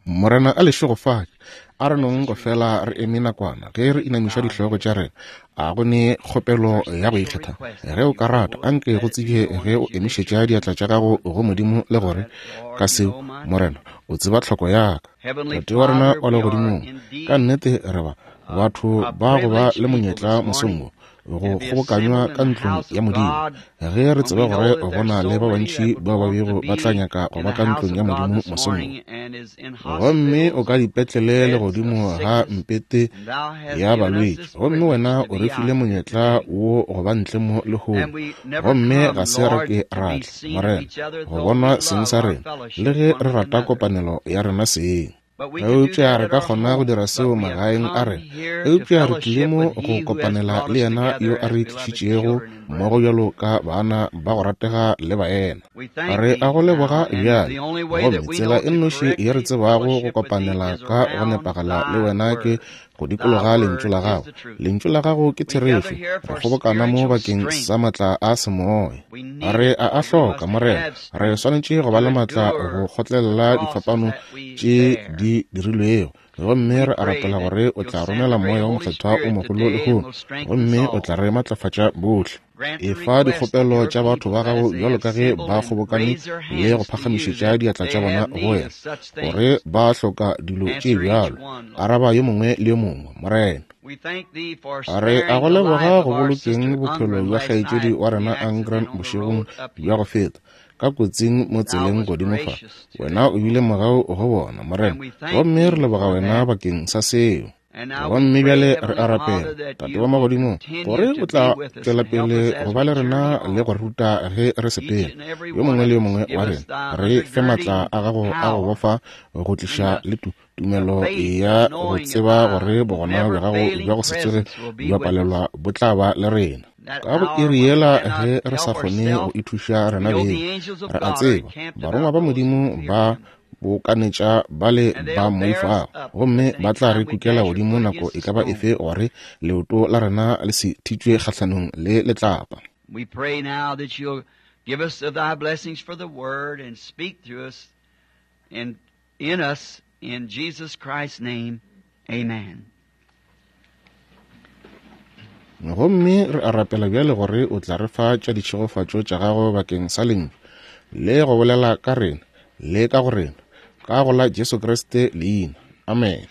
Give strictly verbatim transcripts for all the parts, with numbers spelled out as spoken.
Morena a le šegofatše. A re nong go fela re eme nakwana ge re inamiša dihlogo tša rena. A go ne kgopelo ya go ikgetha. Ge o ka rata, anke go tsebje ge o emišetša diatla tša gago go Modimo le gore ka seo, Morena, o tseba tlhoko ya ka. Tate wa rena wa legodimong, ka nnete re ba batho ba go ba le monyetla mosong wo go kgobokanywa ka ntlong ya Modimo, ge re tseba gore go na le ba bantši bao ba bego ba tla nyaka go ba ka ntlong ya Modimo mosong wo. Gomme o ka dipetlele le godimo ga mpete ya balwetši, gomme wena o re file monyetla wo go ba ntle mo lehono. Gomme ga se re ke ra tla, Morena, go bonwa seng sa rena, le ge re rata kopanelo ya rena seng. Eupša re ka kgona go dira seo magaeng a rena. Eupša re tlile mo go kopanela le yena yo a re tlišitšego mmogo bjalo ka bana ba go ratega le baena. Re a go leboga bjale. Gomme tsela e nnoši ye re tsebago go kopanela ka go nepagala le wena ke go dikologa lentšu la gago. Lentšu la gago ke therešo. Re kgobokana mo bakeng sa matla a semoya. Re a a hloka, Morena. Re swanetše go ba le matla go kgotlelela difapano tše di dirilwego. Gomme re a rapela gore o tla romela Moya wo Mokgethwa o mogolo lehono, gomme o tla re matlafatša bohle. Efa dikgopelo tša batho ba gago bjalo ka ge ba kgobokane le go phagamišetša diatla tša bona go wena, gore ba hloka dilo tše bjalo. Araba yo mongwe le yo mongwe, Morena. Re a go leboga go bolokeng bophelo bja kgaetšedi wa rena Angren bošegong bja go feta, ka kotsing mo tseleng godimo fa. Wena o bile mogau go bona, Morena, gomme re leboga wena bakeng sa seo. Gomme bjale re a rapela, Tate wa magodimo, gore o tla tšwela pele go ba le rena le go ruta ge re sepela. Yo mongwe le yo mongwe wa rena, re fe matla a gago a go bofa go tliša le tumelo ya go tseba gore bogona bja gago bja go se tsoge bja palelwa bo tla ba le rena. Ka go iri yela ge re sa kgone go ithuša rena beng, re a tseba barongwa ba Modimo ba bokanetša ba le ba moifago, gomme ba tla re kukela godimo nako e ka ba efe gore leoto la rena le se thitšwe kgahlanong le letlapa. We pray now that you'll give us of thy blessings for the word and speak through us and in us, in Jesus Christ's name. Amen. Gomme re a rapela bjale gore o tla re fa tša ditšhegofatšo tša gago bakeng sa lentšu le go bolela ka rena le ka go rena, ka go la Jesu Kriste leina. Amen.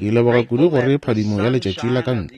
Ke leboga kudu gore phadimo ya letšatši la ka ntle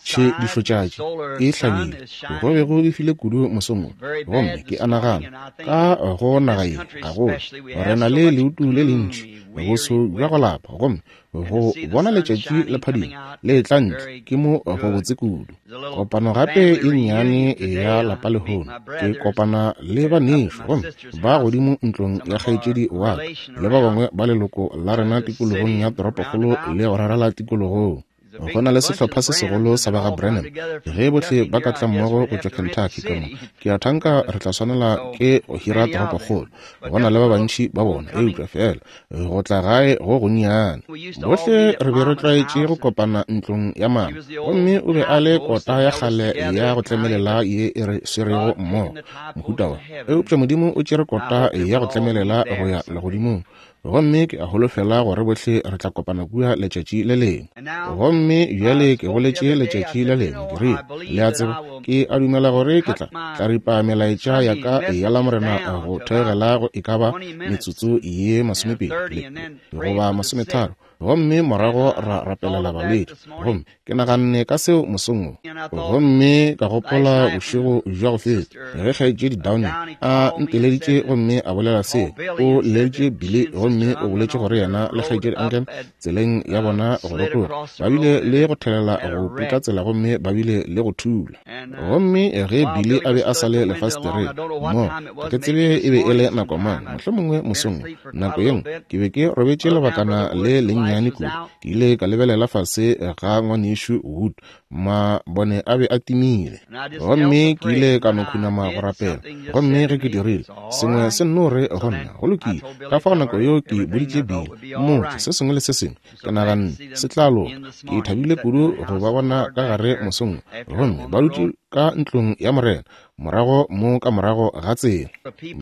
tšhedišotšatši e hlabile. Go be go befile kudu mosong wo, gomme ke a nagana ka go naga ye gagolo re na le leutu le lentši, boso bja go lapa, gomme go bona letšatši le phadimo le tla ntle ke mo go botse kudu. Kopano gape e nnyane ya lapa lehono, ke kopana le banešu gomme ba godimo ntlong ya kgaetšedi wa ka le ba bangwe ba leloko la rena tikologong ya toropokgolo le go rarela tikologong. Go na le sehlopha se segolo sa ba ga Branham. Ge bohle ba ka tla mmogo go tšwa Kentucky ka mo, ke a thanka re tla swanela ke go hira toropokgolo. Go na le ba bantši ba bona, eupša fela go tla gae go gonnyane. Bohle re be re tlwaetše go kopana ntlong ya mama, gomme o be a le kota ya kgale ya go tlemelela ye e re swerego mmogo mohuta wa. Eupša Modimo o tšere kota ya go tlemelela go ya legodimong, gomme ke a holofela gore bohle re tla kopana kua letšatši le lengwe. Gomme bjale ke boletše letšatši le lengwe, ke rile, le a tseba, ke a dumela gore ke tla tla ripa melaetša ya ka ya Lamorena go theogela go e ka ba metsotso ye masomepedi goba masometharo, gomme morago ra rapelela balwetši. Gomme ke naganne ka seo mosong wo, gomme ka gopola bošego bja go feta ge kgaetšedi Downey a nteleditše gomme a bolela seo. O leleditše Billy gomme o boletše gore yena le kgaetšedi Anken tseleng ya bona go rotoga ba bile le go thelela go putla tsela, gomme ba bile le go thula. Gomme ge Billy a be a sa le lefasetereng mo, ga ke tsebe e be e le nako mang, mohlomongwe mosong nako ye nngwe, ke be ke robetše lebakana le lennyane kudu. Ke ile ka lebelela fase ga ngwanešu Wood, mabone a be a timile, gomme ke ile ka no khunama go rapela. Gomme ge ke dirile, sengwe se nno re go nna, go lokile. Ka fao nako yeo ke boditše Bill, mmotse se sengwe le se sengwe, ke naganne se tla loka. Ke thabile kudu go ba bona ka gare mosong, gomme ba dutše ka ntlong ya Morena, morago mo ka morago ga tsela.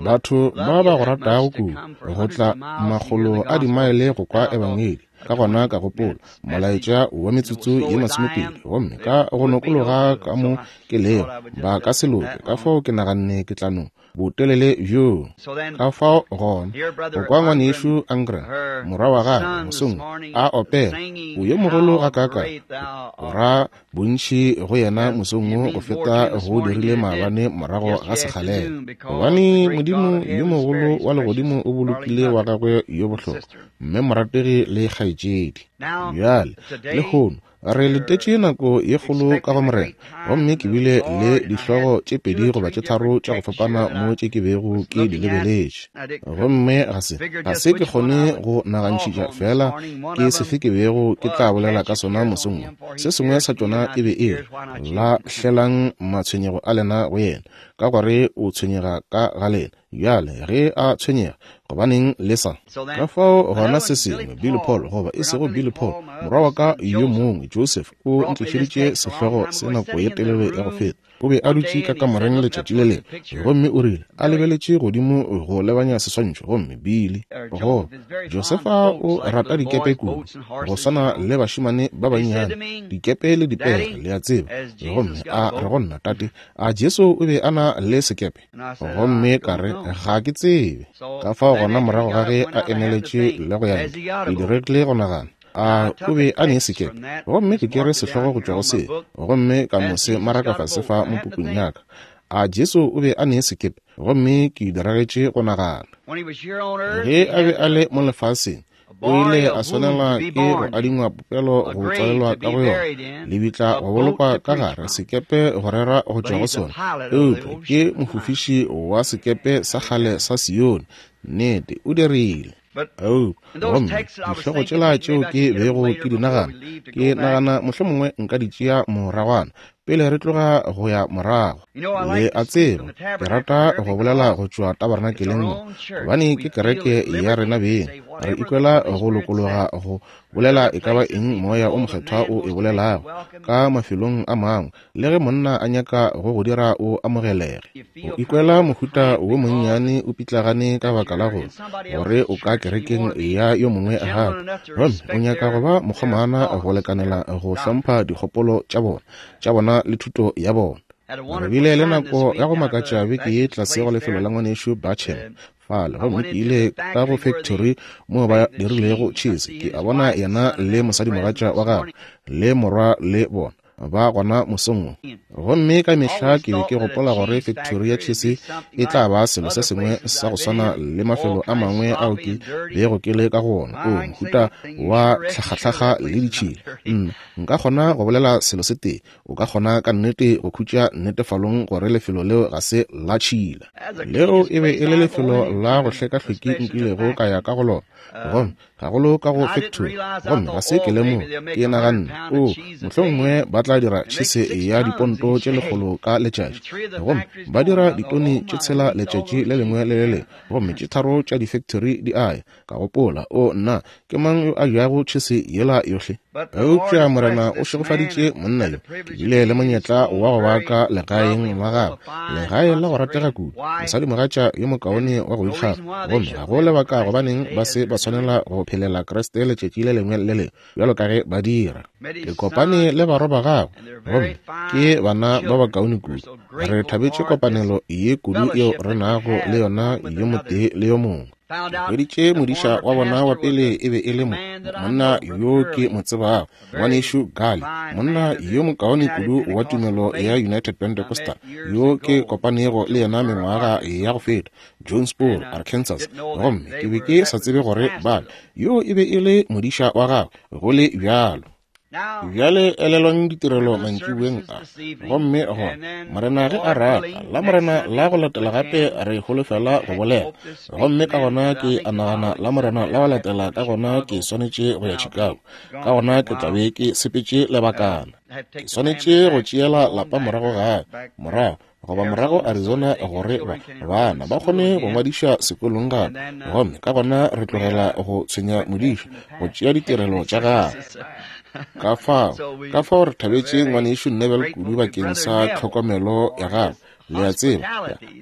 Batho ba ba go ratago kudu, go tla makgolo a dimaele go kwa ebangedi. Ka gona ka gopola molaetša wa metsotso ye masomepedi, gomme ka go nokologa ka mo ke lego, ba ka se loke. Ka fao ke naganne ke tla no botelele bjoo. Ka fao gona go kwa ngwanešu Angra, morwa wa gagwe, mosong a opela, o yo mogolo gakaaka, go ra bontši go yena mosong wo go feta go dirile maabane morago ga sekgalela. Gobane Modimo yo mogolo wa legodimo o bolokile wa gagwe yo bohlokwa, mme morategi le kgaetšedi. Bjale lehono re letetše nako ye kgolo ka go Morena, gomme ke bile le dihlogo tše pedi goba tše tharo tša go fapana mo tše ke bego ke di lebeletše, gomme ga se ga se ke kgone go nagantšhitša fela ke sefe ke bego ke tla bolela ka sona mosong wo. Se sengwe sa tšona e be e re, lahlelang matshwenyego a lena go yena, ka gore o tshwenyega ka ga lena. Bjale ge a tshwenyega, gobaneng le sa? Ka fao gona se sengwe, Billy Paul, goba e sego Billy Paul, morwa wa ka yo mongwe Joseph, o ntlišeditše sehlogo se nako ye telele ya go feta. O be a dutše ka kamoreng letšatši le lengwe, gomme o rile a lebeletše godimo go lebanya seswantšho, gomme Billy, go Josefa o rata dikepe kudu, go swana le bašemane ba bannyane, dikepe le dipere, le a tseba. Gomme a re go nna, tate, a Jesu o be a na le sekepe? Gomme ka re, ga ke tsebe. Ka fao gona morago ga ge a emeletše le go ya ntle, ke diregile go nagana, a o be a ne sekepe? Gomme ke kere sehlogo go tšwa go se, gomme ka no se maraka fase fa mo pukung ya ka. A Jesu o be a ne sekepe? Gomme ke diragetše go nagana. Ge a be a le mo lefaseng, o ile a swanelwa ke go adingwa popelo go tswalelwa ka go yona, lebitla go bolokwa ka gare, sekepe go rera go tšwa go sona. Eupša ke mofofiši wa sekepe sa kgale sa Sione. Nnete, o dirile. Oh, gomme dihlogo tšela tšeo ke bego ke di nagana, ke nagana mohlomongwe nka di tšea moragwana pele re tloga go ya morago. Le a tseba, ke rata go bolela go tšwa tabernakeleng mo, gobane ke kereke ya rena beng. Re ikwela go lokologa go bolela e ka ba eng Moya o Mokgethwa o e bolelago ka mafelong a mangwe, le ge monna a nyaka go go dira o amogelege. O ikwela mohuta wo monnyane o pitlagane ka baka la gore gore o ka kerekeng ya yo mongwe gape, gomme o nyaka go ba mokgomana go lekanela go hlompha dikgopolo tša bona tša bona le thuto ya bona. Re bile le nako ya go makatša beke ye tlase go lefelo la ngwanešu Batchen fale, gomme ke ile ka go factory mo ba dirilego cheese. Ke a bona yena le mosadimogatša wa gagwe le morwa le bona ba gona mosong wo. Gomme ka mehla ke be ke gopola gore factory ya cheese e tla ba selo se sengwe sa go swana le mafelo a mangwe ao ke bego ke le ka go ona, o mohuta wa tlhagatlhaga le ditšhila. Nna nka kgona go bolela selo se tee, o ka kgona ka nnete go khutša nnetefalong gore lefelo leo ga se la tšhila. Leo e be e le lefelo la go hlekahlweki nkilego ka ya ka go lona, gomme gagolo ka go factory, gomme ga se ke lemoge. Ke naganne, o mohlomongwe ba tla dira tšhese ya diponto tše lekgolo ka letšatši, gomme ba dira ditone tše tshela letšatši le lengwe le le lengwe, gomme tše tharo tša di-factory di a ya. Ka gopola, o nna, ke mang yo a jago tšhese yela yohle? Eupša Morena o šegofaditše monna yo. Ke bile le monyetla wa go ba ka legaeng la gagwe, legae la go ratega kudu, mosadimogatša yo mokaone wa go ikgafa, gomme ga go lebaka gobaneng ba se ba swanela go phelela Kriste letšatši le lengwe le lengwe bjalo ka ge ba dira. Ke kopane le barwa ba gagwe, gomme ke bana ba bakaone kudu. Re thabetše kopanelo ye kudu yeo re nago le yona yo motee le yo mongwe. Ke hweditše modiša wa bona wa pele e be e le mo monna yo ke mo tsebago, ngwanešu Gale, monna yo mokaone kudu wa tumelo ya United Pentecostal yo ke kopanego le yena mengwaga ya go feta, Jonesboro, Arkansas. Gomme ke be ke sa tsebe gore bale yo e be e le modiša wa gagwe go le bjalo. Bjale elelwang ditirelo mantšiboeng a, gomme gona Morena ge a rata, la Morena la go latela gape re holofela go bolela. Gomme ka gona ke a nagana la Morena la go latela ka gona ke swanetše go ya Chicago, ka gona ke tla be ke sepetše lebakana. Ke swanetše go tšeela lapa morago gae, morago goba morago Arizona gore ba bana ba kgone go ngwadiša sekolong gape. Gomme ka gona re tlogela go tshwenya modiša go tšea ditirelo tša gagwe. Ka fao, ka fao re thabetše ngwanešu Neville kudu bakeng sa tlhokomelo ya gagwe, le a tseba,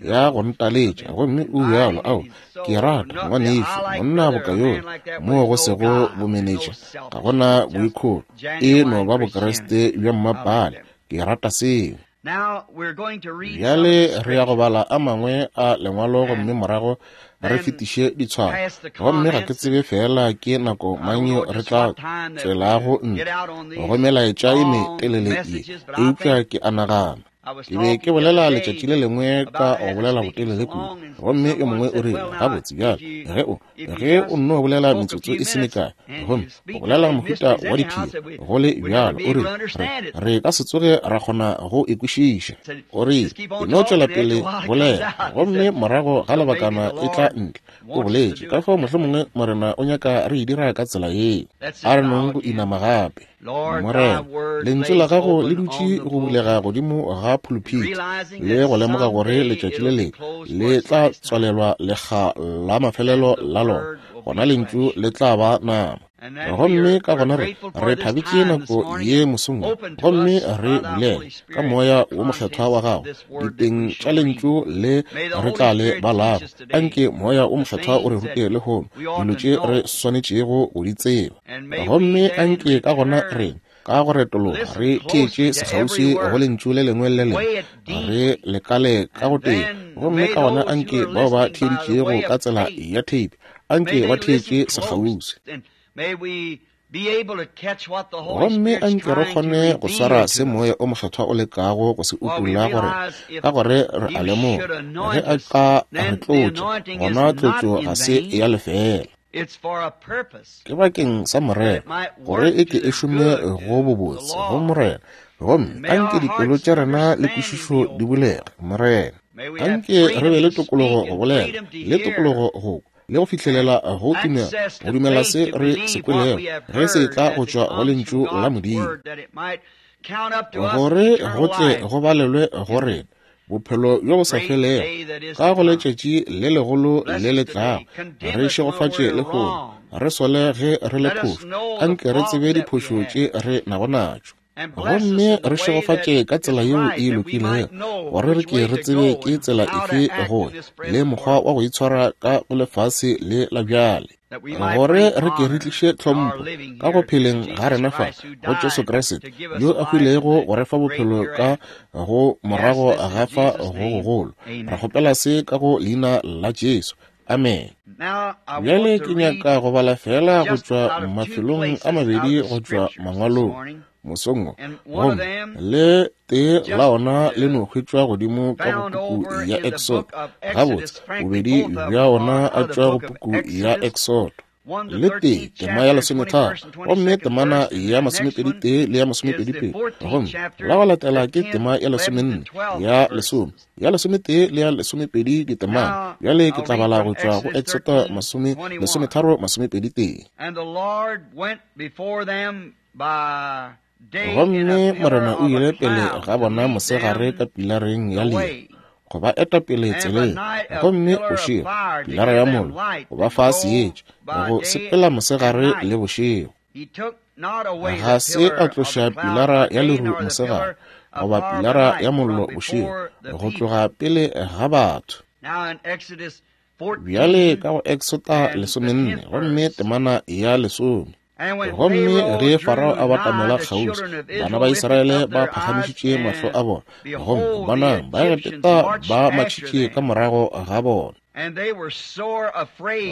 ya go ntaletša. Gomme o bjalo, ao, ke rata ngwanešu, monna boka yola, moo go sego bomenetša, ga gona boikholo, e no ba Bokriste bja mmapale. Ke rata seo. Bjale re ya go bala a mangwe a lengwalo gomme morago re fetiše ditshwaro. Gomme ga ke tsebe fela ke nako mang re tla tswelago ntle go melaetša e metelele ye, eupša ke a nagana. Ke be ke bolela letšatši le lengwe ka go bolela botelele kudu, gomme yo mongwe o rile, gabotse bjale, ge o ge o nno bolela metsotso e se mekae, gomme o bolela mohuta wa diphiri go le bjalo, o rile, re, re ka se tsoge ra kgona go e kwešiša. O rile, e no tšwela pele bolela, gomme morago ga lebakana e tla ntle. O boletše, ka fao mohlomongwe Morena o nyaka re e dira ka tsela yeo. A re nong go inama gape. Morena, lentšu la gago le dutše go bulega godimo ga phuluphiti, le go lemoga gore letšatši le lengwe le tla tswalelwa lekga la mafelelo la lona, gona lentšu le tla ba nama. Gomme ka gona re re thabetše nako ye mosong, gomme re bulele ka moya wo mokgethwa wa gago diteng tša lentšu le re tla le balago. Anke moya wo mokgethwa o re rute lehono dilo tše re swanetšego go di tseba. Gomme anke ka gona re ka go retologa re theetše sekgauswi go lentšu le lengwe le lengwe, re lekale ka go tee. Gomme ka gona anke bao ba theeditšego ka tsela ya tape, anke ba theetše sekgauswi. Gomme anke re kgone go swara se moya o mokgethwa o lekago go se utolla gore ka gore re a lemoga ge a ka re tlotša, gona tlotšo ga se ya lefela. Ke bakeng sa Morena, gore e ke e šome go bobotse go Morena. Gomme anke dipelo tša rena le kwešišo di bulege, Morena. Anke re be le tokologo go bolela, le tokologo go le go fihlelela go tumela, go dumela se re se kwelego ge se tla go tšwa go lentšu la Modimo, gore go tle go balelwe go rena bophelo bjo bo sa felego ka go letšatši le legolo le le tlago. Re šegofatše lehono, re sole ge re le phošo, anke re tsebe diphošo tše re nago natšo. Gomme re šegofatše ka tsela yeo e lokilego, gore re ke re tsebe ke tsela efe go le mokgwa wa go itshwara ka go lefase le la bjale, gore re ke re tliše tlhompho ka go pheleng ga rena fa go Jesu Kriste yo a hwilego go re fa bophelo ka go morago ga fa go gogolo. Re kgopela se ka go leina la Jesu. Amen. Bjale ke nyaka go bala fela go tšwa mafelong a mabedi go tšwa mangwalong mosong wo, gomme le tee la ona le no hwetšwa godimo ka go puku ya Exodo. Gabotse, bobedi bja ona a tšwa go puku ya Exodo. Le tee tema ya lesometharo, gomme temana ya masomepedi tee le ya masomepedi pedi. Gomme la go latela ke tema ya lesomenne, ya lesome, ya lesometee le ya lesomepedi ditemana. Bjale ke tla bala go tšwa go Exodo masome lesometharo masomepedi tee. Gomme Morena o ile pele ga bona mosegare ka pilareng ya leru go ba eta pele tseleng, gomme bošego pilara ya mollo go ba fa seetša go sepela mosegare le bošego. Ga se a tloša pilara ya leru mosegare goba pilara ya mollo bošego go tloga pele ga batho. Bjale ka go Exoda lesomenne gomme temana ya lesome. Gomme ge Farao a batamela kgauswi, bana ba Israele ba phagamišitše mahlo a bona, gomme bonang, Baegepeta ba matšhitše ka morago ga bona.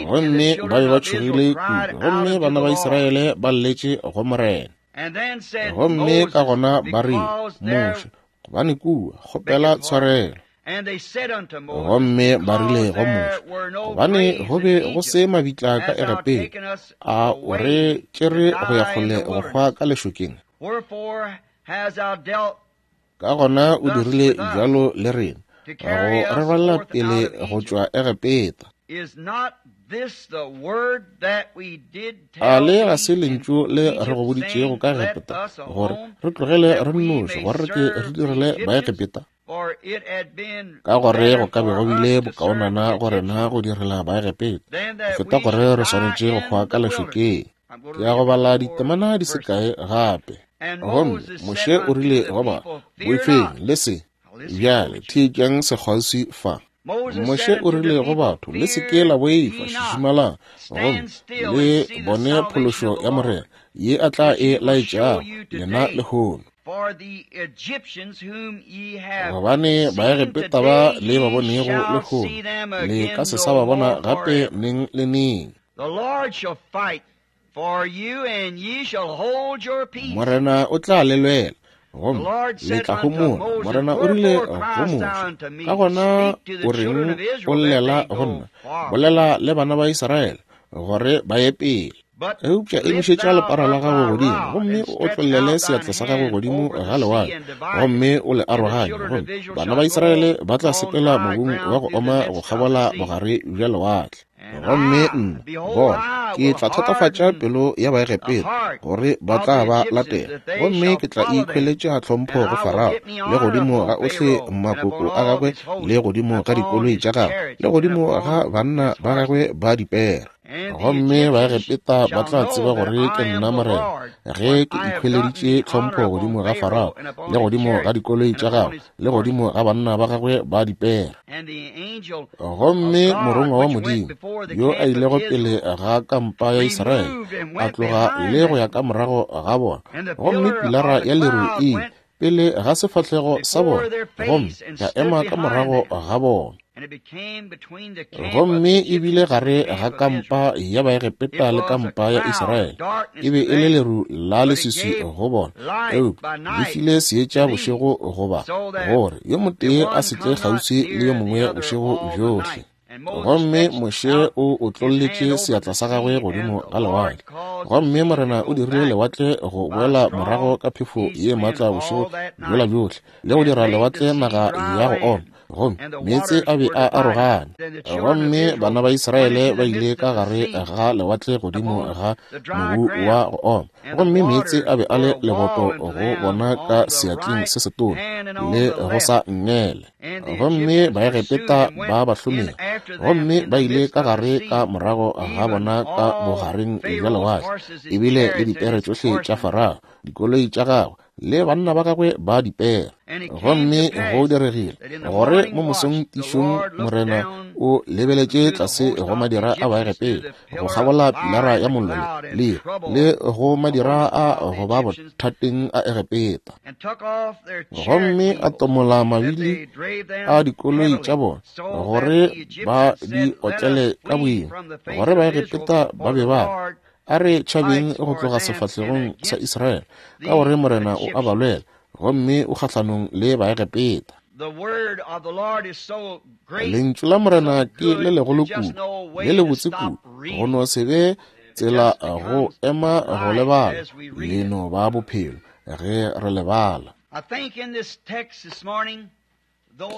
Gomme ba be ba tšhogile kudu, gomme bana ba Israele ba lletše go Morena. Gomme ka gona ba rile, Moshe, gobane kua kgopela tshwarelo. Gomme ba rile go Moshe, gobane go be go se mabitla ka Egepeta, a o re tšere go ya kgole go hwa ka lešokeng? Ka gona o dirile bjalo le rena, go re rwalela pele go tšwa Egepeta. A le ga se lentšu le re go boditšego ka Egepeta, gore re tlogele re nnoši, gore re ke re direle Baegepeta? Ka gore go ka be go bile bokaonana go rena go direla Baegepeta go feta gore re swanetše go hwa ka lešokeng. Ke ya go bala ditemana di se kae gape. Gomme Moshe o rile go ba, boifeng le se. Bjale theetšang sekgauswi fa. Moshe o rile go batho, le se ke la boifa, šišimalang, gomme le bone phološo ya Morena ye a tla e laetšago lena lehono. Gobane Baegepeta ba le ba bonego lehono, le ka se sa ba bona gape neng le neng. Morena o tla le lwela, gomme le tla homola. Morena o rile go Moshe, ka gona o reng o llela go nna? Bolela le bana ba Israele gore ba ye pele. Eupša emišetša lepara la gago godimo, gomme o otlollele seatla sa gago godimo ga lewatle, gomme o le aroganye, gomme bana ba Israele ba tla sepela mobung wa go oma go kgabola bogare bja lewatle. Gomme nna, bona, ke tla thatafatša pelo ya Baegepeta gore ba tla ba latela, gomme ke tla ikhweletša tlhompho go Farao le godimo ga ohle makoko a gagwe le godimo ga dikoloi tša gagwe le godimo ga banna ba gagwe ba dipere. Gomme Baegepeta ba tla tseba gore ke nna Morena ge ke ikhweleditše tlhompho godimo ga Farao le godimo ga dikoloi tša gagwe le godimo ga banna ba gagwe ba dipere. Gomme morongwa wa Modimo yo a ilego pele ga kampa ya Israele a tloga le go ya ka morago ga bona, gomme pilara ya leru e pele ga sefahlego sa bona, gomme ya ema ka morago ga bona. Gomme e bile gare ga kampa ya Baegepeta le kampa ya Israele, e be e le leru la leswiswi go bona, eupša le file seetša bošego goba gore yo motee a se tle kgauswi le yo mongwe bošego bjohle. Gomme Moshe o otlolletše seatla sa gagwe godimo ga lewatle, gomme Morena o dirile lewatle go boela morago ka phefo ye maatla bošego bjola bjohle, le go dira lewatle naga ya go oma, gomme meetse a be a arogane. Gomme bana ba Israele ba ile ka gare ga lewatle godimo ga mobu wa go oma, gomme meetse a be a le leboto go bona ka seatleng se setona le go sa nngele. Gomme Baegepeta ba ba hlomela, gomme ba ile ka gare ka morago ga bona ka bogareng bja lewatle, ebile le dipere tšohle tša Farao, dikoloi tša gagwe le banna ba gagwe ba dipere. Gomme go diregile gore mo mosong tišong Morena o lebeletše tlase go madira a Baegepeta go kgabola pilara ya mollo le le go madira a go ba bothateng a Egepeta, gomme a tomola mabili a dikoloi tša bona gore ba di otlele ka boima, gore Baegepeta ba be ba a re tšhabeng go tloga sefahlegong sa Israele, ka gore Morena o a ba lwela, gomme o kgahlanong le Baegepeta. Lentšu la Morena ke le legolo kudu, le le botse kudu, go no se be tsela go ema go lebala, le no ba bophelo ge re lebala.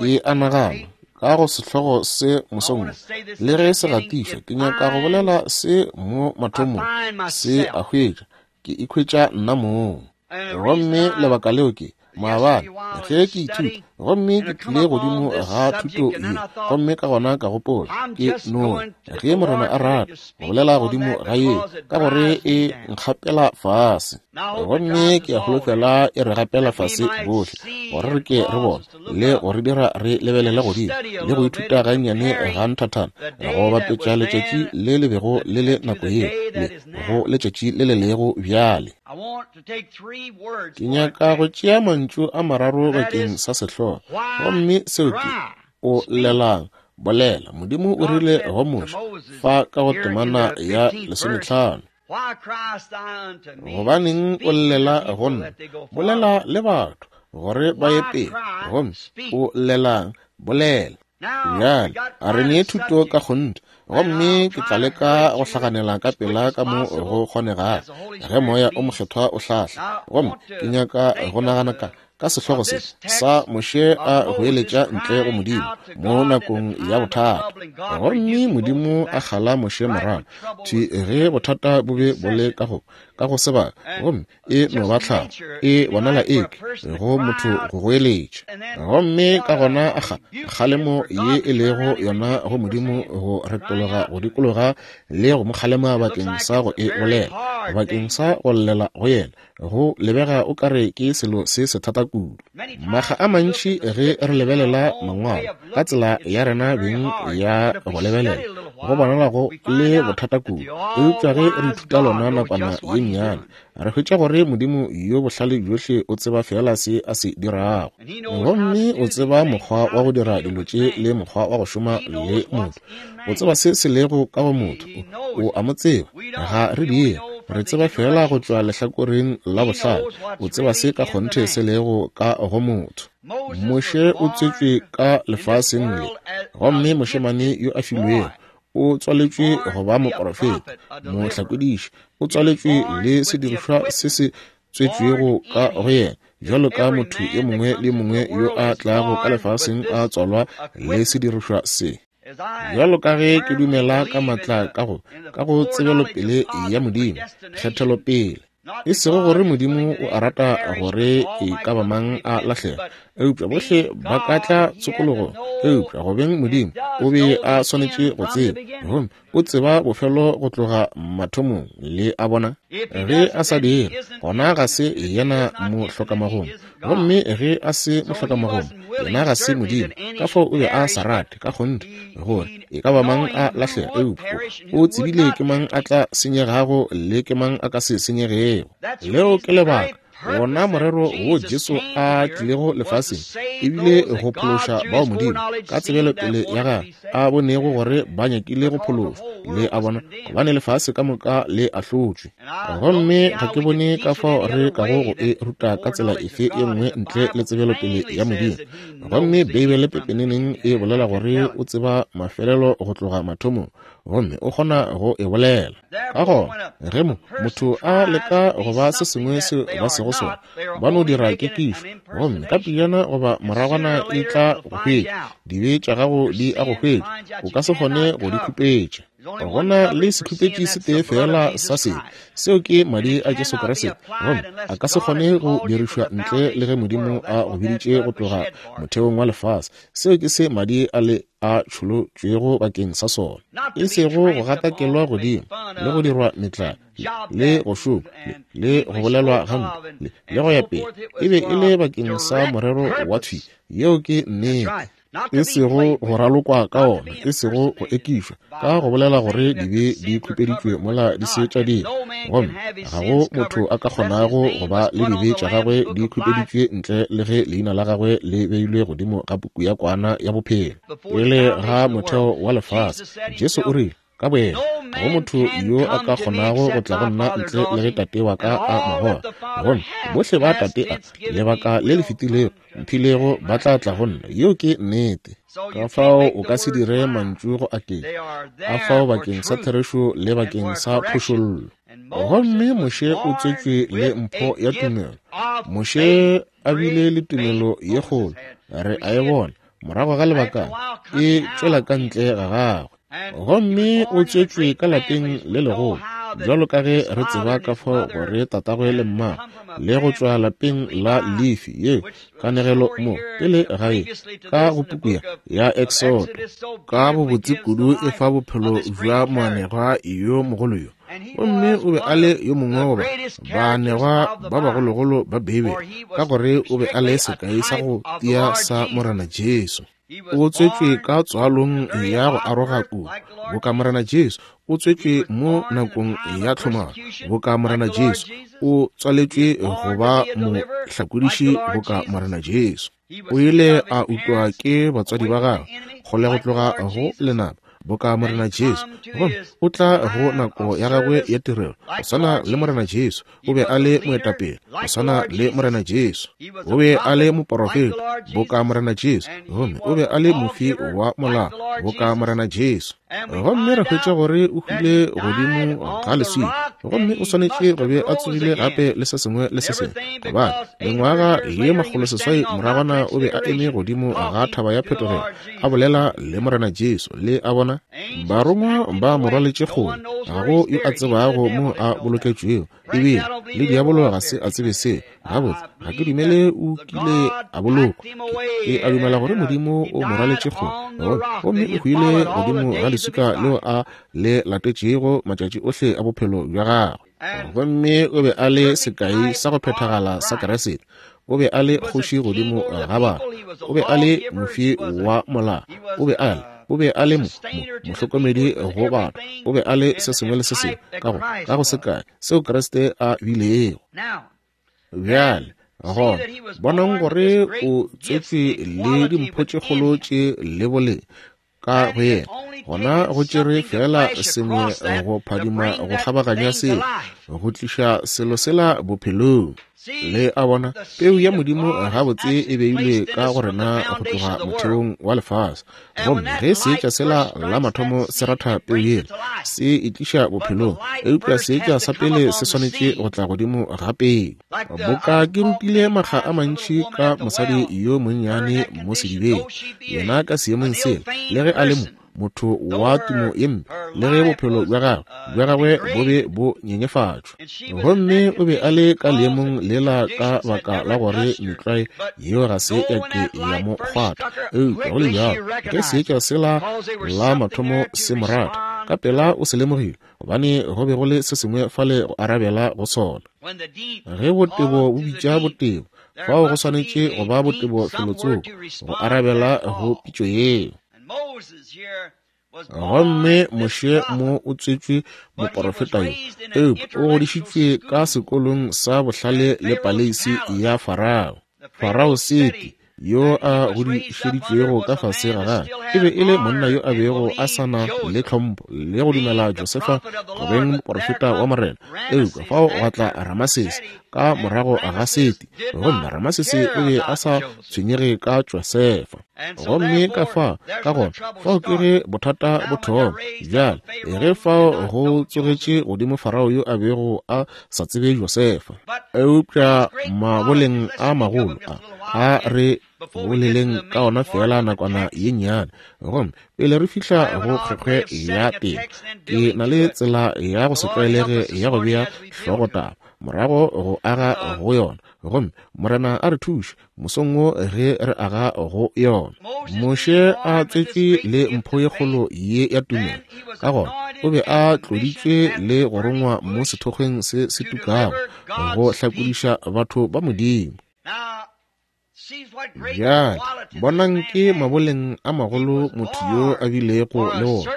Ke a nagana ka go sehlogo se mosong, le ge se gatišwa, ke nyaka go bolela se mo mathomong, se a hwetša, ke ikhwetša nna mong. Gomme lebaka leo ke maabane ge ke ithuta, gomme ke tlile godimo ga thuto ye, gomme ka gona ka gopola ke no ge Morena a rata go bolela godimo ga ye, ka gore e nkgapela fase, gomme ke a holofela e re gapela fase bohle, gore re ke re bone le go re dira re lebelele godimo le go ithuta gannyane ga nthathana go bapetša letšatši le le bego le le nako yeo le go letšatši le le lego bjale. Ke nyaka go tšea mantšu a mararo bakeng sa sehlogo, gomme seo ke o llelang, bolela. Modimo o rile go Moshe fa ka go temana ya lesometlhano, gobaneng o llela go nna? Bolela le batho gore ba ye pele. Gomme o llelang, bolela. Bjale a re nee thuto ka kgonthe, gomme ke tla leka go hlaganela ka pela ka mo go kgonegago ge Moya o Mokgethwa o hlahla. Gomme ke nyaka go nagana ka ka sehlogo se sa Moshe a goeletša ntle go Modimo mo nakong ya bothata. Gomme Modimo a kgala Moshe morago thwi ge bothata bo be bo le ka go ka go sebaka, gomme e no ba tlhago e bonala eke go motho go goeletša. Gomme ka gona a kgalemo ye e lego yona go Modimo go retologa go dikologa le go mo kgalema bakeng sa go e bolela, bakeng sa go llela go yena. Go lebega o kare ke selo se se thata kudu. Makga a mantši ge re lebelela mangwalo ka tsela ya rena beng ya go lebelela, go bonala go le bothata kudu. Eupša ge re ithuta lona nakwana ye nnyane, re hwetša gore Modimo yo bohlale bjohle o tseba fela se a se dirago, gomme o tseba mokgwa wa go dira dilo tše le mokgwa wa go šoma le motho. O tseba se se lego ka go motho, o a mo tseba. Ga re dire, re tseba fela go tšwa lehlakoreng la bohlale. O tseba se ka kgonthe se lego ka go motho. Moshe o tswetšwe ka lefaseng le, gomme mošemane yo a filwego o tswaletšwe go ba moprofeta, mohlakodiši. O tswaletšwe le sedirišwa se se tswetšwego ka go yena, bjalo ka motho yo mongwe le mongwe yo a tlago ka lefaseng a tswalwa le sedirišwa se. Bjalo ka ge ke dumela ka matla ka go ka go tsebelopele ya Modimo, kgethelopele, e sego gore Modimo o a rata gore e ka ba mang a lahlega, eupša bohle ba ka tla tshokologong. Eupša go beng Modimo o be a swanetše go tseba, gomme o tseba bofelo go tloga mathomong. Le a bona, ge a sa dire, gona ga se yena mohlokamagong, gomme ge a se mohlokamagong, yena ga se Modimo. Ka fao o be a sa rate ka kgonthe gore e ka ba mang a lahlega, eupša o tsebile ke mang a tla senyegago le ke mang a ka se senyegego. Leo ke lebaka wona morero wo Jesu a tlilego lefaseng, ebile go phološa bao Modimo ka tsebelopele ya gagwe a bonego gore ba nyakile go phološwa. Le a bona, gobane lefase ka moka le ahlotšwe. Gomme ga ke bone ka fao re kago go e ruta ka tsela efe ye nngwe ntle le tsebelopele ya Modimo. Gomme Beibele pepeneneng e bolela gore o tseba mafelelo go tloga mathomong, gomme o kgona go e bolela. Ka gona ge mo motho a leka go ba se sengwe se ba sego sona, ba no dira kekišo, gomme ka pejana goba moragwana e tla go hwetša. Dibe tša gago di a go hwetša, o ka se kgone go di khupetša. Gona le sekhupetši se tee fela sa sebe, seo ke madi a Jesu Kriste, gomme a ka se kgone go dirišwa ntle le ge Modimo a go biditše go tloga motheong wa lefase. Seo ke se madi a le a tšholotšwego bakeng sa sona, e sego go gatakelwa godimo le go dirwa metlae le go šoma le go bolelwa gampe le go ya pele. E be e le bakeng sa morero wa thwi. Yeo ke nnete. E sego go ralokwa ka ona, e sego go ekišwa ka go bolela gore dibe di khupeditšwe mola di se tša dira, gomme ga go motho a ka kgonago go ba le dibe tša gagwe di khupeditšwe ntle le ge leina la gagwe le beilwe godimo ga puku ya kwana ya bophelo pele ga motheo wa lefase. Jesu o rile ka boyena, ga go motho yo a ka kgonago go tla go nna ntle le ge Tate wa ka a mo goga. Gomme bohle ba Tate a lebaka le le fetilego mphilego ba tla tla go nna. Yeo ke nnete. Ka fao o ka se dire mantšu go aketša a fao bakeng sa therešo le bakeng sa phošollo. Gomme Moshe o tswetšwe le mpho ya tumelo. Moshe a bile le tumelo ye kgolo, re a e bona morago ga lebakana e tšwela ka ntle ga gagwe. Gomme o tswetšwe ka lapeng le legolo, bjalo ka ge re tseba ka fao gore tatagwe le mmagwe, le go tšwa lapeng la Lefi, yeo kanegelo mo pele ga e ka go puku ya Exodo ka bobotse kudu e fa bophelo bja moanegwa yo mogolo yo. Gomme o be a le yo mongwe goba baanegwa ba bagologolo ba Beibele, ka gore o be a le sekai sa go tia sa Morena Jesu. O tswetšwe ka tswalong ya go aroga kudu, boka Morena Jesu. O tswetšwe mo nakong ya tlhomaro, boka Morena Jesu. O tswaletšwe go ba mohlakodiši, boka Morena Jesu. O ile a utwa ke batswadi ba gagwe kgole go tloga go lenaba, boka Morena Jesu. Gomme o tla go nako ya gagwe ya tirelo, go swana le Morena Jesu. O be a le moetapele, go swana le Morena Jesu. O be a le moporofeta, boka Morena Jesu. Gomme o be a le mofi wa molao, boka Morena Jesu. Gomme re hwetša gore o hwile godimo ga leswika, Gomme o swanetše go be a tsogile gape le se sengwe le se sengwe, gobane mengwaga ye makgolo seswai moragwana o be a eme godimo ga thaba ya phetogelo a bolela le Morena Jesu. Le a bona, barongwa ba mo rwaletše kgole, ga go yo a tsebago mo a boloketšwego, ebile le diabolo ga se a tsebe seo. Gabotse, ga ke dumele o kile a bolokwa. Ke a dumela gore Modimo o mo rwaletše kgole, gomme o hwile godimo ga leswika leo a le latetšego matšatši ohle a bophelo bja gagwe. Gomme o be a le sekai sa go phethagala sa Kriste. O be a le kgoši godimo ga batho, o be a le mofi wa molao, o be a le o be a le mo mohlokomedi go batho, o be a le se sengwe le se sengwe ka go ka go sekai seo Kriste a bilego. Bjale gona bonang gore o tswetšwe le dimpho tše kgolo tše le boleng ka go yena. Gona go tšere fela sengwe go phadima go kgabaganya selo, go tliša selo sela bophelong. Le a bona, peu ya Modimo gabotse e beilwe ka go rena go tloga motheong wa lefase. Gomme ge seetša sela la mathomo se ratha peu yela, se e tliša bophelong, eupša seetša sa pele se swanetše go tla godimo ga peu. Boka ke rutile makga a mantši ka mosadi yo monnyane mo sedibeng, yena ka seemong sela, le ge a le mo motho wa tumo ye mpe, le ge bophelo bja gagwe bja gagwe bo be bo nyenyefatšwa. Gomme o be a le ka leemong lela ka baka la gore metlwae yeo ga se ya ke ya mo kgwatha. Eupša go le bjalo, ge seetša sela la mathomo se mo rata, ka pela o se lemogile, gobane go be go le se sengwe fale go arabela go sona. Ge botebo bo bitša botebo, fao go swanetše go ba botebo felotsoko go arabela go pitšo yeo. Gomme Moshe mo o tswetšwe moporofeta yo, eupša o godišitšwe ka sekolong sa bohlale le paleisi ya Farao. Farao Seti yo a godišeditšwego ka fase ga gagwe e be e le monna yo a bego a sa na le tlhompho le go dumela Josefa go beng moporofeta wa Morena. Eupša fao gwa tla Ramasese ka morago ga Seti, gomme Ramasese o be a sa tshwenyege ka Josefa. Gomme ka fa ka gona fao ke ge bothata bo thoma. Bjale ge fao go tsogetše godimo Farao yo a bego a sa tsebe Josefa, eupša maboleng a magolo a a re boleleng ka ona fela nakwana ye nnyane. Gomme pele re fihla go kgwekgwe ya temo, ke na le tsela ya go se tlwaelege ya go bea hlogotaba morago go aga go yona. Gomme Morena a re thuše mosong wo ge re aga go yona. Moshe a tswetšwe le mpho ye kgolo ye ya tumelo, ka gona o be a tloditšwe le go rongwa mo sethokgweng se se tukago go hlakodiša batho ba Modimo. Bjale bonang ke maboleng a magolo motho yo a bilego le wona.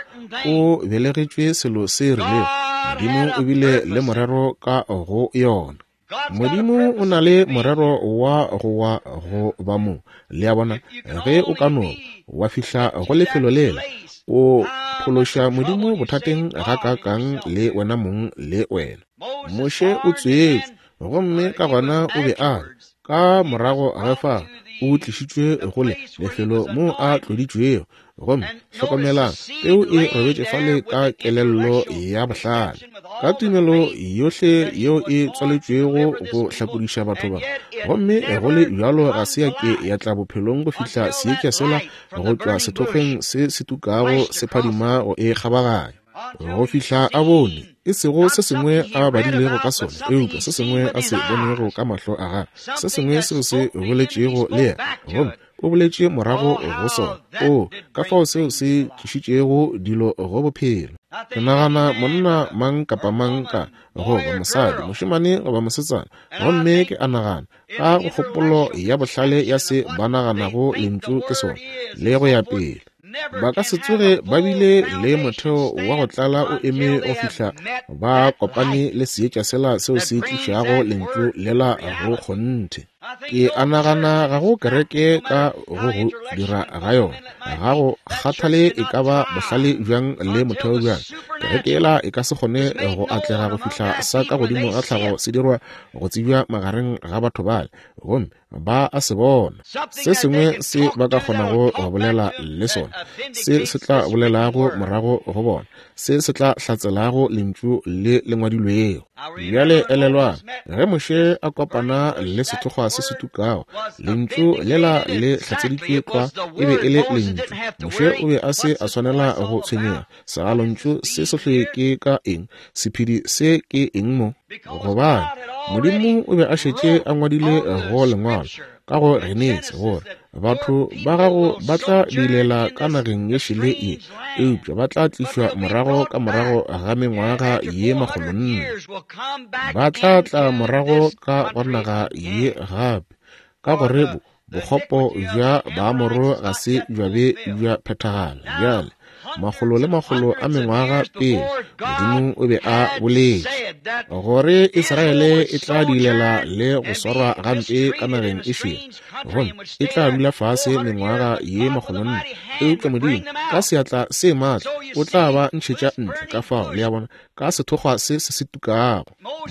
O belegetšwe selo se rilego, Modimo o bile le morero ka go yona. Modimo o na le morero wa go wa go ba mo. Le a bona, ge o ka no wa fihla go lefelo lela, o phološa Modimo bothateng gakaakang le wena mong le wena. Moshe o tswetšwe, gomme ka gona o be a ka morago ga fa o tlišitšwe go le lefelo mo a tloditšwego. Gomme hlokomelang, peu e robetše fale ka kelello ya bohlale, ka tumelo yohle yeo e tswaletšwego go hlakodiša batho ba. Gomme go le bjalo ga se ya ke ya tla bophelong go fihla seetša sela go tšwa sethokgweng se se tukago se phadima go e kgabaganya, go fihla a bone e sego se sengwe a badilego ka sona, eupša se sengwe a se bonego ka mahlo a gagwe, se sengwe seo se boletšego le yena. Gomme o boletše morago go sona. O ka fao seo se tlišitšego dilo go bophelo. Ke nagana monna mang kapa mang ka goba mosadi, mošemane goba mosetsana, gomme ke a nagana ka go kgopolo ya bohlale ya se ba naganago lentšu ke sona le go ya pele, ba ka se tsoge ba bile le motheo wa go tlala o eme go fihla ba kopane le seetša sela seo se tlišago lentšu lela go kgonthe. Ke a nagana ga go kereke ka go go dira ga yona, ga go kgathale e ka ba bohlale bjang le motheo bjang, kereke ela e ka se kgone go atlega go fihla sa ka godimo ga tlhago se dirwa go tsebja magareng ga batho bale. gomme ba a se bona. Se sengwe se ba ka kgonago go bolela le sona, se se tla bolelago morago go bona, se se tla hlatselago lentšu le le ngwadilwego. Bjale elelwang, ge Moshe a kopana le sethokgwa se se tukago, lentšu lela le hlatseditšwe tlwa e be e le lentšu. Moshe o be a se a swanela go tshwenyega. Segalontšu se sohle ke ka eng? Sephedi se ke eng mo? Gobane Modimo o be a šetše a ngwadile go lengwalo ka go Genesi gore batho ba gago ba tla diilela ka nageng ye šele ye, eupša ba tla tlišwa morago ka morago ga mengwaga ye makgolo nne. Ba tla tla morago ka go naga ye gape, ka gore bokgopo bja Baamoro ga se bja be bja phethagala. Bjale makgolo le makgolo a mengwaga pele, Modimo o be a boletše gore Israele e tla diilela le go swarwa gampe ka nageng e šele, gomme e tla dula fase mengwaga ye makgolo nne. Eupša Modimo ka seatla se maatla o tla ba ntšhetša ntle. Ka fao, le a bona, ka sethokgwa se se se tukago.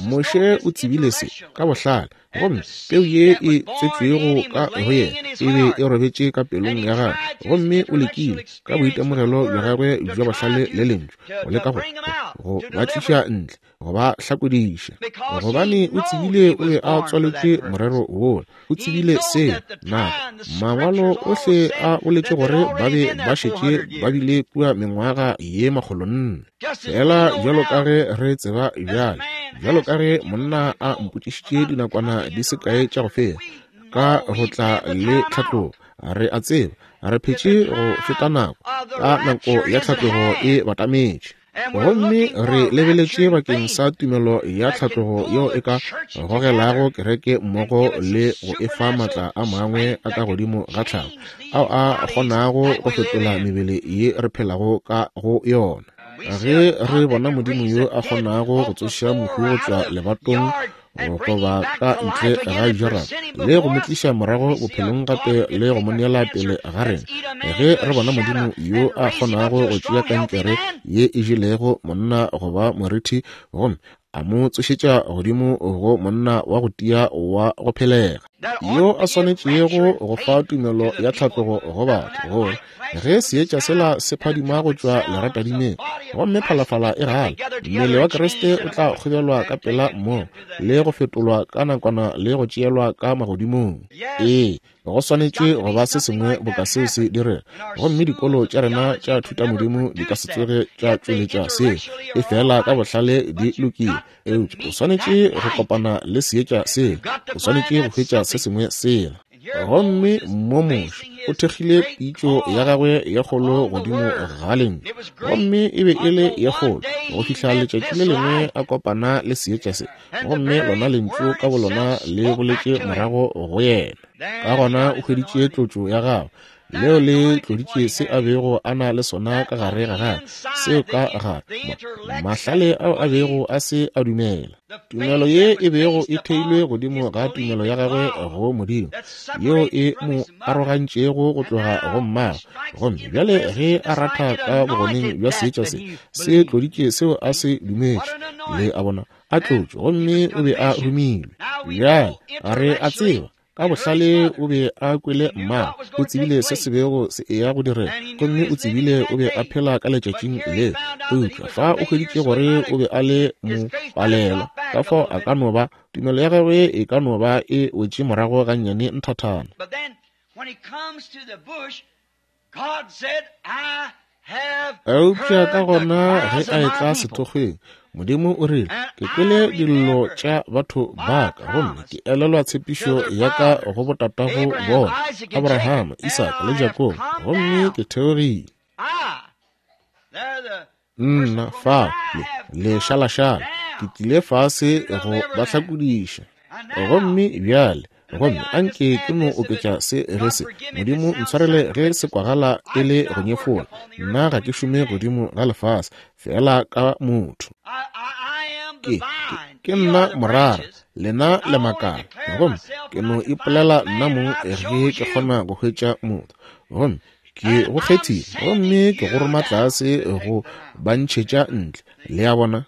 Moshe o tsebile se ka bohlale, gomme peu ye e tswetšwego ka go yena e be e robetše ka pelong ya gagwe, gomme o lekile ka boitemogelo bja gagwe bja bohlale le lentšu go leka go go ba tliša ntle, go ba hlakodiša, gobane o tsebile o be a tswaletšwe morero wola. O tsebile seo. Nako mangwalo ohle a boletše gore ba be ba šetše ba bile kua mengwaga ye makgolo nne. Fela bjalo ka ge re tseba bjale, bjalo ka ge monna a mpotšišitše dinakwana di se kae tša go feta ka go tla le tlhatlogo, re a tseba re phetše go feta nako, ka nako ya tlhatlogo e batametše. Gomme re lebeletše bakeng sa tumelo ya tlhatlogo yeo e ka gogelago kereke mmogo le go e fa maatla a mangwe a ka godimo ga tlhago, ao a kgonago go fetola mebele ye re phelago ka go yona. Ge re bona Modimo yo a kgonago go tsoša mohu go tšwa lebatong goba ka ntle ga jarata le go mo tliša morago bophelong gape le go mo neela pele ga rena, ge re bona Modimo yo a kgonago go tšea kankere ye e jelego monna goba morithi gomme a mo tsošetša godimo go monna wa go tia wa go phelega, yo a swanetšego go fa tumelo ya tlhatlogo go batho, gore ge seetša sela se phadima go tšwa leratadimeng gomme phalafala e gala, mmele wa Kriste o tla kgobelwa ka pela mmogo le go fetolwa ka nakwana le go tšeelwa ka magodimong. Ee, go swanetše go ba se sengwe boka seo se direga, gomme dikolo tša rena tša thutamodimo di ka se tsoge tša tšweletša seo, e fela ka bohlale di lokile. Eupša o swanetše go kopana le seetša sela, o swanetše go hwetša se sengwe sela. Gomme mo Moshe o thekgile pitšo ya gagwe ye kgolo godimo ga lentšu, gomme e be e le ye kgolo go fihla letšatši le lengwe a kopana le seetša se, gomme lona lentšu ka bolona le boletše morago go yena. Ka gona o hweditše tlotšo ya gagwe, leo le tloditše se a bego a na le sona ka gare ga gagwe, seo ka gare mahlale ao a bego a se a dumela. Tumelo ye e bego e theilwe godimo ga tumelo ya gagwe go Modimo, yeo e mo arogantšego go tloga go mmagwe, gomme bjale ge a ratha ka bogoneng bja seetša se, se tloditše seo a se dumetše. Le a bona, a tlotšwe, gomme o be a romilwe. Bjale re a tseba ka bohlale o be a kwele mmagwe, o tsebile se se bego se eya go direga, gomme o tsebile o be a phela ka letšatšing leo. Eupša fa o hweditše gore o be a le mopalelwa, ka fao a ka no ba tumelo ya gagwe e ka no ba e wetše morago gannyane nthathana. Eupša ka gona ge a etla sethokgweng, Modimo o rile, ke kwele dillo tša batho ba ka, gomme ke elelwa tshepišo ya ka go botatago bona, Abrahama, Isaka le Jakobo, gomme ke theogile. Nna fa le lešalašala, ke tlile fase go ba hlakodiša. Gomme bjale, gomme anke ke no oketša se ge se, Modimo ntshwarele ge se kwagala e le go nyefola. Nna ga ke šome godimo ga lefase, fela ka motho. Ke, ke, ke nna morara, lena le makala, gomme ke no ipolela nna mong ge ke kgona go hwetša motho. Gomme ke go kgethile, gomme ke go roma tlase go ba ntšhetša ntle. Le a bona?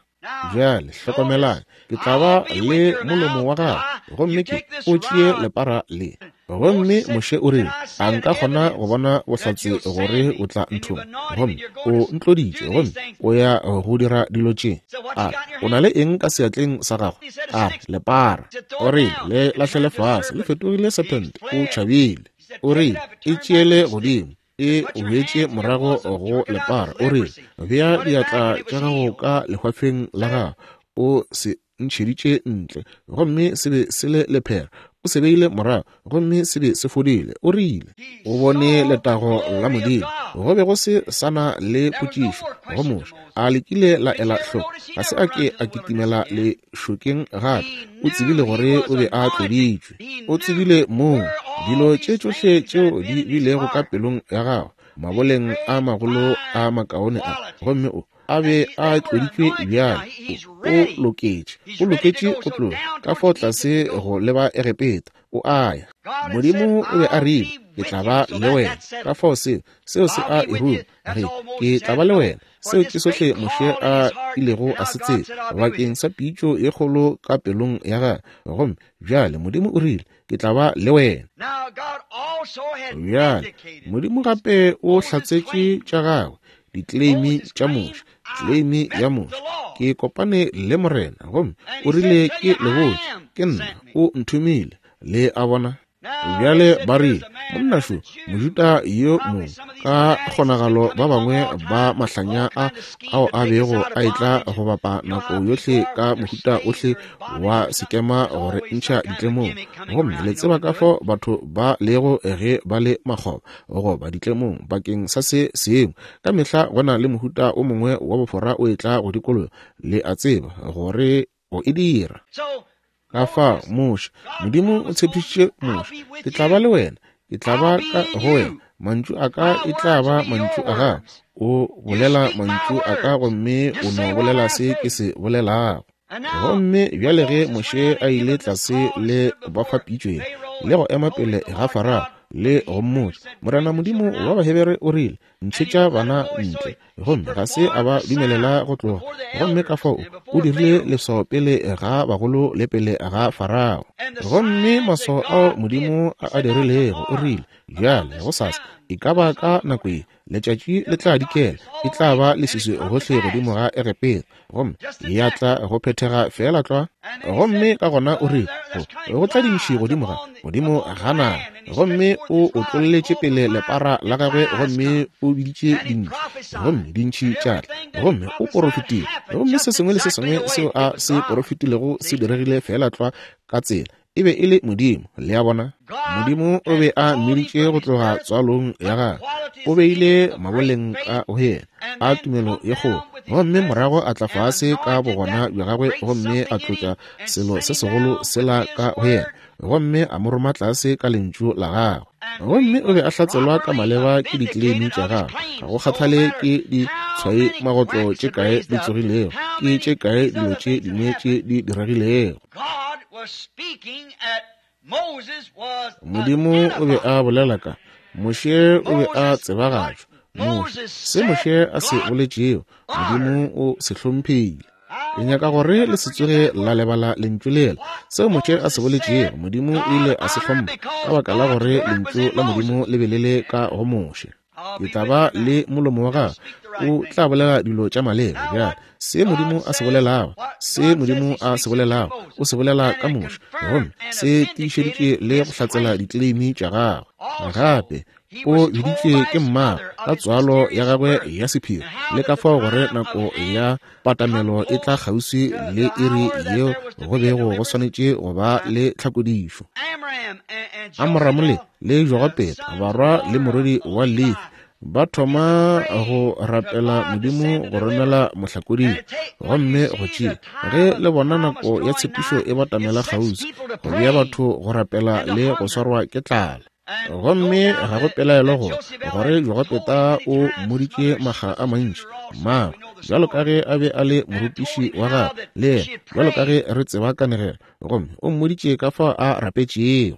Bjale hlokomelang, ke tla ba le molomo wa gago, gomme ke o tšee lepara le. Gomme Moshe o rile, a nka kgona go bona bohlatse gore o tla nthoma? Gomme o ntloditše, gomme o ya go dira dilo tše. A o na le eng ka seatleng sa gago? A re, lepara. O rile, le lahlele fase, le fetogile serpent. O tšhabile. O rile, e tšeele godimo, e boetše morago go lepara. O rile, bea diatla tša gago ka lehwafeng la gago. O se ntšheditše ntle, gomme se be se le lephera. O se beile morago, gomme se be se fodile. O rile, o bone letago la Modimo. Go be go se sana le potšišo go Moshe. A lekile la ela hloko, ga se a ke a kitimela lešokeng gape. O tsebile gore o be a tloditšwe. O tsebile moo dilo tše tšohle tšeo di bilego ka pelong ya gagwe, maboleng a magolo a makaone a, gomme o a be a tloditšwe bjale. O loketše, o loketše go tloga ka fao tlase go leba Egepeta. O a ya. Modimo o be a rile, ke tla ba le wena. Ka fao seo, seo se a e ruma, re, ke tla ba le wena. Seo ke sohle Moshe a ilego a se tseba bakeng sa pitšo ye kgolo ka pelong ya gagwe. Gomme bjale Modimo o rile, ke tla ba le wena. Bjale Modimo gape o hlatsetše tša gagwe, dikleimi tša Moshe, kleimi ya Moshe. Ke kopane le Morena, gomme o rile ke le botše, ke nna, o nthomile. Le a bona? Bjale ba rile, monna šo, Mojuda yo mongwe, ka kgonagalo ba bangwe ba mahlanya a ao a bego a etla go bapa nako yohle ka mohuta ohle wa sekema gore ntšha ditlemong. Gomme le tseba ka fao batho ba lego ge ba le makgoba goba ditlemong bakeng sa se sengwe. Ka mehla go na le mohuta o mongwe wa bofora o etla go dikologa. Le a tseba gore o e dira. Ka fao Moshe, Modimo o tshepišitše Moshe, ke tla ba le wena, ke tla ba ka go wena, mantšu a ka e tla ba mantšu a gago. O bolela mantšu a ka, gomme o no bolela se ke se bolelago. Gomme bjale ge Moshe a ile tlase le ba fa pitšo ye, le go ema pele ga Farao le go mmotša, Morena Modimo wa Bahebere o rile, ntšhetša bana ntle. Gomme ga se a ba dumelela go tloga. Gomme ka fao o dirile leswao pele ga bagolo le pele ga Farao. Gomme maswao ao Modimo a a dirilego, o rile, bjale gosasa e ka ba ka nako ye, letšatši le tla dikela, e tla ba leswiswi gohle godimo ga Egepeta, gomme ya tla go phethega feela tlwa. Gomme ka gona o rile, go tla dintšhi godimo ga godimo ga naga. Gomme o otlolletše pele lepara la gagwe, gomme o biditše dintšhi, gomme dintšhi tša tla. Gomme o porofetile, gomme se sengwe le se sengwe seo a se porofetilego se diregile feela tlwa ka tsela. E be e le Modimo. Le a bona? Modimo o be a mmiditše go tloga tswalong ya gagwe, o beile maboleng a go yena a tumelo ye kgolo, gomme morago a tla fase ka bogona bja gagwe, gomme a tlotša selo se segolo sela ka go yena, gomme a mo roma tlase ka lentšu la gagwe. Gomme o be a hlatselwa ka maleba ke dikleimi tša gagwe. Ga go kgathale ke ditshwai magotlo tše kae di tsogilego, ke tše kae dilo tše dingwe tše di diregilego. Modimo o be a bolela ka Moshe, o be a tsebagatšwa. Moshe, se Moshe a se boletšego, Modimo o se hlomphile. Ke nyaka gore le se tsoge la lebala lentšu lela. Seo Moshe a se boletšego, Modimo o ile a se hlompha, ka baka la gore lentšu la Modimo le be le le ka go Moshe. Ke tla ba le molomo wa gago, o tla bolela dilo tša maleba. Bjale se Modimo a se bolelago, se Modimo a se bolelago, o se bolela ka Moshe, gomme se tiišeditše le go hlatsela dikleimi tša gagwe. Gape o biditšwe ke mmagwe ka tswalo ya gagwe ya sephiri, le ka fao gore nako ya patamelo e tla kgauswi le iri yeo go bego go swanetše go ba le tlhakodišo. Amoramo le le Jogopeta, barwa le morwedi wa Lefi, ba thoma go rapela Modimo go romela mohlakodi. Gomme go tšea ge le bona nako ya tshepišo e batamela kgauswi, go bea batho go rapela le go swarwa ke tlala. Gomme ga go pelaelo gore gore Jogopeta o mmoditše makga a mantši mmagwe, bjalo ka ge a be a le morutiši wa gagwe, le yena bjalo ka ge re tseba kanegelo. Gomme o mmoditše ka fao a rapetšego.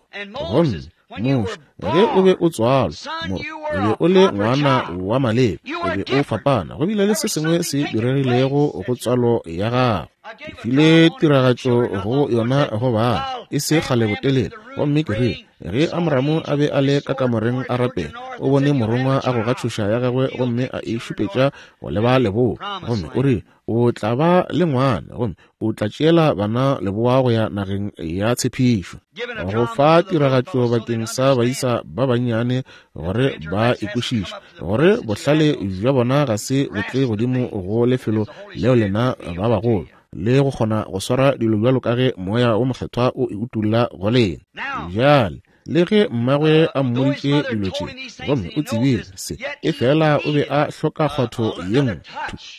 Gomme Moshe, ge o be o tswalwa, mo, o be o le ngwana wa maleba, o be o fapana. Go bile le se sengwe se diregilego go tswalo ya gago. Ke file tiragatšo go yona go ba e se kgale botelele, gomme ke rile ge Amramu a be a le ka kamoreng a rapela, o bone morongwa a goga tšhoša ya gagwe gomme a e šupetša go leba leboa, gomme o rile o tla ba le ngwana gomme o tla tšeela bana leboa go ya nageng ya tshepišo. Go fa tiragatšo bakeng sa baisa ba bannyane gore ba ikwešiše gore bohlale bja bona ga se bo tle godimo go lefelo leo lena ba bagolo le go kgona go swara dilo bjalo ka ge moya wo mokgethwa o e utolla go lena. Bjale le ge mmagwe a mmoditše dilo tše gomme o tsebile se, efela o be a hloka kgwatho ye nngwe.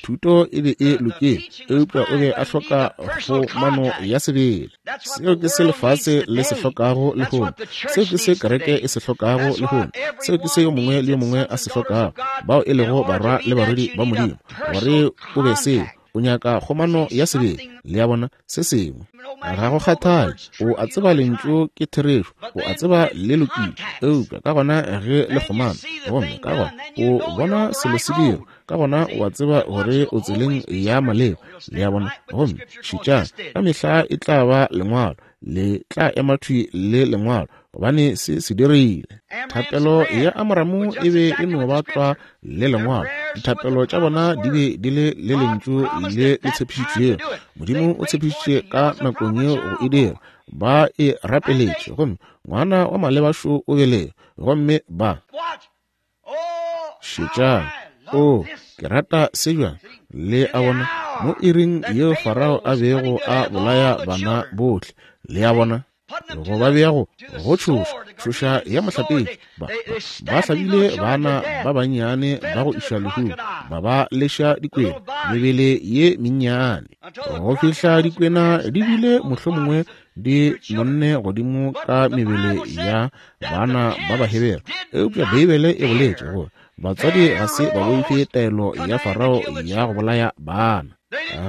Thuto e be e lokile, eupša o be a hloka kgomano ya sebele. Seo ke se lefase le se hlokago lehono. Seo ke se kereke e se hlokago lehono. Seo ke se yo mongwe le yo mongwe a se hlokago, bao e lego barwa le barwedi ba Modimo. Gore o be seo, o nyaka kgomano ya sebele. Le a bona, se sengwe. Ga go kgathale, o a tseba lentšu ke therešo, o a tseba le lokile, eupša ka gona ge le kgomana, gomme ka gona o bona selo se dira, ka gona o a tseba gore o tseleng ya maleba. Le a bona, gomme šetšang, ka mehla e tla ba lengwalo, le tla ema thwi le lengwalo, gobane se se dirile. Thapelo ya Amramu e be e no ba tlwa le lengwalo. Dithapelo tša bona di be di le le lentšu le le tshepišitšwego. Modimo o tshepišitše ka nakong yeo go e dira. Ba e rapeletše, gomme ngwana wa malebašo o belege, gomme ba šetšang. O, ke rata se bjang. Le a bona, mo iring yeo Farao a bego a bolaya bana bohle. Le a bona, go ba bea go go tšhoša, tšhoša ya mohlapetši. Ba, ba hlabile bana ba bannyane ba go iša lehung, ba ba leša dikwena, mebele ye mennyane, go fihla dikwena di bile mohlomongwe di nonne godimo ka mebele ya bana ba Bahebere. Eupša Beibele e boletše gore batswadi ga se ba boife taelo ya Farao ya go bolaya bana.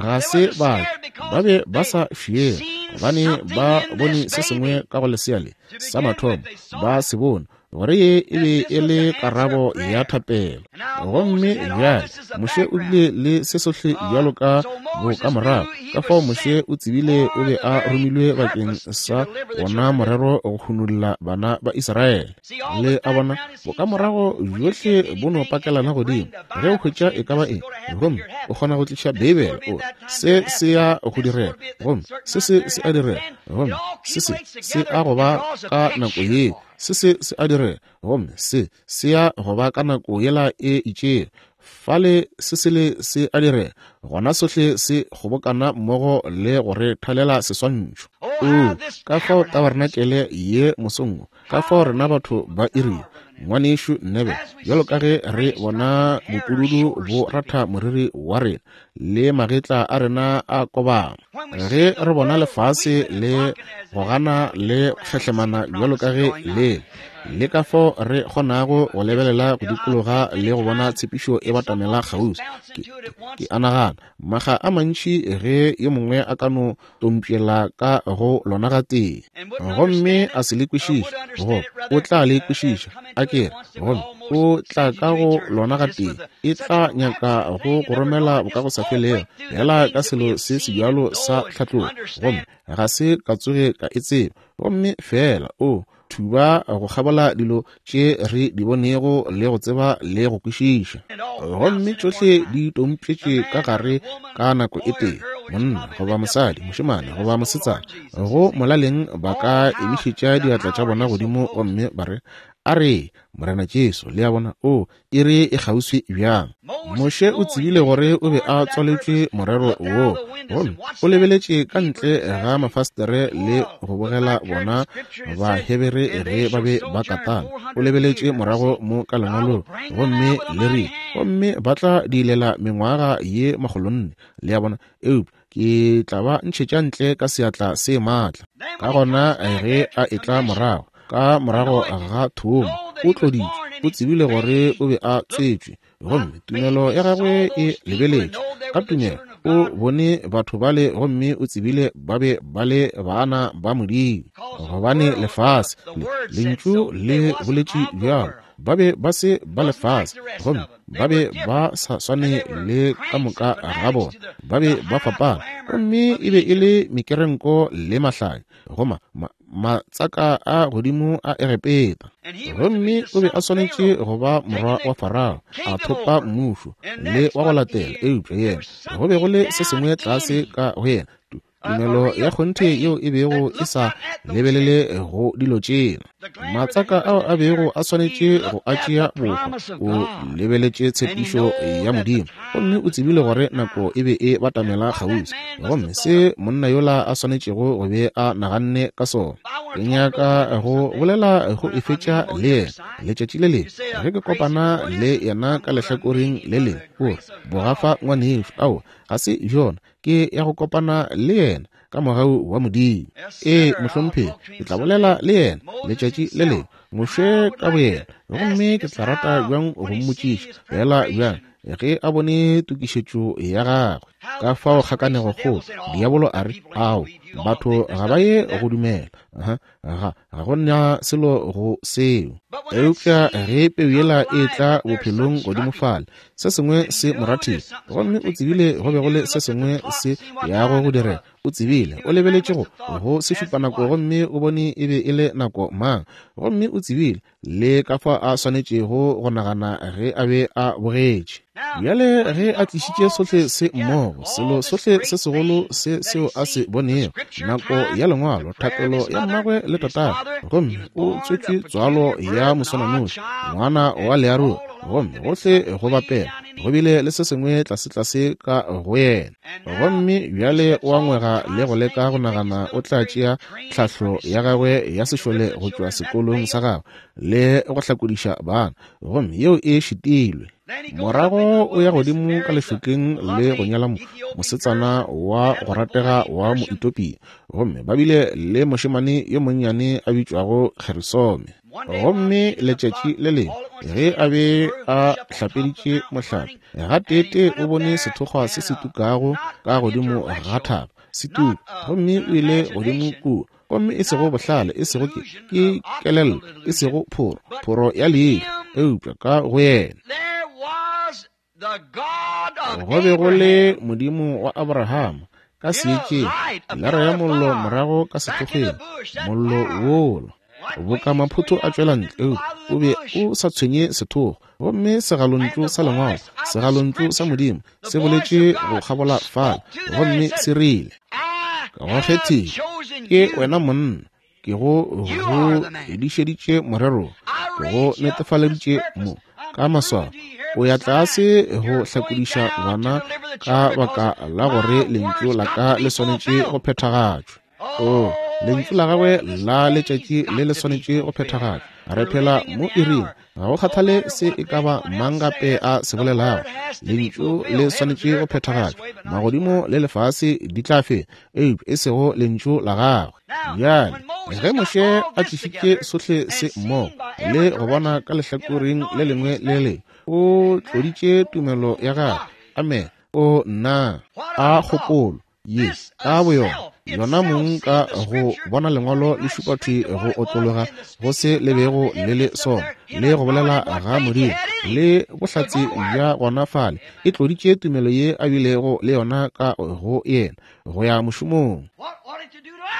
Ga se ba ba be ba sa fiele, gobane ba bone se sengwe ka go lesea le sa mathomo, ba se bone gore ye e be e le karabo ya thapelo. Gomme bjale Moshe o bile le se sohle bjalo ka bokamorago. Ka fao Moshe o tsebile o be a romilwe bakeng sa wona morero go hunolla bana ba Israele. Le a bona, bokamorago bjohle bo no pakelana godimo. Ge o hwetša e ka ba eng, gomme o kgona go tliša Beibele, o se se ya go direga, gomme se se se a direga, gomme se se se a go ba ka nako ye, se se se a direga, gomme se se ya go ba ka nako yela e itšego. Fale se sele se a direga, gona sohle se kgobokana mmogo le go re thalela seswantšho. O, ka fao tabarnakele ye mosong wo, ka fao rena batho ba irile, ngwanešu Nebe, bjalo ka ge re bona bopududu bo ratha moriri wa rena le magetla a rena a kobama, ge re bona lefase le gogana le kgehlemana bjalo ka ge le le ka fao re kgonago go lebelela go dikologa le go bona tshepišo e batamela kgauswi. Ke, ke a nagana maga a mantši ge yo mongwe a ka no tompšela ka go lona gatee, gomme a se le kwešiše, goba o tla le kwešiša a kere, gomme o tla ka go lona gatee, e tla nyaka go go romela bokagosafelego fela ka selo se sebjalo sa tlhatlogo, gomme ga se ka tsoge ka e tseba. Gomme fela o thuba go kgabola dilo tše re di bonego le go tseba le go kwešiša, gomme tšohle di tompšetše ka gare ka nako e tee. Monna goba mosadi, mošemane goba mosetsana, go molaleng ba ka emišetša diatla tša bona godimo gomme ba re, a re, Morena Jesu. Le a bona, o iri e kgauswi bjang. Moshe o tsebile gore o be a tswaletšwe morero wo, gomme o lebeletše ka ntle ga mafastere le go bogela bona Bahebere ge ba be ba katana. O lebeletše morago mo ka lengwalong, gomme le rile, gomme ba tla diilela mengwaga ye makgolonne. Le a bona, eupša ke tla ba ntšhetša ntle ka seatla se maatla. Ka gona ge a etla morago, ka morago ga thomo, o tloditšwe, o tsebile gore o be a tswetšwe, gomme tumelo ya gagwe e lebeletše. Ka tumelo O bone batho bale gomme o tsebile ba be ba le bana ba Modimo, gobane lefase le, lentšu le boletše bjalo, ba be ba se ba lefase, gomme ba be ba sa swane le ka moka ga bona, ba be ba fapana, gomme e be e le mekerenko le mahlanya, goma ma, matsaka a godimo a Egepeta. Gomme o be a swanetše go ba morwa wa Farao, a thopa mmušo le wa go latela, eupša yena go be go le se sengwe tlase ka go yena, tumelo ya kgonthe yeo e bego e sa lebelele go dilo tšela. Matsaka ao a bego a swanetše go a tšea bohwa, o lebeletše tshepišo ya Modimo, gomme o tsebile gore nako e be e batamela kgauswi, gomme se monna yola a swanetšego go be a naganne ka sona. Ke nyaka go bolela go e fetša le yena letšatši le lengwe ge ke kopana le yena ka lehlakoreng le lengwe. O re, bogafa ngwanešo, ao ga se bjona, ke ya go kopana le yena ka mogau wa Modimo. Ee, mohlomphegi, ke tla bolela le yena letšatši le lengwe, Moshe ka boyena, gomme ke tla rata bjang go mmotšiša fela bjang ge a bone tokišetšo ya gagwe. Ka fao kgakanego kgolo, diabolo a re, ao, batho ga ba ye go dumela, ga ga go na selo go seo. Eupša ge peu yela e tla bophelong godimo fale, se sengwe se morathile, gomme o tsebile go be go le se sengwe se yago go direga. O tsebile, o lebeletše go go se šupa nako, gomme o bone e be e le nako mang, gomme o tsebile le ka fa a swanetšego go nagana ge a be a bogetše. Bjale ge a tlišitše sohle se mmogo, selo sohle se segolo se seo a se bonego, nako ya lengwalo, thapelo ya mmagwe le tatagwe, gomme o tswetšwe tswalo ya moswananoši, ngwana wa learogi, gomme gohle go bapela go bile le se sengwe tlasetlase ka go yena. Gomme bjale o a ngwega le go leka go nagana o tla tšea tlhahlo ya gagwe ya sešole go tšwa sekolong sa gagwe le go hlakodiša bana, gomme yeo e šitilwe. Morago o ya godimo ka lešokeng le go nyala mosetsana wa go ratega wa Moetopia, gomme ba bile le mošemane yo monnyane a bitšwago Gerisome. Gomme letšatši le lengwe ge a be a hlapeditše mohlape, gateetee o bone sethokgwa se se tukago ka godimo ga thaba se tuka, gomme o ile godimo kua, gomme e sego bohlale, e sego ke ke kelello, e sego phoro, phoro ya leihlo, eupša ka go yena go be go le Modimo wa Abrahama ka seetšeng, lara ya mollo morago ka sethokgweng, mollo wola boka maphotho a tšwela ntle, eupša o be o sa tshwenye sethokgwa. Gomme segalontšu sa lengwalo, segalontšu sa Modimo se boletše go kgabola fale, gomme se rile, ka go kgethile ke wena monna, ke go go edišeditše morero, ke go netefaleditše mo ka maswao, o ya tlase go hlakodiša bana ka baka la gore lentšu la ka le swanetše go phethagatšwa. O, lentšu la gagwe la letšatši le le swanetše go phethagatšwa. Re phela mo iring, ga go kgathale se e ka ba mang gape a se bolelago, lentšu le swanetše go phethagatšwa. Magodimo le lefase di tla fela, eupša e sego lentšu la gagwe. Bjale ge Moshe a tlišitše sohle se mmogo le go bona ka lehlakoreng le lengwe le lengwe, o tloditše tumelo ya gagwe. Amen. O nna a kgopolo ye ka boyona, yona mong ka go bona lengwalo le šupa thwi go otlologa go se le bego le le sona, le go bolela ga Modimo le bohlatse bja gona fale, e tloditše tumelo ye a bilego le yona ka go yena go ya mošomong.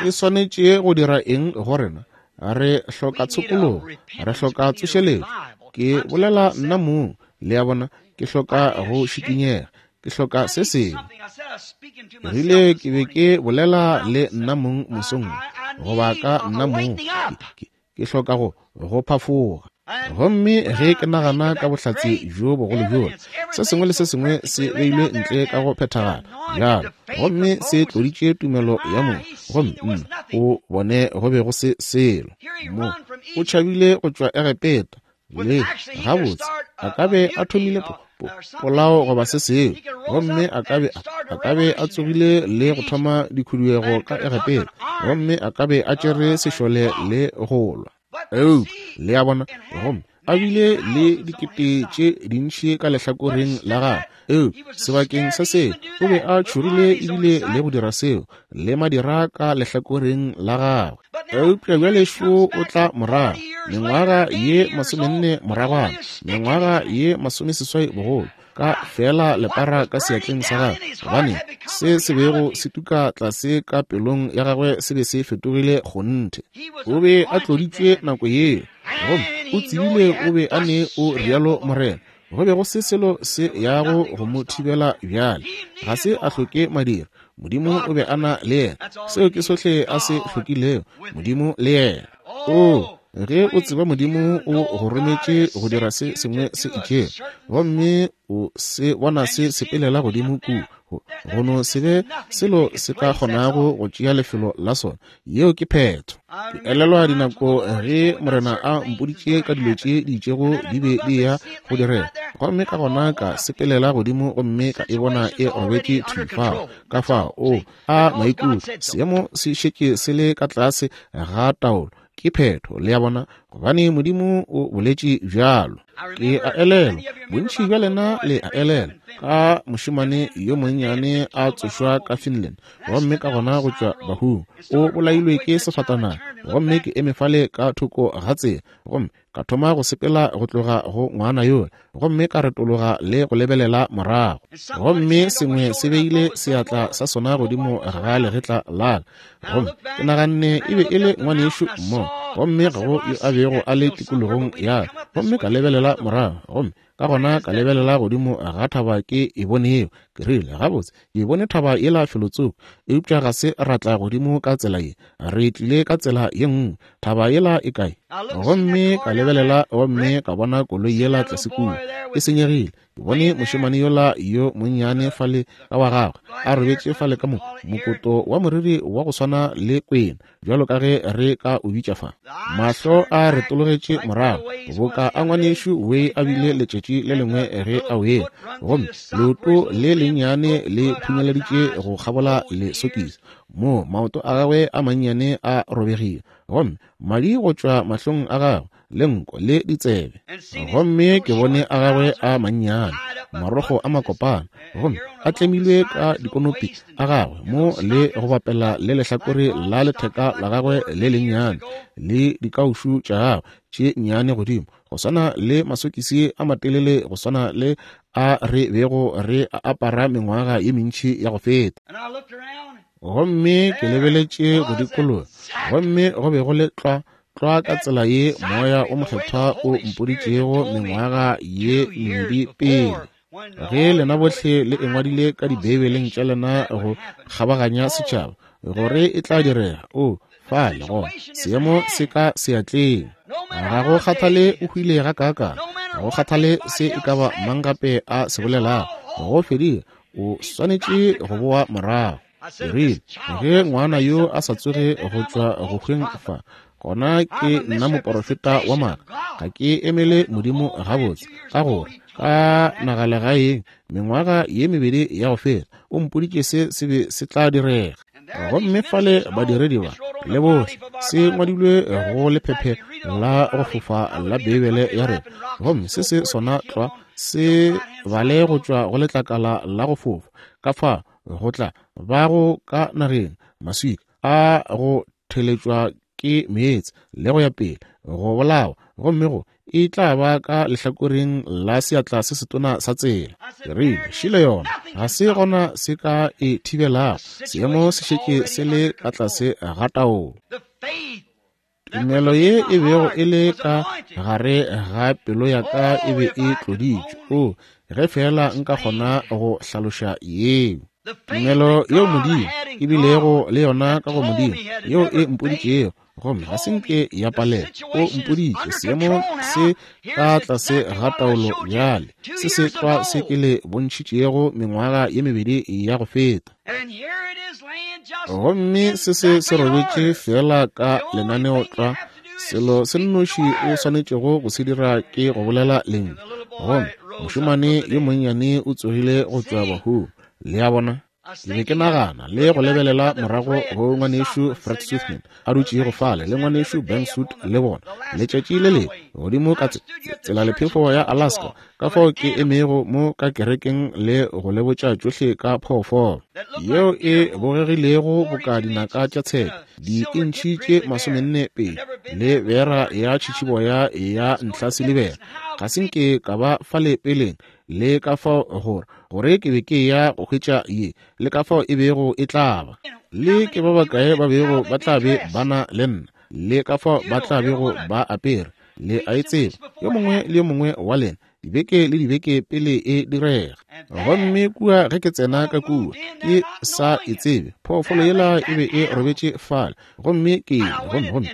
E swanetše go dira eng go rena? Re hloka tshokologo, re hloka tsošeletšo. Ke bolela nna mong, le a bona, ke hloka go šikinyega, ke hloka se sengwe. Rile ke be ke bolela le nna mong mosong, goba ka nna mong, ke, ke hloka go go phafoga. Gomme ge ke nagana ka bohlatse bjo bogolo bjola, se sengwe le se sengwe se beilwe ntle ka go phethagala bjalo, gomme se tloditše tumelo ya mong, gomme nna o bone go be go se selo. Mo o tšhabile go tšwa Egepeta, le gabotse a ka be a thomile polao goba se sengwe, gomme a ka be a ka be a tsogile le go thoma dikhuduego ka Egepeta, gomme a ka be a tšere sešole le go lwa. Eupša le a bona, gomme A bile le dikete tše dintši ka lehlakoreng la gagwe. Eupša sebakeng sa seo, o be a tšhogile ebile le go dira seo, le madira ka lehlakoreng la gagwe. Eupša bjale šo o tla morago, mengwaga ye masomenne moragwana, mengwaga ye masomeseswai bogolo, ka fela lepara ka seatleng sa gagwe, gobane se se bego se tuka tlase ka pelong ya gagwe se be se fetogile kgonthe. O be a tloditšwe nako yeo, gomme o tsebile o be a ne o rialo Morena. Go be go se selo se yago go mo thibela bjale. Ga se a hloke madira. Modimo o be a na le yena. Seo ke sohle a se hlokilego, Modimo le yena. O, ge o tseba Modimo o go rometše go dira se sengwe se itšego, gomme o se bona se sepelela godimo kua, go no se be selo se ka kgonago go tšea lefelo la sona, yeo ke phetho. Ke elelwa dinako ge Morena a mpoditše ka dilo tše di itšego di be di ya go direga, gomme ka gona ka sepelela godimo gomme ka e bona e robetše thwi fao. Ka fao o a maikutlo, seemo se šetše se le ka tlase ga taolo. Ke phetho, le a bona, gobane Modimo o boletše bjalo. Ke a elelwa, bontši bja lena le a elelwa, ka mošemane yo monnyane a tsošwa ka Finland, gomme ka gona go tšwa bahung, o bolailwe ke sefatanaga, gomme ke eme fale ka thoko ga tsela, gomme ka thoma go sepela go tloga go ngwana yola, gomme ka retologa le go lebelela morago, gomme sengwe se beile seatla sa sona godimo ga legetla la ka, gomme ke naganne e be e le ngwanešu mo, gomme ga go yo a bego a le tikologong ya ka, gomme ka lebelela morago, gomme ka gona ka lebelela godimo ga thaba ke e bonego. Ke rile, gabotse, ke bone thaba yela felotsoko, eupša ga se ra tla godimo ka tsela ye, re tlile ka tsela ye nngwe. Thaba yela e kae? Gomme ka lebelela gomme ka bona koloi yela tlase kua e senyegile. Ke bone mošemane yola yo monnyane fale ka wa gagwe a robetše fale ka mo mokoto wa moriri wa go swana le kwena, bjalo ka ge re ka o bitša fa. Mahlo a retologetše morago boka a ngwanešu we a bile letšatši le lengwe ge a wela, gomme leoto le lennyane le phunyeleditše go kgabola lesokisi mo maoto a gagwe a mannyane a robegile, gomme madi go tšwa mahlong a gagwe le nko le ditsebe. Gomme ke bone a gagwe a mannyane, marogo a makopana, gomme a tlemilwe ka dikonopi a gagwe mo le go bapela le lehlakore la letheka la gagwe le lennyane le dikaušu tša gagwe tše nnyane godimo, go swana le masokisi a matelele go swana le a re bego re a apara mengwaga ye mentši ya go feta. Gomme ke lebeletše go dikologa, gomme go be go le tlwa tlwa ka tsela ye Moya o Mokgethwa o mpoditšego mengwaga ye mebedi pele, ge lena bohle le engwadile ka dibeibeleng tša lena go kgabaganya setšhaba gore e tla direga. O fale gona, seemo se ka seatleng. Ga go kgathale o hwile ga kaakang, ga go kgathale se e ka ba mang gape a se bolelago, go fedile, o swanetše go boa morago. Ke rile, ge ngwana yo a sa tsoge go tšwa go hweng fa, gona ke nna moporofeta wa maaka, ga ke emele Modimo gabotse, ka gore ka nagalegaeng mengwaga ye mebedi ya go feta o mpoditše se se be se tla direga. Gomme fale badiredi ba le bohle se ngwadilwe go lephephe la go fofa la Beibele ya rena, gomme se se sona tlwa se bale go tšwa go letlakala la go fofa. Ka fa go tla ba go ka nageng maswika a go theletšwa ke meetse le go ya pele go bolawa, gomme go e tla ba ka lehlakoreng la seatla se setona sa tsela. Ke rile, šile yona, ga se gona se ka e thibelago, seemo se šetše se le ka tlase ga taolo. Tumelo ye e bego e le ka gare ga pelo ya ka e be e tloditšwe. O, ge fela nka kgona go hlaloša yeo. Tumelo yeo Modimo e bilego le yona ka go Modimo, yeo e mpoditšego, gomme ga se nke ya palela. O mpoditše seemo se ka tlase ga taolo bjale, se se tlwa se ke le bontšhitšego mengwaga ye mebedi ya go feta. Gomme se se se robetše fela ka lenaneo tlwa. Selo se nnoši o swanetšego go se dira ke go bolela lentšu, gomme mošemane yo monnyane o tsogile go tšwa bahung. Le a bona? Ke be ke nagana le go lebelela morago go ngwanešu Fred Swiftman a dutšego fale le ngwanešu Ben Suit le bona letšatši le lengwe godimo ka tsela lephefo ya Alaska, ka fao ke emego mo ka kerekeng le go le botša tšohle ka phoofolo yeo e bogegilego boka dinaka tša tshepe diintšhi tše masomenne pedi le bera ya tšhitšhiboya ya ntlhasilibera. Ga se nke ka ba fale peleng le ka fao gore gore ke be ke ya go hwetša ye le ka fao e bego e tla ba, le ke ba bakae ba bego ba tla be ba na le nna, le ka fao ba tla bego ba apere. Le a e tseba, yo mongwe le yo mongwe wa lena, dibeke le dibeke pele e direga. Gomme kua ge ke tsena ka kua ke sa e tsebe, phoofolo yela e be e robetše fale, gomme ke gomme gomme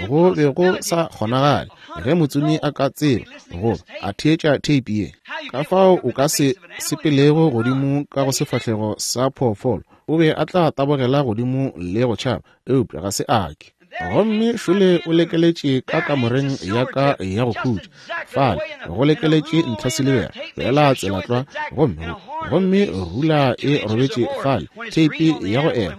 go be go sa kgonagale ge motsomi a ka tseba goba a theetša theipi ye. Ka fao o ka se sepelego godimo ka go sefahlego sa phoofolo, o be a tla tabogela godimo le go tšhaba, eupša ga se a ke. Gomme šole o lekeletše ka kamoreng ya ka ya go khutša fale, go lekeletše ntlhasilibera fela tsela tlwa, gomme gomme rula e robetše fale, theipi ya go ela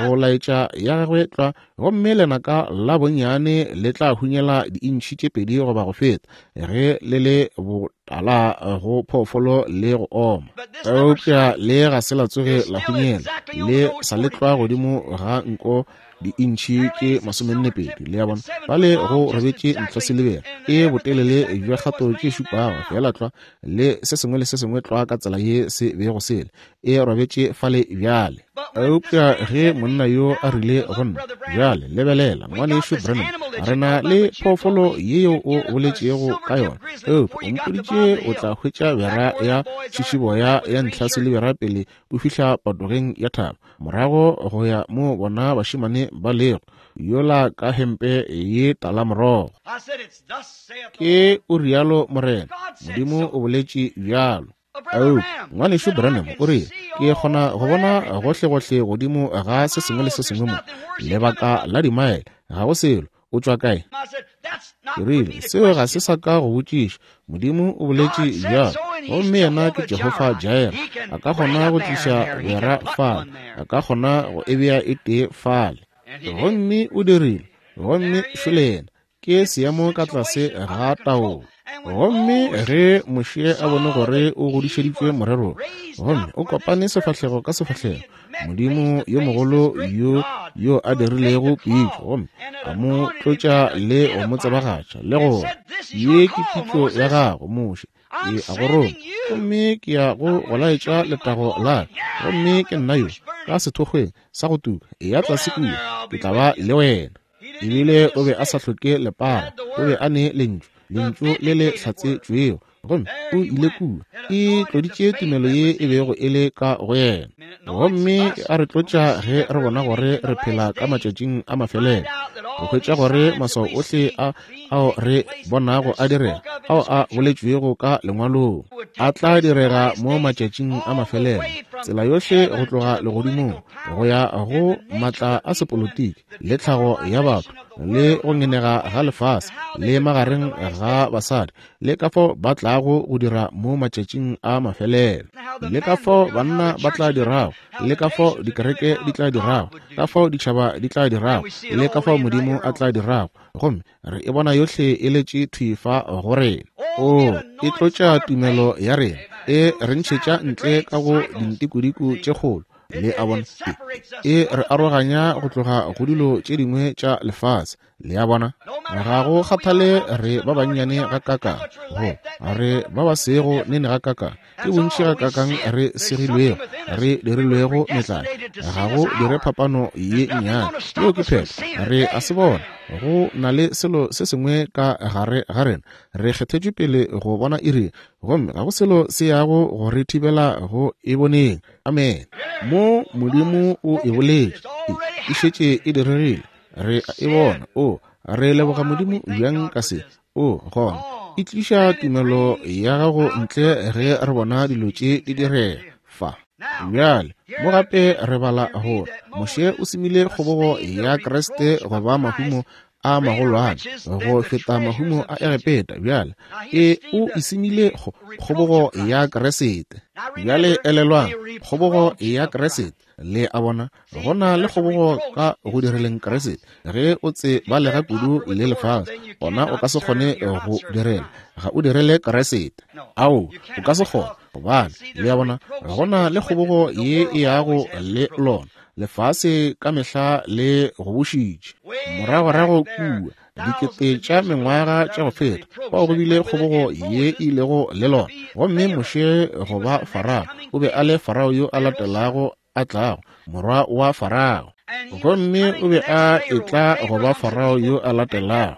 go laetša ya gagwe tlwa, gomme lenaka la bonnyane le tla hunyela diintšhi tše pedi goba go feta ge le le botala go phoofolo le go oma. Eupša le ga se la tsoge la hunyela, le sa le tlwa godimo ga nko diintšhi tše masomenne pedi. Le ya bona, fale go robetše ntlhasilibera e botelele bja kgato tše šupago fela tlwa, le se sengwe le se sengwe tlwa ka tsela ye se bego sele, e robetše fale bjale. Eupša ge monna yo a rile go nna, bjale lebelela ngwanešu Branham, re na le phoofolo yeo o boletšego ka yona, eupša o mpoditše o tla hwetša bera ya tšhišiboya ya ntlhasilibera pele o fihla patogeng ya thaba, morago go ya mo bona bašemane ba lego yola ka hempe ye talamorogo. Ke o rialo Morena, Modimo o boletše bjalo. Eupša ngwanešu Branham o rile, ke kgona go bona gohlegohle godimo ga se sengwe le se sengwe mo lebaka la dimaele, ga go selo. O tšwa kae? Ke rile, seo ga se sa ka go botšiša. Modimo o boletše bjalo, gomme yena ke Jehofa Jireh. A ka kgona go tliša bera fale, a ka kgona go e bea e tee fale. Gomme o dirile, gomme šole yena ke seemo ka tlase ga taolo. Gomme ge Moshe a bone gore o godišeditšwe morerong, gomme o kopane sefahlego ka sefahlego Modimo yo mogolo yo yo a dirilego pitšo, gomme a mo tlotša le go mo tsebagatša le gore ye ke pitšo ya gago Moshe, ke a go roma, gomme ke ya go go laetša letago la ka, gomme ke nna yo ka sethokgweng sa go tuka, eya tlase kua, ke tla ba le wena. Ebile o be a sa hloke lepara, o be a ne lentšu, lentšu le le hlatsetšwego, gomme o ile kua, e tloditše tumelo ye e bego e le ka go yena. Gomme a re tlotša ge re bona gore re phela ka matšatšing a mafelelo, go hwetša gore maswao ohle a ao re bonago a direga, ao a boletšwego ka lengwalong, a tla direga mo matšatšing a mafelelo, tsela yohle go tloga legodimong go ya go matla a sepolotiki le tlhago ya batho le go ngenega ga lefase le magareng ga basadi, le ka fao ba tlago go dira mo matšatšing a mafelelo, le ka fao banna ba tla dirago, le ka fao dikereke di tla dirago, ka fao ditšhaba di tla dirago, le ka fao Modimo a tla dirago. Gomme re e bona yohle e letše thwi fa go rena. O e tlotša tumelo ya rena, e re ntšhetša ntle ka go dintikodiko tše kgolo. Le a bona, e re aroganya go tloga go dilo tše dingwe tša lefase. Le a bona, ga go kgathale re ba bannyane ga kakang, go re ba ba sego nene ga kakang, ke bontši ga kakang re segilwego, re dirilwego metlae, ga go dire phapano ye nnyane. Yeo ke phetho, re a se bona. Go na le selo se sengwe ka gare ga rena, re kgethetšwe pele go bona iri, gomme ga go selo se yago go re thibela go e boneng. Amen. Mo Modimo o e boletše, e šetše e diregile, re a e bona. O re leboga Modimo bjang ka se. O gona e tliša tumelo ya gago ntle ge re bona dilo tše di direga fa. Bjale mo gape re bala gore Moshe o semile kgobogo ya Kriste go ba mahumo a magolwane go feta mahumo a Egepeta. Bjale e o isemile kgobogo ya Kriste. Bjale elelwang, kgobogo ya Kriste. Le a bona, go na le kgobogo ka go direleng Kriste. Ge o tsebalega kudu le lefase, gona o ka se kgone go direla, ga o direle Kriste. Ao, o ka se kgone, gobane le a bona, go na le kgobogo ye e yago le lona. Lefase ka mehla le go bušitše. Moragorago kua dikete tša mengwaga tša go feta, fao go bile kgobogo ye e ilego le lona. Gomme Moshe goba Farao, o be a le Farao yo a latelago a tlago, morwa wa Farao. Gomme o be a etla goba Farao yo a latelago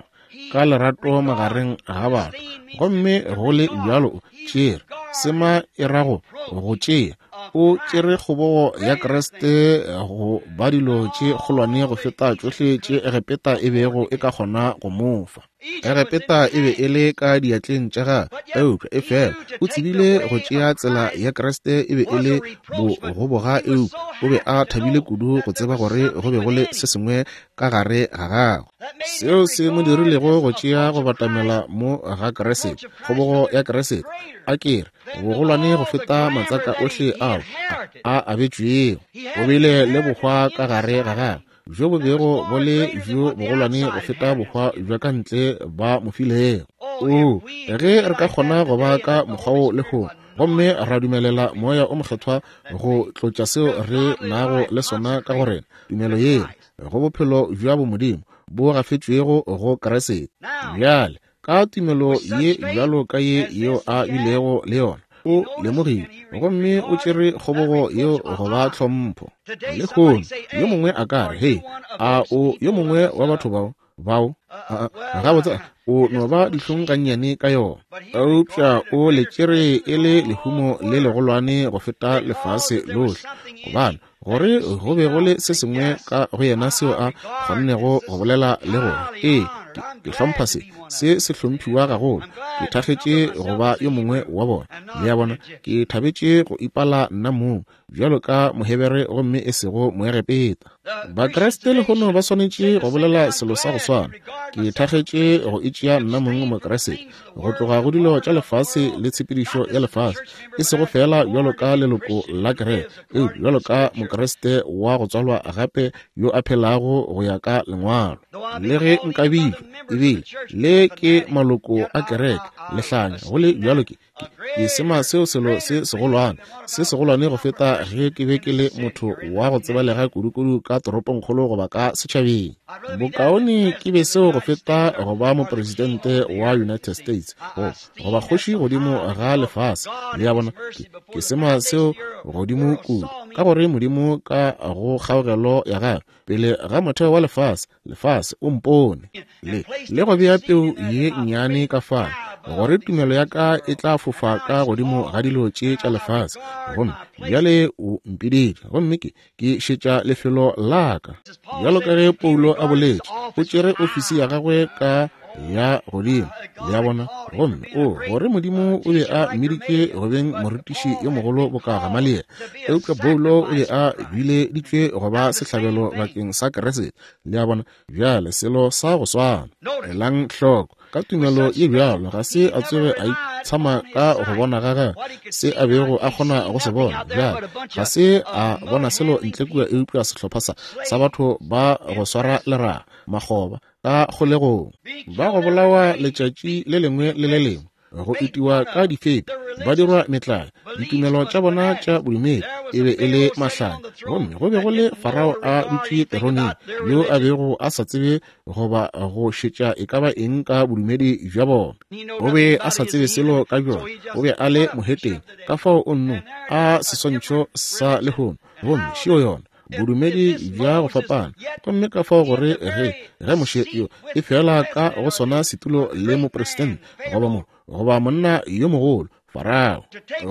ka lerato magareng ga batho. Gomme go le bjalo o tšere sema e rago go tšea, o tšere kgobogo ya Kriste go ba dilo tše kgolwane go feta tšohle tše Egepeta e bego e ka kgona go mo fa. Egepeta e be e le ka diatleng tša gagwe, eupša efela o tsebile go tšea tsela ya Kriste. E be e le bogoboga, eupša o be a thabile kudu go tseba gore go be go le se sengwe ka gare ga gagwe seo se mo dirilego go tšea go batamela mo ga Kriste, kgobogo ya Kriste. A kere bogolwane go feta matsaka ohle ao a abetšwego. O bile le bohwa ka gare ga gagwe bjo bo bego bo le bjo bogolwane go feta bohwa bja ka ntle ba mo filego. O, ge re ka kgona go ba ka mokgwa wo lehono, gomme ra dumelela Moya o Mokgethwa go tlotša seo re nago le sona ka go rena, tumelo yela go bophelo bja bomodimo bo gafetšwego go Kriste. Bjale ka tumelo ye bjalo ka ye yeo a bilego le yona, o lemogile gomme o tšere kgobogo yeo go ba tlhompho. Lehono yo mongwe a ka re, hei, a o yo mongwe wa batho bao bao gabotse o no ba dihlong gannyane ka yona, eupša o le tšere e le lehumo le legolwane go feta lefase lohle, gobane gore go be go le se sengwe ka go yena seo a kgonnego go bolela le gore, ee, ke hlompha se, se se hlomphiwa gagolo, ke thakgetše go ba yo mongwe wa bona. Le a bona, ke thabetše go ipala nna mong bjalo ka Mohebere gomme e sego Moegepeta. Bakriste lehono ba swanetše go bolela selo sa go swana. Ke thakgetše go itšea nna mong Mokriste, go tloga go dilo tša lefase le tshepedišo ya lefase, e sego fela bjalo ka leloko la kereke, eupša bjalo ka Mokriste wa go tswalwa gape yo a phelago go ya ka lengwalo. Le ge nka bitšwa ebile le ke maloko a kereke lehlanya, go le bjalo ke ke sema seo selo se segolwane, se segolwane go feta ge ke be ke le motho wa go tsebalega kudukudu ka toropongkgolo goba ka setšhabeng. Bokaone ke be seo go feta go ba mopresidente wa United States goba kgoši godimo ga lefase. Le a bona, ke sema seo godimo kudu, ka gore Modimo ka go kgaogelo ya gagwe pele ga motheo wa lefase, lefase o mpone le le go bea peu ye nnyane ka fale, gore tumelo ya ka e tla fofa ka godimo ga dilo tše tša lefase. Gomme bjale o mpiditše, gomme ke ke šetša lefelo la ka. Bjalo ka ge Paulo a boletše, o tšere ofisi ya gagwe ka ya godimo. Le a bona, gomme o gore Modimo o be a mmiditše go beng morutiši yo mogolo boka Gamaliele, eupša Paulo o be a bileditšwe go ba sehlabelo bakeng sa Kriste. Le a bona, bjale selo sa go swana. Elang hloko, ka tumelo ye bjalo ga se a tsoge a itshama ka go bona ga gagwe se a bego a kgona go se bona. Bjale ga se a bona selo ntle kua eupša sehlopha sa sa batho ba go swara leraga, makgoba ka kgolegong, ba go bolawa letšatši le lengwe le le lengwe, go itiwa ka difepi, ba dirwa metlae. Ditumelo tša bona tša bodumedi e be e le mahlanya, gomme go be go le Farao a dutše teroneng yo a bego a sa tsebe goba go šetša e ka ba eng ka bodumedi bja bona. O be a sa tsebe selo ka bjona, o be a le moheteng, ka fao o nno a seswantšho sa lehono, gomme šio yona bodumedi bja go fapana. Gomme ka fao gore ge ge Moshe yo e fela ka go sona setulo le mopresidente goba mo goba monna yo mogolo Farao,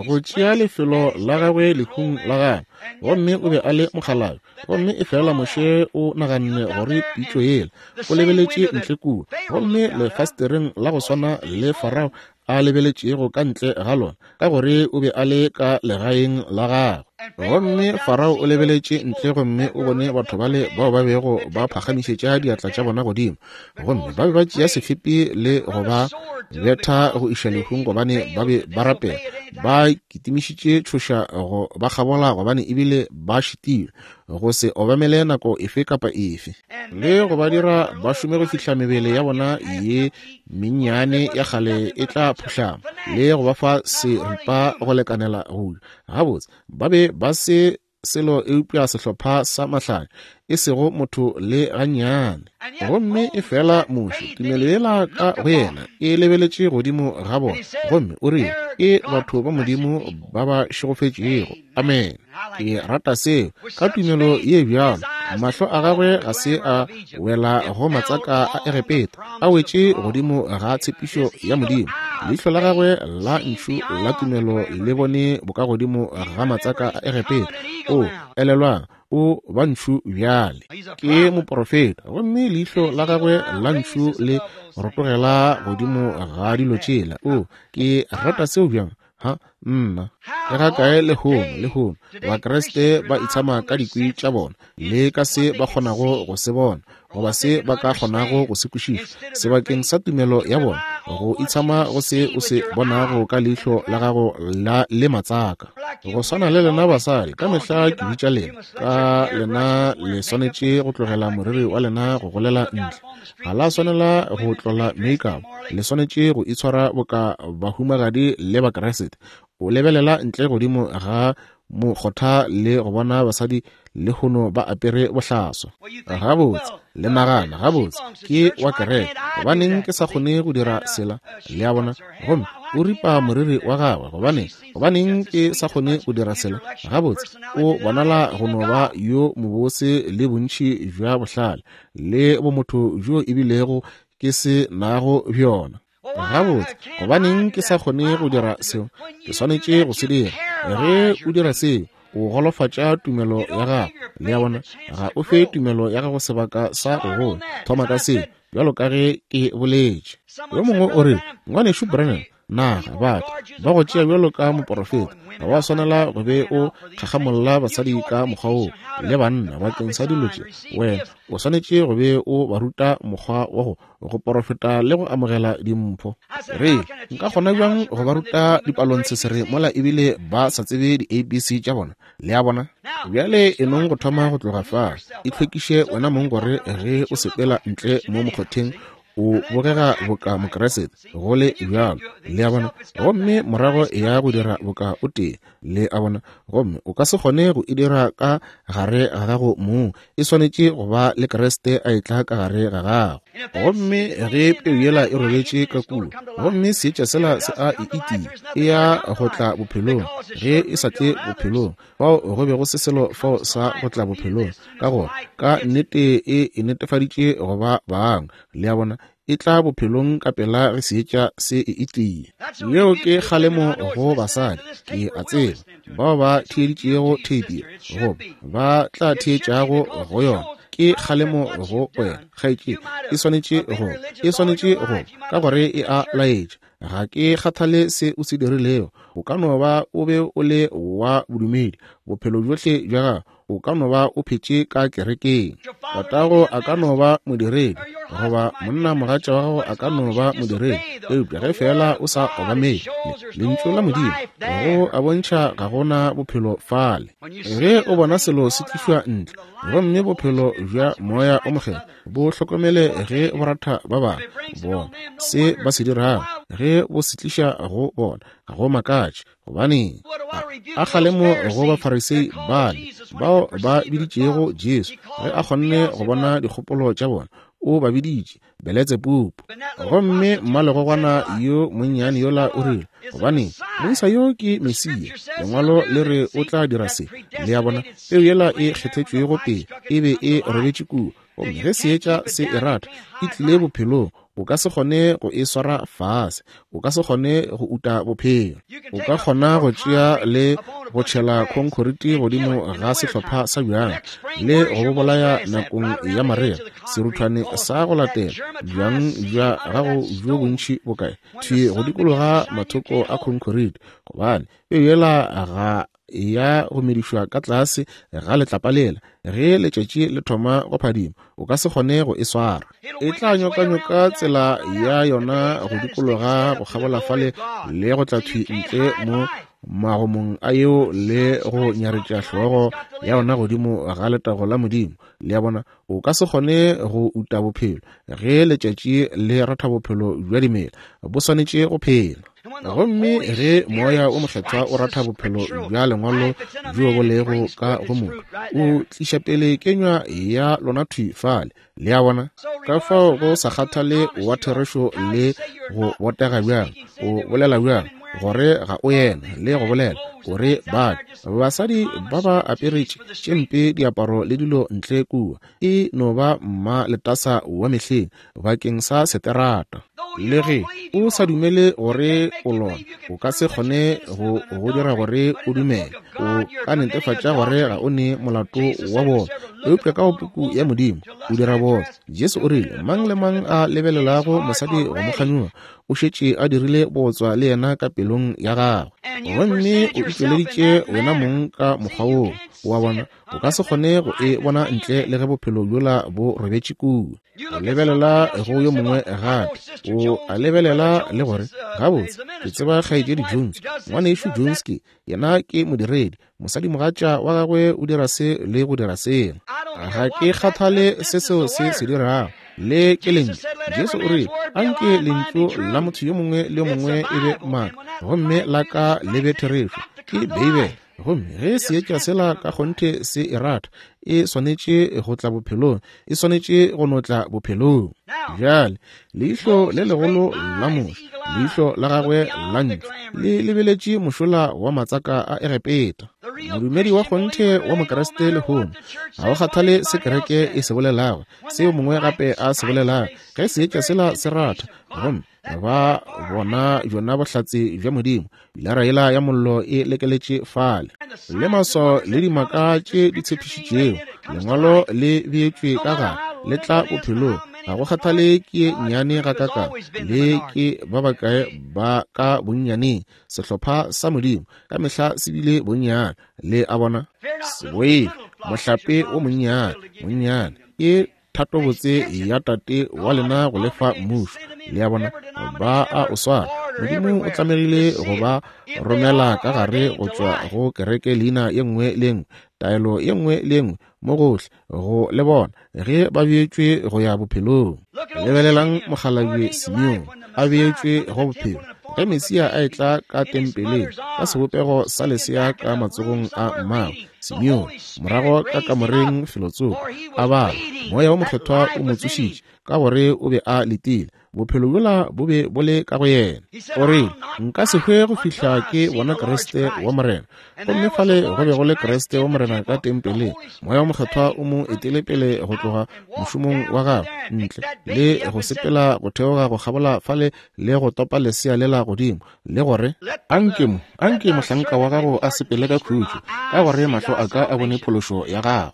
go tšea lefelo la gagwe lehung la gagwe, gomme o be a le mokgalabje. Gomme e fela Moshe o naganne gore pitšo yela, o lebeletše ntle kua, gomme lefastereng la go swana le Farao a lebeletšego ka ntle ga lona, ka gore o be a le ka legaeng la gagwe. Gomme Farao o lebeletše ntle gomme o bone batho bale bao ba bego ba phagamišetša diatla tša bona godimo, gomme ba be ba tšea sefepi le go ba betha go iša lehung gobane ba be ba rapela. Ba kitimišitše tšhoša go ba kgabola gobane ebile ba šitilwe go se obamele nako efe kapa efe, le go ba dira ba šome go fihla mebele ya bona ye mennyane ya kgale e tla phuhlama, le go ba fa seripa go lekanela go ja. Gabotse ba be ba se selo eupša sehlopha sa mahlanya, e sego motho le gannyane. Gomme e fela Moshe, tumelo yela ka go yena e lebeletše godimo ga bona, gomme o rile, ke batho ba Modimo ba ba šegofetšego. Amen. Ke rata seo. Ka tumelo ye bjalo, mahlo a gagwe ga se a wela go matsaka a Egepeta, a wetše godimo ga tshepišo ya Modimo. Leihlo la gagwe la ntšhu la tumelo le bone bokagodimo ga matsaka a Egepeta. O elelwang, o ba ntšhu bjale, ke moprofeta, gomme leihlo la gagwe la ntšhu le rotogela godimo ga dilo tšela. O, ke rata seo bjang. Ha, nna ke ga kae lehono, lehono Bakriste ba itshama ka dikwi tša bona le ka se ba kgonago go se bona goba se ba ka kgonago go se kwešiša sebakeng sa tumelo ya bona, go itshama go se o se bonago ka leihlo la gago la le matsaka. Go swana le lena basadi, ka mehla ke bitša lena, ka lena le swanetše go tlogela moriri wa lena go golela ntle. Ga la swanela go tlola make-up, le swanetše go itshwara boka bahumagadi le Bakriste. O lebelela ntle godimo ga mokgotha le go bona basadi lehono ba apere bohlaswa. Gabotse le nagana, gabotse ke wa kereke, gobaneng ke sa kgone go dira sela? Le a bona? Gomme o ripa moriri wa gagwe, gobaneng gobaneng ke sa kgone go dira sela? Gabotse o bonala go no ba yo mobose le bontši bja bohlale le bomotho bjo ebilego ke se nago bjona. Gabotse gobaneng ke sa kgone go dira seo? Ke swanetše go se dira. Ge o dira seo, o golofatša tumelo ya gago. Le a bona? Ga o fe tumelo ya gago sebaka sa go gola. Thoma ka seo, bjalo ka ge ke boletše. Yo mongwe o re, Ngwanešu Branham, naga batho ba go tšea bjalo ka moporofeta, ga wa swanela go be o kgakgamolla basadi ka mokgwa woo le banna bakeng sa dilo tše. Wena o swanetše go be o ba ruta mokgwa wa go go porofeta le go amogela dimpho. Re nka kgona bjang go ba ruta dipalontshesere mola ebile ba sa tsebe di-A B C tša bona? Le a bona? Bjale e nong go thoma go tloga fa, itlhwekiše wena mong gore ge o sepela ntle mo mokgotheng o bogega boka Mokriste, go le bjalo. Le a bona? Gomme morago ya go dira boka o tee. Le a bona? Gomme o ka se kgone go e dira ka gare ga gago mong, e swanetše go ba le Kriste a etla ka gare ga gago. Gomme ge peu yela e robetše ka kua, gomme seetša sela se a e itia, e ya go tla bophelong. Ge e sa tle bophelong, fao go be go se selo fao sa go tla bophelong, ka gore ka nnete e e netefaditše go ba bangwe. Le a bona? E tla bophelong ka pela ge seetša se e itia. Yeo ke kgalemo go basadi, ke a tseba, bao ba theeditšego theipi goba ba tla theetšago go yona. Ke kgalemo go wena, kgaetšedi. E swanetše go, e swanetše go, ka gore e a laetša. Ga ke kgathale se o se dirilego. O ka no ba o be o le wa bodumedi bophelo bjohle bja gago, o ka no ba o phetše ka kerekeng. Tatago a ka no ba modiredi, goba monna mogatša wa gago a ka no ba modiredi, eupša ge fela o sa obamele lentšu la Modimo, go a bontšha ga gona bophelo fale. Ge o bona selo se tlišwa ntle, gomme bophelo bja moya o mokgethwa bo hlokomele ge bo ratha ba bangwe, bona se ba se dirago, ge bo se tliša go bona, ga go makatše. Gobaneng a kgalemo go Bafarisei bale bao ba biditšego Jesu, ge a kgonne go bona dikgopolo tša bona, o ba biditše Beletsebubu. Gomme mmalegogwana yo monnyane yola o rile, gobaneng moisa yo ke Mesia, lengwalo le re o tla dira se. Le a bona? Peu yela e kgethetšwego pele e be e robetše kua, gomme ge seetša se e rata, e tlile bophelong. O ka se kgone go e swara fase, o ka se kgone go uta bophelo. O ka kgona go tšea le go tšhela khonkhoriti godimo ga sehlopha sa bjang le go bo bolaya nakong ya marea, seruthwane sa go latela bjang bja gago bjo bontši bokae thwi go dikologa mathoko a khonkhoriti, gobane peu yela ga ya go medišwa ka tlase ga letlapa lela, ge letšatši le thoma go phadima, o ka se kgone go e swara. E tla nyokanyoka tsela ya yona go dikologa go kgabola fale le go tla thwi ntle mo magomong a yeo le go nyaretša hlogo ya yona godimo ga letago la Modimo. Le a bona, o ka se kgone go uta bophelo ge letšatši le ratha bophelo bja dimela, bo swanetše go phela. Gomme ge Moya o Mokgethwa o ratha bophelo bja lengwalo bjo bo lego ka go motho, o tliša pele kenywa ya lona thwi fale. Le a bona, ka fao go sa kgathale wa therešo le go botega bjang, o bolela bjang gore ga o yena, le go bolela gore ba basadi ba ba aperetše tše mpe diaparo le dilo ntle kua, e no ba mma letasa wa mehleng bakeng sa seterata. Le ge o sa dumele gore o lona, o ka se kgone go go dira gore o dumele. O ka netefatša gore ga o ne molato wa bona, eupša ka go puku ya Modimo o dira bona. Jesu o rile, mang le mang a lebelelago mosadi go mo kganyoga o šetše a dirile bootswa le yena ka pelong ya gagwe. Gomme o itšweleditše wena mong ka mokgwa woo. Wa bona, o ka se kgone go e bona ntle le ge bophelo bjola bo robetše kua. O lebelela go yo mongwe gape, o a lebelela le gore gabotse ke tseba kgaetšedi Jones, ngwanešu Jones ke yena ke modiredi, mosadimogatša wa gagwe o dira se le go dira sela. Ga ke kgathale se seo se se dirago, le ke lentšu. Jesu o rile, anke lentšu la motho yo mongwe le yo mongwe e be maaka, gomme la ka le be therešo. Ke Beibele. Gomme ge seetša sela ka kgonthe se e rata, e swanetše go tla bophelong, e swanetše go no tla bophelong. Bjale leihlo le legolo la Moshe, leihlo la gagwe la ntšu, le lebeletše mošola wa matsaka a Egepeta. Modumedi wa kgonthe wa Mokriste lehono ga o kgathale se kereke e se bolelago, seo mongwe gape a se bolelago, ge seetša sela se ratha, gomme ba bona bjona bohlatse bja Modimo, pilara yela ya mollo e lekeletše fale, le maswao le dimaka tše di tshepišitšego, lengwalo le beetšwe ka gare, le tla bophelong. Ga go kgathale ke nnyane gakakang le ke ba bakae ba ka bonnyaneng, sehlopha sa Modimo ka mehla se bile bonnyane. Le a bona, se boife mohlape o monnyane, monnyane ke thatobotse ya Tate wa lena go lefa mmušo. Le a bona, ba a o swara. Modimo o tlamegile go ba romela ka gare go tšwa go kereke leina ye nngwe le nngwe, taelo ye nngwe le nngwe mo gohle go le bona ge ba beetšwe go ya bophelong. Lebelelang mokgalabje Simeone a beetšwe go bophelo ge Mesia a etla ka tempeleng ka sebopego sa lesea ka matsogong a mmagwe. Simeone morago ka kamoreng felotsoko a bala, Moya wo Mokgethwa o mo tsošitše ka gore o be a letile. Bophelo bjola bo be bo le ka go yena. O rile, nka se hwe go fihla ke bona Kriste wa Morena. Gomme fale go be go le Kriste wa Morena ka tempeleng. Moya wo Mokgethwa o mo etele pele go tloga mošomong wa gagwe ntle le go sepela go theoga go kgabola fale le go topa lesea lela godimo, le gore anke mo anke mohlanka wa gago a sepele ka khutšo, ka gore mahlo a ka a bone phološo ya gago.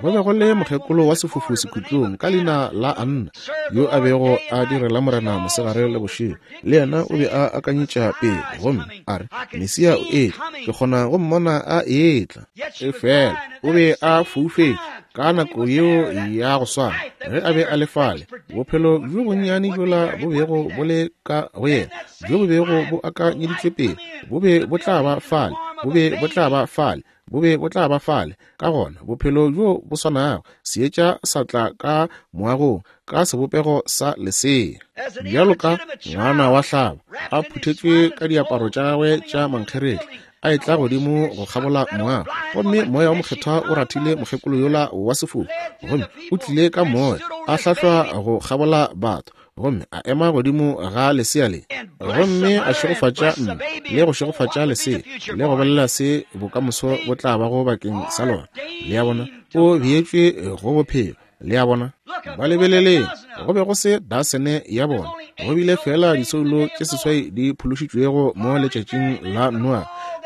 Go be go le mokgekolo wa sefofu sekhutlong ka leina la Anna, yo a bego a direla Morena mosegare le bošego. Le yena o be a akanyetša pele, gomme a re, Mesia o etla, ke kgona go mmona a etla. Efela o be a foufetše ka nako yeo ya go swana ge a be a le fale. Bophelo bjo bonnyane bjola bo bego bo le ka go yena, bjo bo bego bo akanyeditšwe pele, bo be bo tla ba fale, bo be bo tla ba fale, bo be bo tla ba fale. Ka gona bophelo bjo bo swanago, seetša sa tla ka moagong ka sebopego sa lesea, bjalo ka ngwana wa hlaba a phuthetšwe ka diaparo tša gagwe tša mankgeretla, a etla godimo go kgabola moago. Gomme Moya wo Mokgethwa o rathile mokgekolo yola wa sefofu, gomme o tlile ka moya a hlahlwa go kgabola batho, gomme a ema godimo ga lesea le, gomme a šegofatša mme le go šegofatša lesea le go bolela se bokamoso bo tla bago bakeng sa lona. Le a bona, o beetšwe go bophelo. Le a bona, ba lebeleleng, go be go se dasene ya bona, go bile fela disoulo tše seswai di phološitšwego mo letšatšing la Noa.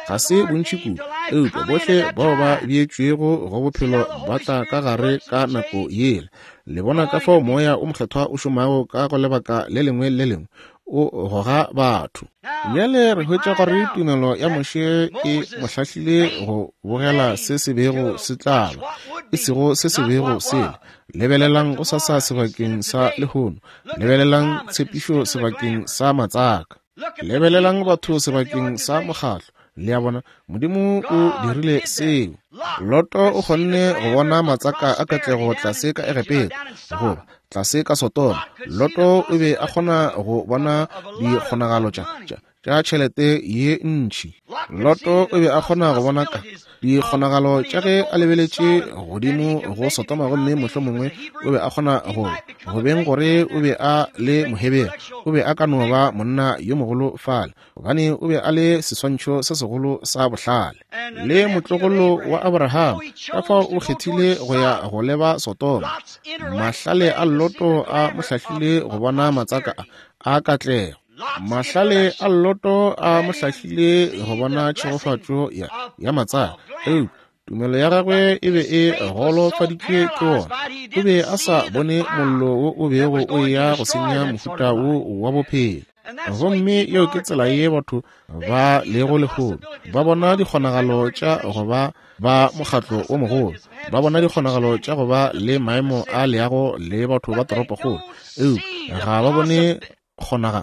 Ga se bontši kudu, eupša bohle bao ba beetšwego go bophelo ba tla ka gare ka nako yela. Le bona ka fao Moya o Mokgethwa o šomago ka go lebaka le lengwe le lengwe. O goga batho. Bjale re hwetša gore tumelo ya Moshe e mo hlahlile go bogela se se bego se tla ba, e sego se se bego se le. Lebelelang go sasa sebakeng sa lehono. Lebelelang tshepišo sebakeng sa matsaka. Lebelelang batho sebakeng sa mokgatlo. Le a bona, Modimo o dirile seo. Loto o kgonne go bona matsaka a katlego tlase ka Egepeta, goba tlase ka Sodoma. Loto o be a kgona go bona dikgonagalo tša tša tša tšhelete ye ntši. Loto o be a kgona go bona ka dikgonagalo tša ge a lebeletše godimo go Sodoma, gomme mohlomongwe o be a kgona go go beng gore o be a le Mohebere, o be a ka no ba monna yo mogolo fale, gobane o be a le seswantšho se segolo sa bohlale le motlogolo wa Abraham. Ka fao o kgethile go ya go leba Sodoma. Mahlale a Loto a mo hlahlile go bona matsaka a a katlego. Mahlale a Loto a mo hlahlile go bona tšhegofatšo ya ya matsaka. Eupša tumelo ya gagwe e be e golofaditšwe ke wona. O be a sa bone mollo wo o bego o eya go senya mohuta wo wa bophelo. Gomme yeo ke tsela ye batho ba lego lehono. Ba bona dikgonagalo tša go ba ba mokgatlo o mogolo, ba bona dikgonagalo tša go ba le maemo a leago le batho ba toropokgolo, eupša ga ba bone kgonaga,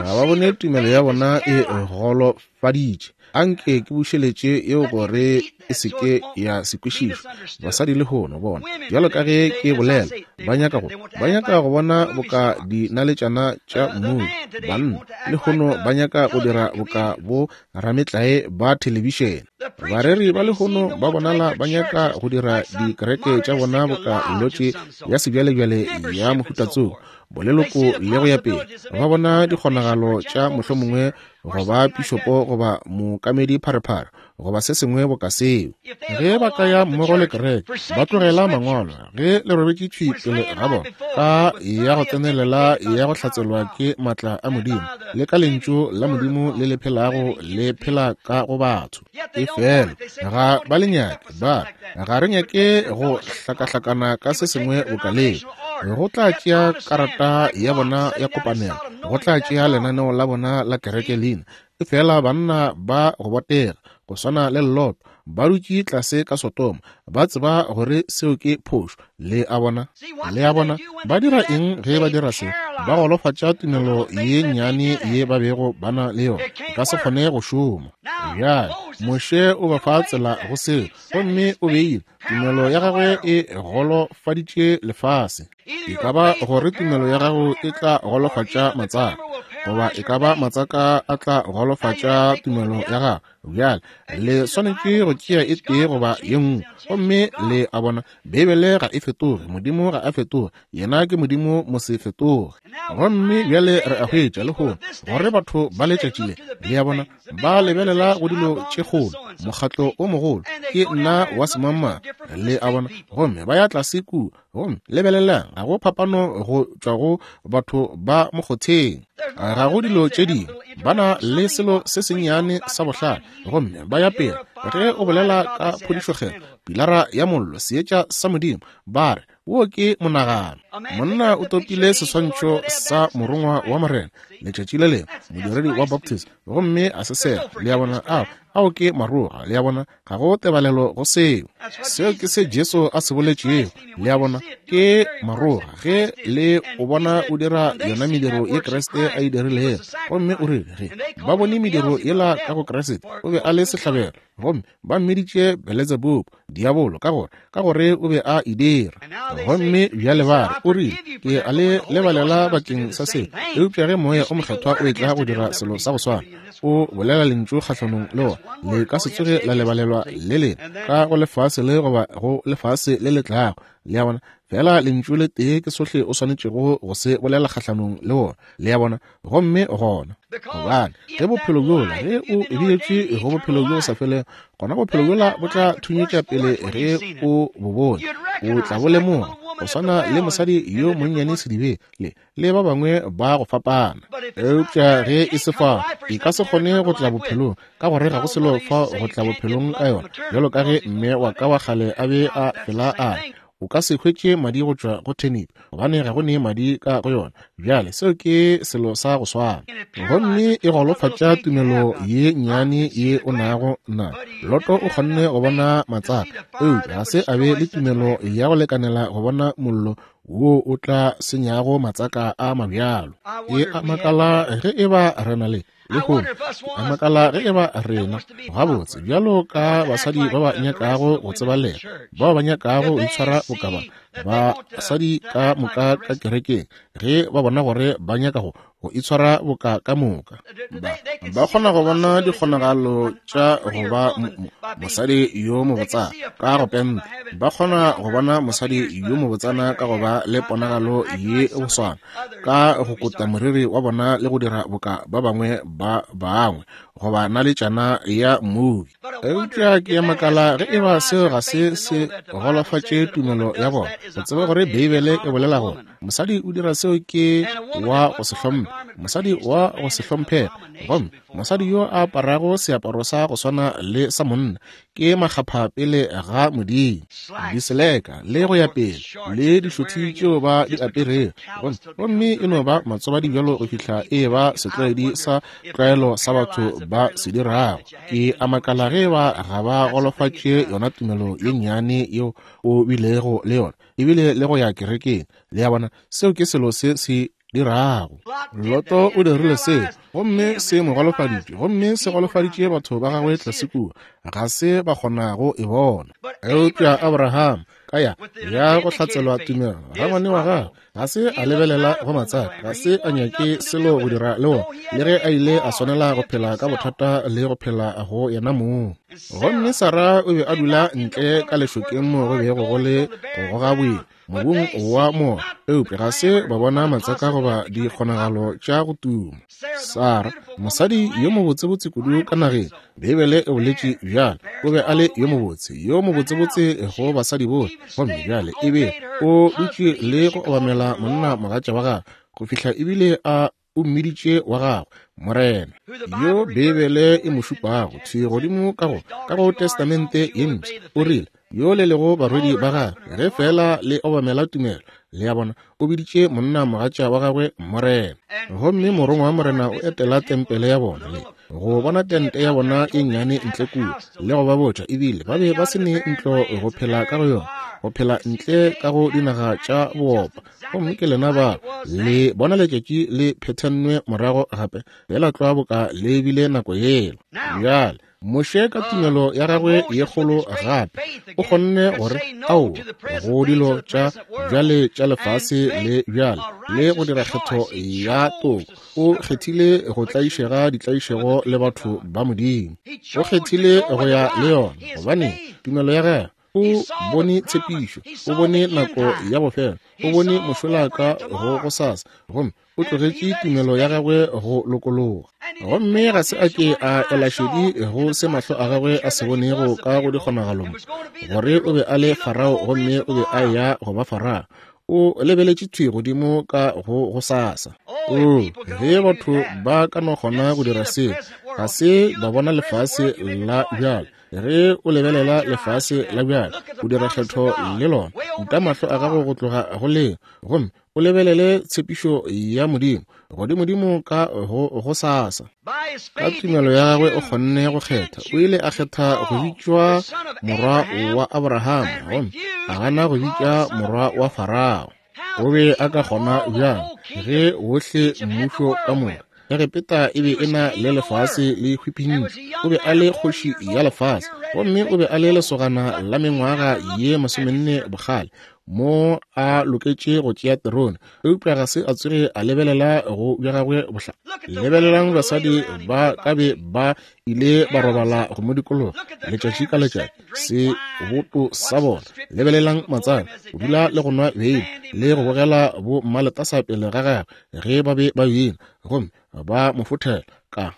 ga ba bone tumelo ya bona e golofaditše. Anke ke bušeletše yeo gore e se ke ya se kwešišwe. Basadi lehono bona, bjalo ka ge ke bolela, ba nyaka go ba nyaka go bona boka dinaletšana tša mmubi. Banna lehono ba nyaka go dira boka bo rametlae ba thelebišene. Bareri ba lehono ba bonala ba nyaka go dira dikereke tša bona boka lotše ya sebjalebjale ya mohuta tsoko, boleloko le go ya pele. Ba bona dikgonagalo tša mohlomongwe go ba pišopo goba mookamedi pharephare goba se sengwe boka seo. Ge ba ka ya mmogo le kereke, ba tlogela mangwalo ge le robetše thwi pele ga bona ka ya go tsenelela ya go hlatselwa ke maatla a Modimo le ka lentšu la Modimo le le phelago le phela ka go batho. Efela ga ba le nyake, ba ga re nyake go hlakahlakana ka se sengwe boka leo. Go tla tšea karata ya bona ya kopanelo, go tla tšea lenaneo la bona la kereke leina. Efela banna ba go botega go swana le Lot ba dutše tlase ka Sodoma, ba tseba gore seo ke phošo. Le a bona, le a bona ba dira eng ge ba dira se? Ba golofatša tumelo ye nnyane ye ba bego ba na le yona, e ka se kgone go šoma. Bjale Moshe o ba fa tsela go seo, gomme o beile tumelo ya gagwe e golofaditše lefase. E ka ba gore tumelo ya gago e tla golofatša matsaka, goba e ka ba matsaka a tla golofatša tumelo ya gago. Bjale le swanetše go tšea e tee goba ye nngwe. Gomme le a bona, Beibele ga e fetoge, Modimo ga a fetoge, yena ke Modimo mo se fetoge. Gomme bjale re a hwetša lehono gore batho ba letšatši le, le a bona, ba lebelela go dilo tše kgolo, mokgatlo o mogolo, ke nna wa semangmang, le a bona, gomme ba ya tlase kua. Gomme lebelelang, ga go phapano go tšwa go batho ba mokgotheng, ga go dilo tše dingwe, ba na le selo se sennyane sa bohlale, gomme ba ya pele. Ge o bolela ka phodišokgetho, pilara ya mollo, seetša sa Modimo, ba re wo ke monagano. Monna o topile seswantšho sa morongwa wa Morena letšatši le lengwe, modiredi wa Baptist, gomme a se sega. Le a bona, ao ao ke maroga. Le a bona, ga go tebalelo go seo. Seo ke se Jesu a se boletšego. Le a bona, ke maroga. Ge le o bona o dira yona mediro ye Kriste a e dirilego, gomme o rile ge ba bone mediro yela ka go Kriste, o be a le sehlabelo, gomme ba mmiditše Beelzebub, diabolo, ka gore ka gore o be a e dira. Gomme bjale ba re, o rile, ke a le lebalela bakeng sa seo. Eupša ge Moya o Mokgethwa o etla go dira selo sa go swana, o bolela lentšu kgahlanong le wona, le ka se tsoge la lebalelwa le lena ka go lefase le goba go lefase le le tlago. Le a bona, fela lentšu le tee ke sohle o swanetšego go se bolela kgahlanong le wona. Le a bona, gomme gona gobane ge bophelo bjola, ge o biletšwe go bophelo bjo sa felego, gona bophelo bjola bo tla thunyetša pele ge o bo bone, o tla bo lemoga, go swana le mosadi yo monnyane sedibeng le le ba bangwe ba go fapana. Eupša ge e se fao, e ka se kgone go tla bophelong, ka gore ga go selo fao go tla bophelong ka yona, bjalo ka ge mme wa ka wa kgale a be a fela a re, O ka se hwetše madi go tšwa go turnip, gobane ga go ne madi ka go yona. Bjale seo ke selo sa go swana. Gomme e golofatša tumelo ye nnyane ye o nago na. Loto o kgonne go bona matsaka, eupša ga se a be le tumelo ya go lekanela go bona mollo wo o tla senyago matsaka a mabjalo. E a makala ge e ba re na le lehono, a makala ge e ba rena gabotse bjalo ka basadi ba ba nyakago go tsebalega, bao ba nyakago go itshwara boka ba basadi ka moka ka kerekeng, ge ba bona gore ba nyaka go go itshwara boka ka moka, ba ba kgona go bona dikgonagalo tša go ba mosadi yo mobotsana ka go penta, ba kgona go bona mosadi yo mobotsana ka go ba le ponagalo ye boswana, ka go kota moriri wa bona le go dira boka ba bangwe ba bangwe, goba naletšana ya mmubi. Eupša ke ya makala ge e ba seo ga se se golofatše tumelo ya bona, go tseba gore Beibele e bolela gore mosadi o dira seo ke wa go se hlomphe, mosadi wa go se hlomphege, gomme mosadi yo a aparago seaparo sa go swana le sa monna ke makgapha pele ga Modimo. Diseleka le go ya pele le dišothi tšeo ba di aperego, gomme e no ba matsobadi bjalo go fihla e ba setlwaedi sa tlwaelo sa batho ba se dirago. Ke a makala ge ba ga ba golofatše yona tumelo ye nnyane yeo o bilego le yona, ebile le go ya kerekeng. Le a bona, seo ke selo se se dirago. Loto o dirile seo, gomme se mo golofaditše, gomme se golofaditše batho ba gagwe tlase kua, ga se ba kgonago e bona. Eupša Abraham ka ya ya go hlatselwa tumelo, rangwane wa gagwe ga se a lebelela go matsaka, ga se a nyake selo go dira le wona, le ge a ile a swanela go phela ka bothata le go phela go yena mong. Gomme Sara o be a dula ntle ka lešokeng mo go bego go le go goga boima mobung wa moya, eupša ga se ba bona matsaka goba dikgonagalo tša go tuma. Sara, mosadi yo mobotsebotse kudu ka nageng, Beibele e boletše bjalo, o be a le yo mobotse, yo mobotsebotse go basadi bohle, gomme bjale ebe o dutše le go obamela monna mogatša wa gagwe go fihla ebile a o mmiditše wa gagwe Morena, yo Beibele e mo šupago thwi godimo ka go ka go Testamente ye Mpsha. O rile, yo le lego barwedi ba gagwe ge fela le obamela tumelo. Le a bona, o biditše monna mogatša wa gagwe Morena. Gomme morongwa wa Morena o etela tempele ya bona le go bona tente ya bona e nnyane ntle kua, le go ba botša ebile ba be ba se ne ntlo go phela ka go yona, go phela ntle ka go dinaga tša boopa. Gomme ke lena ba le bona letšatši le phethennwe morago gape, fela tlwa boka le bile nako yela. Bjale Moshe ka tumelo ya gagwe ye kgolo gape o kgonne gore ao go dilo tša bjale tša lefase le bjale le go dira kgetho ya toko. O kgethile go tlaišega ditlaišego le batho ba Modimo. O kgethile go ya le yona, gobane tumelo ya gagwe o bone tshepišo, o bone nako ya bofelo, o bone mošola ka go gosasa, gomme o tlogetše tumelo ya gagwe go lokologa. Gomme ga se a ke a ela šedi go se mahlo a gagwe a se bonego ka go dikgonagalo mo, gore o be a le Farao gomme o be a ya go ba Farao. O lebeletše thwi godimo ka go gosasa. O, ge batho ba ka no kgona go dira seo, ga se ba bona lefase la bjale. Ge o lebelela lefase la bjale, o dira kgetho le lona, uta mahlo a gago go tloga go leo, gomme o lebelele tshepišo ya Modimo godimodimo ka go gosasa. Ka tumelo ya gagwe o kgonne go kgetha. O ile a kgetha go bitšwa morwa wa Abraham, gomme a gana go bitša morwa wa Farao. O be a ka kgona bjang ge wohle mmušo ka moka Egepeta e be e na le lefase le hwipintšwe? O be a le kgoši ya lefase, gomme o be a le lesogana la mengwaga ye masomenne bogale mo a loketše go tšea terone, eupša ga se a tsoge a lebelela go bja gagwe bohla. Lebelelang basadi ba ka be ba ile ba robala go mo dikologa letšatši ka letšatši seboto sa bona. Lebelelang matsaka go dula le go nwa beine le go bogela bo mmaletasa pele ga gagwe ge ba be ba bina, gomme ba mo fothela ka.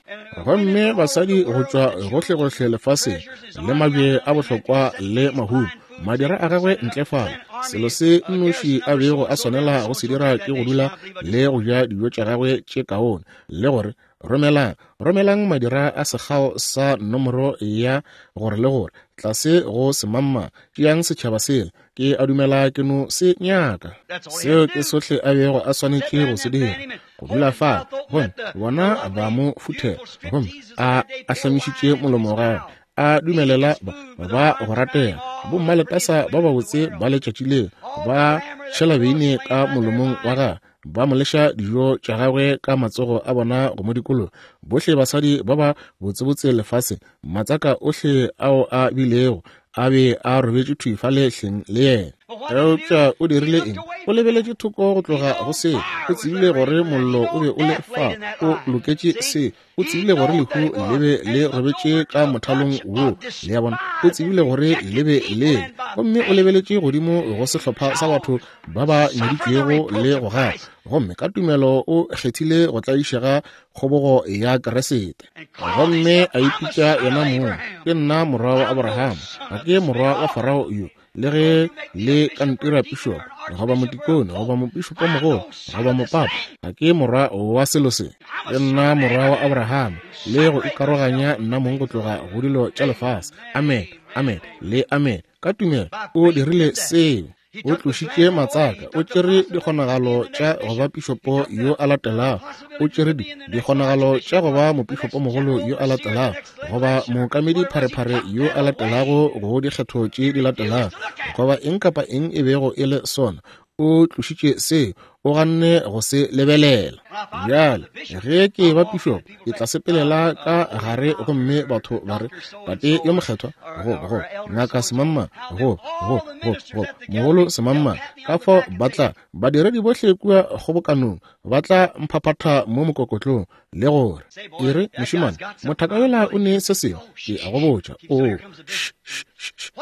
Gomme basadi go tšwa gohlegohle lefaseng le mabje a bohlokwa le mahumo, madira a gagwe ntle fale. Selo se nnoši a bego a swanela go se dira ke go dula le go ja dijo tša gagwe tše kaone, le gore Romelang, romelang madira a sekgao sa nomoro ya gore le gore, tlase go semamma, tšeang setšhaba sela, ke a dumela ke no se nyaka. Seo ke sohle a bego a swanetše go se dira, go dula fa, gomme bona ba mo futhela, gomme a ahlamišitše molomo wa gagwe, a dumelela ba, ba go ratega, bommaletasa ba babotse ba letšatši leo, ba tšhela beine ka molomong wa gagwe, ba mo leša dijo tša gagwe ka matsogo a bona go mo dikologa. Bohle basadi ba ba botsebotse lefaseng, matsaka ohle ao a bilego a be a robetše thwi fale hleng le yena. Eupša o dirile eng? O lebeletše thoko go tloga go se. O tsebile gore mollo o be o le fa, o loketše se. O tsebile gore lehu le be le robetše ka mothalong wo, le a bona. O tsebile gore le be le, gomme o lebeletše godimo go sehlopha sa batho ba ba nyaditšwego le go gana, gomme ka tumelo o kgethile go tlaišega kgobogo ya Keresete, gomme a ipitša yena mong, ke nna morwa wa Abraham, ga ke morwa wa Farao yo, le ge le ka ntira pišopo, goba motikone, goba mopišopomogolo, goba mopapa, ga ke morwa wa selo se, ke nna morwa wa Abraham, le go ikaroganya nna mong go tloga go dilo tša lefase. Amen, amen, le amen. Ka tumelo o dirile seo. O tlošitše matsaka, o tšere dikgonagalo tša go ba pišopo yo a latelago, o tšere di dikgonagalo tša go ba mopišopomogolo yo a latelago, goba mookamedi pharephare yo a latelago go dikgetho tše di latelago, goba eng kapa eng e bego e le sona. O tlošitše seo, o ganne go se lebelela. Bjale ge ke ba pišopo, ke tla sepelela ka gare gomme batho ba re, Tate yo mokgethwa, go go ngaka semamma, go go go go mogolo semamma, ka fao ba tla badiredi bohle kua kgobokanong ba tla mphaphatha mo mokokotlong le gore e re, mošemane, mothaka yola o ne se sengwe, ke a go botša, o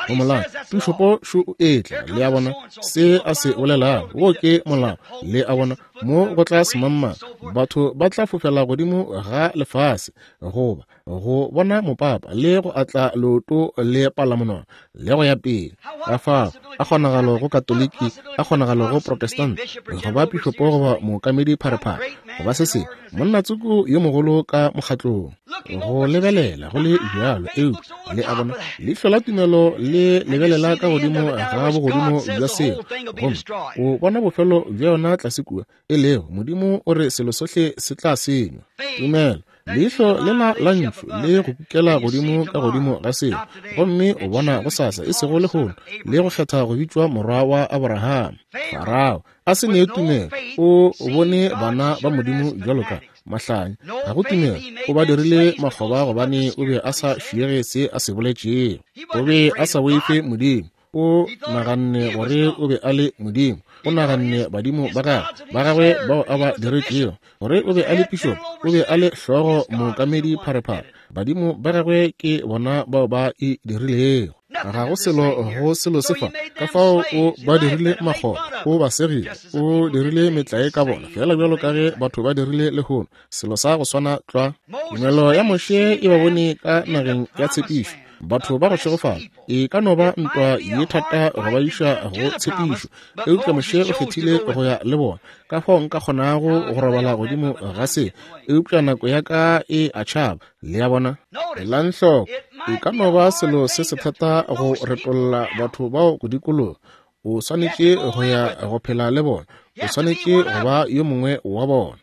go molao, pišopo šo o etla, le a bona se a se bolelago, wo ke molao, le a bona mo go tla semamma, batho ba tla fofela godimo ga lefase goba go bona mopapa le go atla leoto le palamonwana le go ya pele. Ka fao a kgonagalo go Katoliki, a kgonagalo go Protestant, goba pišopo goba mookamedi pharephare, goba se sengwe, monna tsoko yo mogolo ka mokgatlong, go lebelela go le bjalo. Eupša le a bona leihlo la tumelo le lebelela ka godimo ga bogodimo bja seo, gomme o bona bofelo bja yona tlase kua, e lego Modimo o re selo sohle se tla senywa. Tumelo, leihlo lela la ntšhu le go kukela godimo ka godimo ga seo, gomme o bona gosasa e sego lehono, le go kgetha go bitšwa morwa wa Abraham. Farao a se ne tumelo, o bone bana ba Modimo bjalo ka mahlanya, ga go tumelo, o ba dirile makgoba gobane o be a sa šiege se a se boletšego, o be a sa boife Modimo, o naganne gore o be a le Modimo, o naganne badimo ba gagwe ba gagwe bao a ba diretšego, gore o be a le pišopo, o be a le hlogo mookamedi pharephare, badimo ba gagwe ke bona bao ba e dirilego. Ga go selo go selo se fa, ka fao o ba dirile makgoba, o ba segile, o dirile metlae ka bona, fela bjalo ka ge batho ba dirile lehono, selo sa go swana tlwa. Tumelo ya Moshe e ba bone ka nageng ya tshepišo, batho ba go šegofala. E ka no ba ntwa ye thata go ba iša go tshepišo, eupša Moshe o kgethile go ya le bona. Ka fao nka kgonago go robala godimo ga se, eupša nako ya ka e a tšhaba, le a bona. Elang hloko, e ka no ba selo se se thata go retolla batho bao go dikologa. O swanetše go ya go phela le bona, o swanetše go ba yo mongwe wa bona.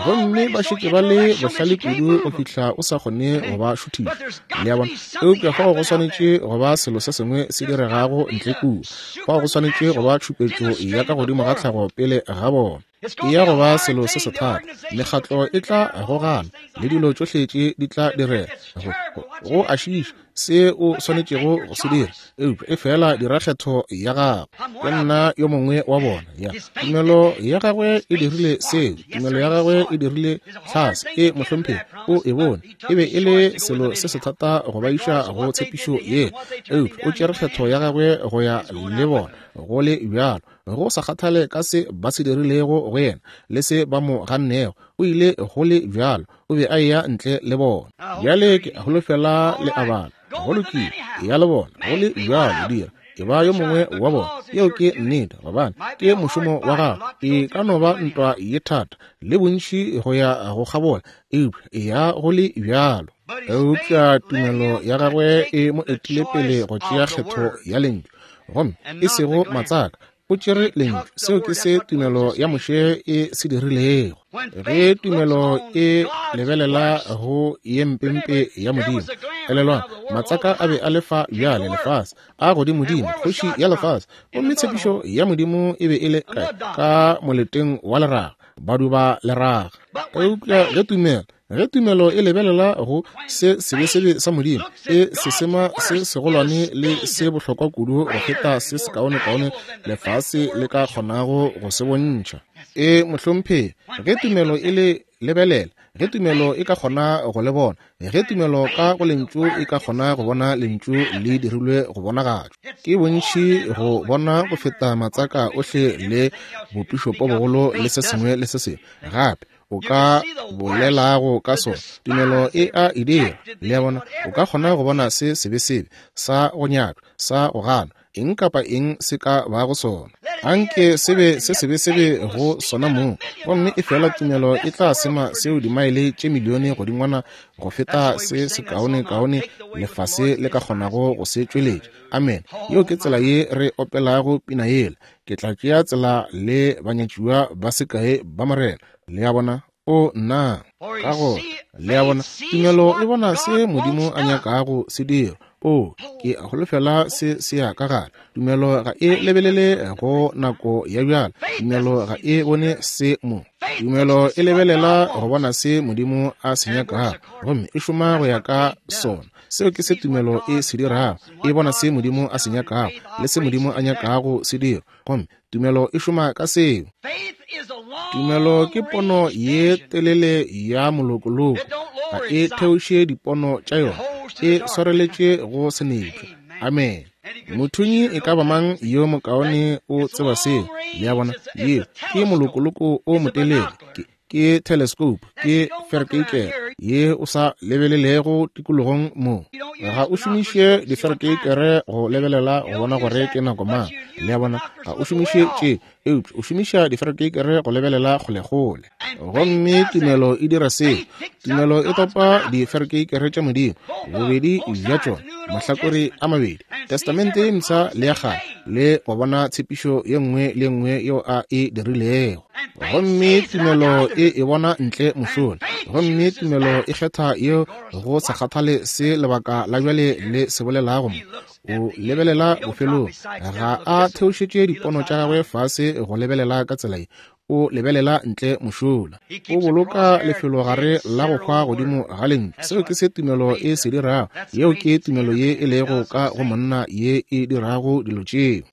Gomme ba šetše ba le bohlale kudu go fihla o sa kgone go ba šuthiša, le a bona. Eupša fao go swanetše go ba selo se sengwe se diregago ntle kua, fao go swanetše go ba tšhupetšo ya ka godimo ga tlhago pele ga bona. E ya go ba selo se se thata, mekgatlo e tla gogana le dilo tšohle tše di tla direga, go, go a šiiša se o swanetšego go se dira, eupša e fela dira kgetho ya gago. Ke nna yo mongwe wa bona. Ya tumelo ya gagwe e dirile seo, tumelo ya gagwe e dirile tlhase e mohlomphegi, o e bone e be e le selo se se thata go ba iša go tshepišo ye, eupša o tšere kgetho ya gagwe go ya le bona go le bjalo, go sa kgathale ka se ba se dirilego go yena le se ba mo gannego, o ile go le bjalo, o be a eya ntle le bona. Bjale ke holofela le a bala, go lokile, ya le bona go le bjalo, dira E ba yo mongwe wa bona. Yeo ke nnete, gobane ke mošomo wa gago. E ka no ba ntwa ye thata le bontši go ya go kgabola, eupša e ya go le bjalo. Eupša tumelo ya gagwe e mo etile pele go tšea kgetho ya lentšu, gomme e sego matsaka. O tšere lentšu. Seo ke se tumelo ya Moshe e se dirilego. Ge tumelo e lebelela go ye mpempe ya Modimo, elelwang, matsaka a be a lefa bjale lefase, a godimodimo, kgoši ya lefase, gomme tshepišo ya Modimo e be e le kae? Ka moleteng wa leraga, baduba leraga. Eupša ge tumelo ge tumelo e lebelela go se sebesebe sa Modimo, e se sema se segolwane le se bohlokwa kudu go feta se sekaonekaone lefase le ka kgonago go se bontšha. E mohlomphegi, ge tumelo e le lebelela, ge tumelo e ka kgona go le bona, ge tumelo ka go lentšu e ka kgona go bona lentšu le dirilwe go bonagatšwa, ke bontši go bona go feta matsaka ohle le bopišopo bogolo le se sengwe le se sengwe gape o ka bolelago ka sona. Tumelo e a e dira. Le a bona, o ka kgona go bona se sebesebe sa go nyatšwa, sa go ganwa, eng kapa eng se ka bago sona. Anke se be se sebesebe go sona mong, gomme e fela tumelo e tla sema seo dimaele tše milione godingwana go feta se sekaonekaone lefase le ka kgonago go se tšweletša. Amen. Yeo ke tsela ye re opelago pina yela. Ke tla tšea tsela le banyatšiwa ba sekae ba Morena. Le a bona? O nna. Ka gore, le a bona, tumelo e bona se Modimo a nyakago se dira. O, ke a holofela se se ya ka gare. Tumelo ga e lebelele go nako ya bjale. Tumelo ga e bone se mo. Tumelo e lebelela go bona se Modimo a se nyakago, gomme e šoma go ya ka sona. Seo ke se tumelo e se dirago. E bona se Modimo a se nyakago le se Modimo a nyakago se dira, gomme tumelo e šoma ka seo. Tumelo ke pono ye telele ya molokoloko. Ga e theoše dipono tša yona, e swareletše go senepša. Amen. Mothunyi e ka ba mang yo mokaone o tseba seo. Le a bona, yeo ke molokoloko o motelele, ke, ke telescope, ke ferkeikere ye o sa lebelelego tikologong mo. Ga o šomiše diferkeikere go lebelela go bona gore ke nako mang. Le a bona, ga o šomiše tše, eupša o šomiša diferkeikere go lebelela kgolekgole. Gomme tumelo e dira seo. Tumelo e topa diferkeikere tša Modimo, bobedi bja tšona, mahlakore a mabedi, Testamente ye Mpsha le ya Kgale, le go bona tshepišo ye nngwe le nngwe yeo a e dirilego. Gomme tumelo e e bona ntle mošola. Gomme tumelo e kgetha yeo go sa kgathale se lebaka la bjale le se bolelago mo. O lebelela bofelong. Ga a theošetše dipono tša gagwe fase go lebelela ka tsela ye. O lebelela ntle mošola. O boloka lefelogare la go hwa godimo ga lentšu. Seo ke se tumelo e se dirago. Yeo ke tumelo ye e lego ka go monna ye e dirago dilo tšeo.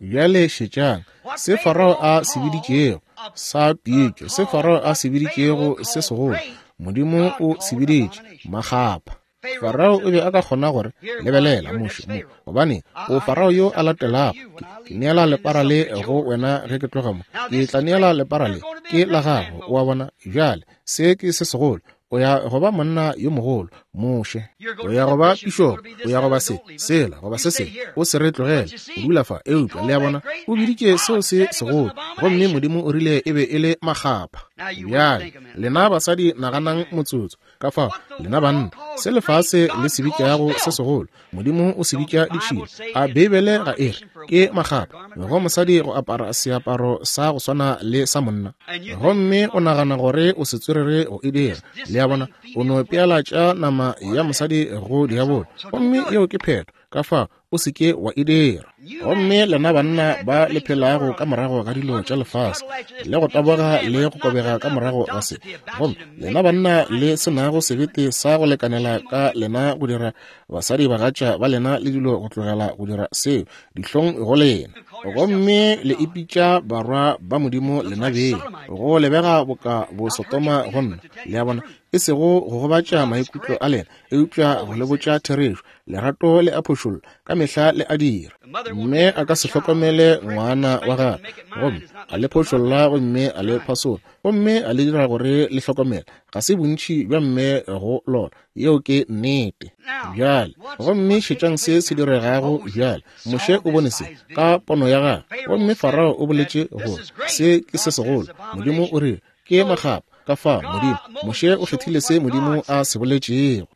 Bjale šetšang se Farao a se biditšego sa pitšo, se Farao a se biditšego se segolo, Modimo o se biditše makgapha. Farao o be a ka kgona gore, lebelela Moshe mo, gobane o Farao yo a latelago. Ke, ke neela lepara le go wena ge ke tloga mo. Ke tla neela lepara le, ke la gago. O a bona? Bjale se ke se segolo. O ya go ba monna yo mogolo, Moshe. O ya go ba pišopo, o ya go ba se, sela, goba se sengwe. O se re tlogele, o dula fa. Eupša le a bona, o biditše seo se segolo, gomme Modimo o rile e be e le makgapha. Bjale lena basadi naganang motsotso. Ka fao lena banna, se lefase le se bitšago se segolo, Modimo o se bitša ditšhila. A Beibele ga e re ke makgapha go mosadi go apara seaparo sa go swana le sa monna? Gomme o nagana gore o setswerere go e dira. Le a bona, o no pealatša nama ya mosadi go diabolo, gomme yeo ke phetho. Ka fao o se ke wa e dira. Gomme lena banna ba le phelago ka morago ga dilo tša lefase, le go taboga le go kobega ka morago ga se, gomme lena banna le se nago sebete sa go lekanela ka lena go dira basadi bagatša ba lena le dilo go tlogela go dira seo, dihlong go lena. Gomme le ipitša barwa ba Modimo lena beng. Go lebega boka bo Sotoma go nna. Le a bona, e sego go gobatša maikutlo a lena, eupša go le botša therešo. Lerato le a phošolla ka mehla le a dira. Mme a ka se hlokomele ngwana wa gagwe, gomme a le phošolla gomme a le phasola, gomme a le dira gore le hlokomele. Ga se bontši bja mme go lona. Yeo ke nnete. Bjale, gomme šetšang se se diregago bjale. Moshe o bone se ka pono ya gagwe, gomme Farao o boletše gore se ke se segolo. Modimo o rile ke makgapa. Ka fa Modimo, Moshe o kgethile se Modimo a se boletšego.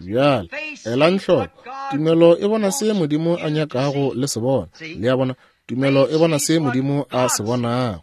Bjale, elang hloko, tumelo e bona se Modimo a nyakago le se bona. Le a bona, tumelo e bona se Modimo a se bonago.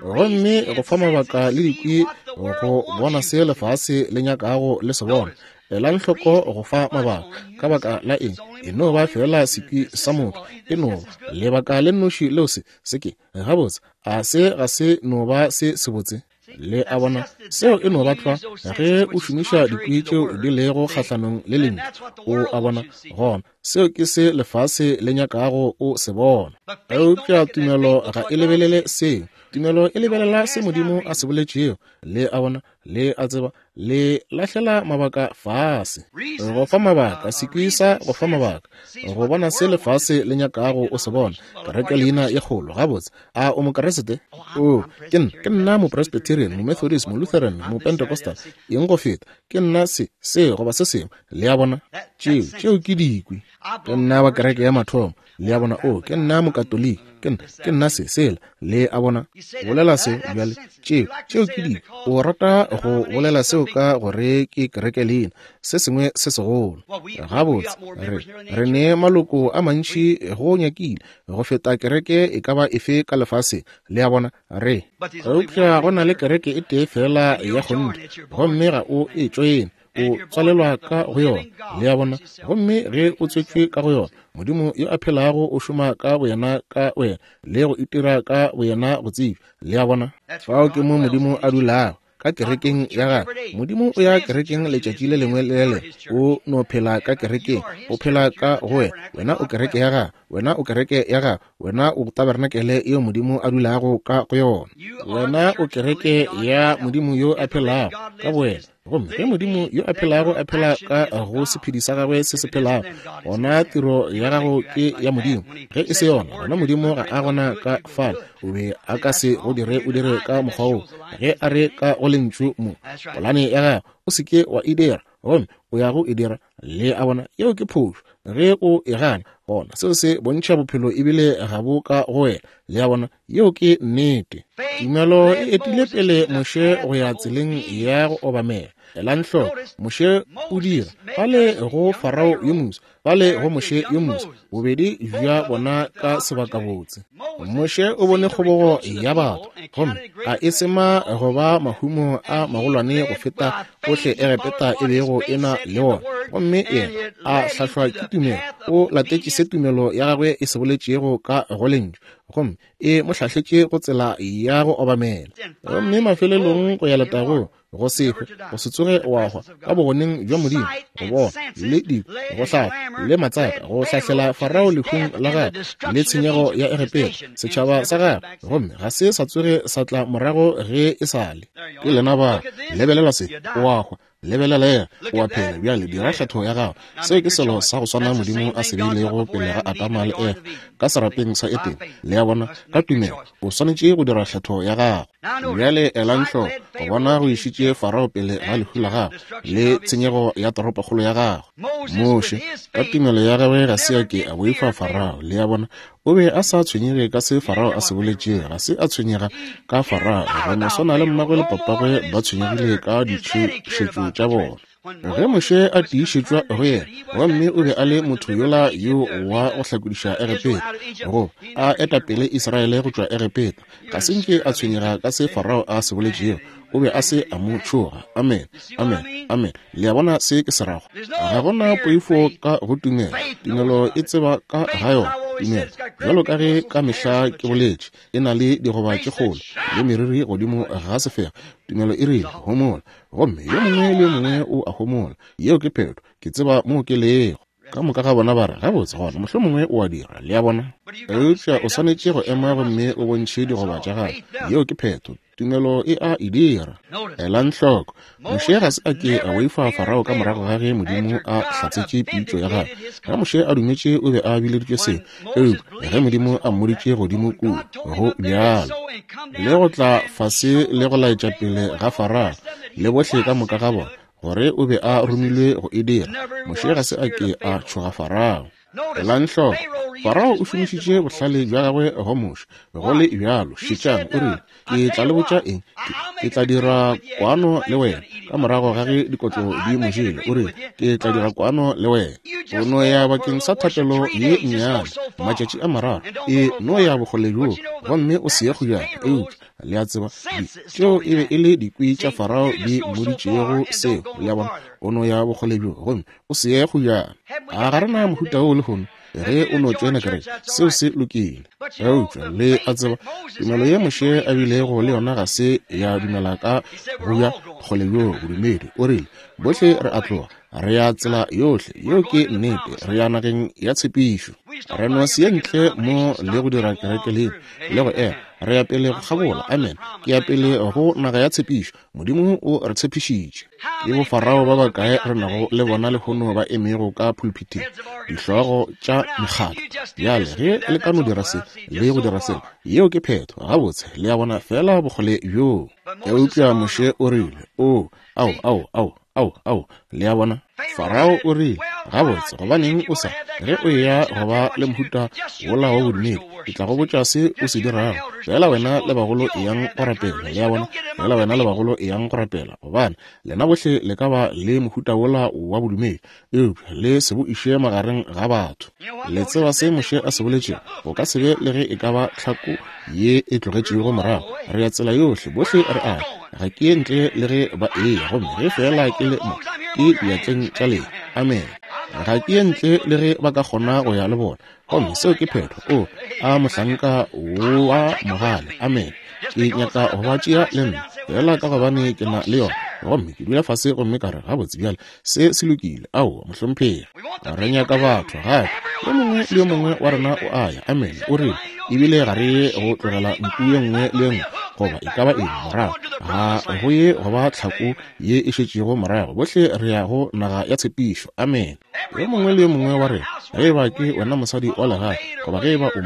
Gomme go fa mabaka le dikwi go bona se lefase le nyakago le se bona. Elang hloko go fa mabaka. Ka baka la eng? E no ba fela sekwi sa motho. E no ba lebaka le nnoši leo se se ke gabotse. A se ga se no ba se sebotse? Le a bona, seo e no ba tlwa ge o šomiša dikwi tšeo di lego kgahlanong le lentšu. O a bona, gona seo ke se lefase le nyakago o se bona. Eupša tumelo ga e lebelele seo. Tumelo e lebelela se Modimo a se boletšego. Le a bona, le a tseba, le lahlela mabaka fase. Go fa mabaka, sekwi sa go fa mabaka, go bona se lefase le nyakago o se bona. Kereke leina ye kgolo, gabotse. A o Mokeresete? O, ke nna, ke nna Mopresbyterian, Momethodist, Molutheran, Mopentecostal, eng go feta. Ke nna se, se goba se sengwe. Le a bona, tšeo, tšeo ke dikwi. Ke nna wa kereke ya mathomo. Le a bona, o, ke nna Mokatoliki, ke nna, ke nna se, sela. Le a bona, bolela se bjale, tšeo, tšeo ke dikwi. O rata go bolela seo ka gore ke kereke leina, se sengwe se segolo. Gabotse, re, re ne maloko a mantši go nyakile go feta kereke e ka ba efe ka lefaseng. Le a bona, re. Eupša go na le kereke e tee fela ya kgonthe, gomme ga o e tšoene. O tswalelwa ka go yona. Le a bona, gomme ge o tswetšwe ka go yona, Modimo yo a phelago o šoma ka boyena ka wena le go itira ka boyena go tsebja. Le a bona, fao ke mo Modimo a dulago, ka kerekeng ya gagwe. Modimo o ya kerekeng letšatši le lengwe le le lengwe. O no phela ka kerekeng, o phela ka go wena. Wena o kereke ya gagwe, wena o kereke ya gagwe, wena o tabernakele yeo Modimo a dulago ka go yona. Wena o kereke ya Modimo yo a phelago ka bowena. Gomme ge Modimo yo a phelago a phela ka go sephedi sa gagwe se se phelago, gona tiro ya gago ke ya Modimo. Ge e se yona, gona Modimo ga a gona ka fale. O be a ka se go dire o dire ka mokgwa woo. Ge a re ka go lentšu mo, polane ya gago o se ke wa e dira, gomme o ya go e dira. Le a bona, yeo ke phošo. Ge o e gana, gona seo se bontšha bophelo ebile ga bo ka go wena. Le a bona, yeo ke nnete. Tumelo e etile pele Moshe go ya tseleng ya go obamela. Elang hloko, Moshe o dira fale go Farao yo moswa, fale go Moshe yo moswa, bobedi bja bona ka sebakabotse. Moshe o bone kgobogo ya batho, gomme a e sema go ba mahumo a magolwane go feta ohle Egepeta e bego e na le ona. Gomme yena a hlahlwa ke tumelo, o latetše se tumelo ya gagwe e se boletšego ka go lentšu, gomme e mo hlahletše go tsela ya go obamela. Gomme mafelelong go ya letagong, go se hwe, go se tsoge wa hwa ka bogoneng bja Modimo, go bona le dikwi, go hlahla le matsaka, go hlahlela Farao lehung la gagwe le tshenyego ya Egepeta, setšhaba sa gagwe, gomme ga se sa tsoge sa tla morago ge e sa le. Ke lena ba, lebelela se, o a hwa. Lebelela, o a phela. Bjale dira kgetho ya gago. Seo ke selo sa go swana Modimo a se beilego pele ga Adama le Efa ka serapeng sa Edene. Le a bona, ka tumelo o swanetše go dira kgetho ya gago. Bjale elang hloko, go bona go išitše Farao pele ga lehu la gagwe le tshenyego ya toropokgolo ya gagwe. Moshe ka tumelo ya gagwe ga se a ke a boifa Farao. Le a bona, o be a sa tshwenyege ka se Farao a se boletšego, ga se a tshwenyega ka Farao. Go no swana le mmagwe le papagwe ba tshwenyegile ka ditšhošetšo tša bona. Ge Moshe a tiišetšwa go yena, gomme o be a le motho yola yo wa go hlakodiša Egepeta, go a eta pele Israele go tšwa Egepeta, ga se nke a tshwenyega ka se Farao a se boletšego. O be a se a mo tšhoga. Amen, amen, amen. Le a bona se ke se rago? Ga gona poifo ka go tumelo. Tumelo e tseba ka ga yona. Tumelo, bjalo ka ge ka mehla ke boletše, e na le digoba tše kgolo le meriri godimo ga sefega. Tumelo e rile, homola, gomme yo mongwe le yo mongwe o a homola. Yeo ke phetho. Ke tseba moo ke lego. Ka moka ga bona ba re, gabotse gona, mohlomongwe o a dira, le a bona. Eupša o swanetše go ema gomme o bontšhe digoba tša gago. Yeo ke phetho. Tumelo e a e dira. Elang hloko, Moshe ga se a ke a boifa Farao ka morago ga ge Modimo a hlatsetše pitšo ya gagwe. Ge Moshe a dumetše o be a bileditšwe seo, eupša ge Modimo a mmoditše godimo kua, go bjalo le go tla fase le go laetša pele ga Farao le bohle ka moka ga bona gore o be a romilwe go e dira, Moshe ga se a ke a tšhoga Farao. Elang hloko, Farao o šomišitše bohlale bja gagwe go Moshe. Go le bjalo, šetšang, o rile, ke tla le botša eng, ke tla dira kwano le wena. Ka morago ga ge dikotlo di mo jele, o rile, ke tla dira kwano le wena. O no ya bakeng sa thapelo ye nnyane, matšatši a mararo, e no ya bokgole bjoo, gomme o se ye kgojana. Eupša le a tseba, tšeo e be e le dikwi tša Farao di mmoditšego seo, le a bona, o no ya bokgole bjoo, gomme o se ye kgojana. A ga re na mohuta wo lehono? Ge o no tšena kereke, seo se lokile. Eupša le a tseba, tumelo ye Moshe a bilego le yona ga se ya dumela ka go ya kgole bjoo bodumedi. O rile, bohle re a tloga, re ya tsela yohle, yeo ke nnete, re ya nageng ya tshepišo. Re no se ye ntle mo le go dira kereke le le go ema, re ya pele go kgabola. Amen. Ke ya pele go naga ya tshepišo. Modimo o re tshepišitše. Ke bo Farao ba bakae re nago le bona lehono ba emego ka pulpiteng, dihlogo tša mekgatlo. Bjale ge le ka no dira se le go dira sela, yeo ke phetho. Gabotse, le a bona fela bokgole bjoo. Eupša Moshe o rile, o, ao, ao, ao, ao, ao, le a bona. Farao o rile, gabotse, gobaneng o sa, ge o eya go ba le mohuta wola wa bodumedi, ke tla go botša se o se dirago. Fela wena le bagolo eyang go rapela, le a bona, fela wena le bagolo eyang go rapela, gobane lena bohle le ka ba le mohuta wola wa bodumedi, eupša le se bo iše magareng ga batho. Le tseba se Moshe a se boletšego, go ka se be le ge e ka ba tlhako ye e tlogetšego morago. Re ya tsela yohle, bohle re a ga ke ye ntle le ge ba eya, gomme ge fela ke le mo, ke diatleng tša lena. Amen. Ga ke ye ntle le ge ba ka kgona go ya le bona, gomme seo ke phetho. O a mohlanka wa mogale. Amen. Ke nyaka go ba tšea le nna, fela ka gobane ke na le yona, gomme ke dula fase gomme ka re, gabotse bjale se se lokile. Aowa, mohlomphegi, re nyaka batho gape. Yo mongwe le yo mongwe wa rena o a ya. Amen. O rile, ebile ga re ye go tlogela nku ye nngwe le ye nngwe goba e ka ba eng morago, ga go ye go ba tlhako ye e šetšego morago, bohle re ya go naga ya tshepišo. Amen. Yo mongwe le yo mongwe wa rena, ge eba ke wena mosadi wa legae, goba ge eba o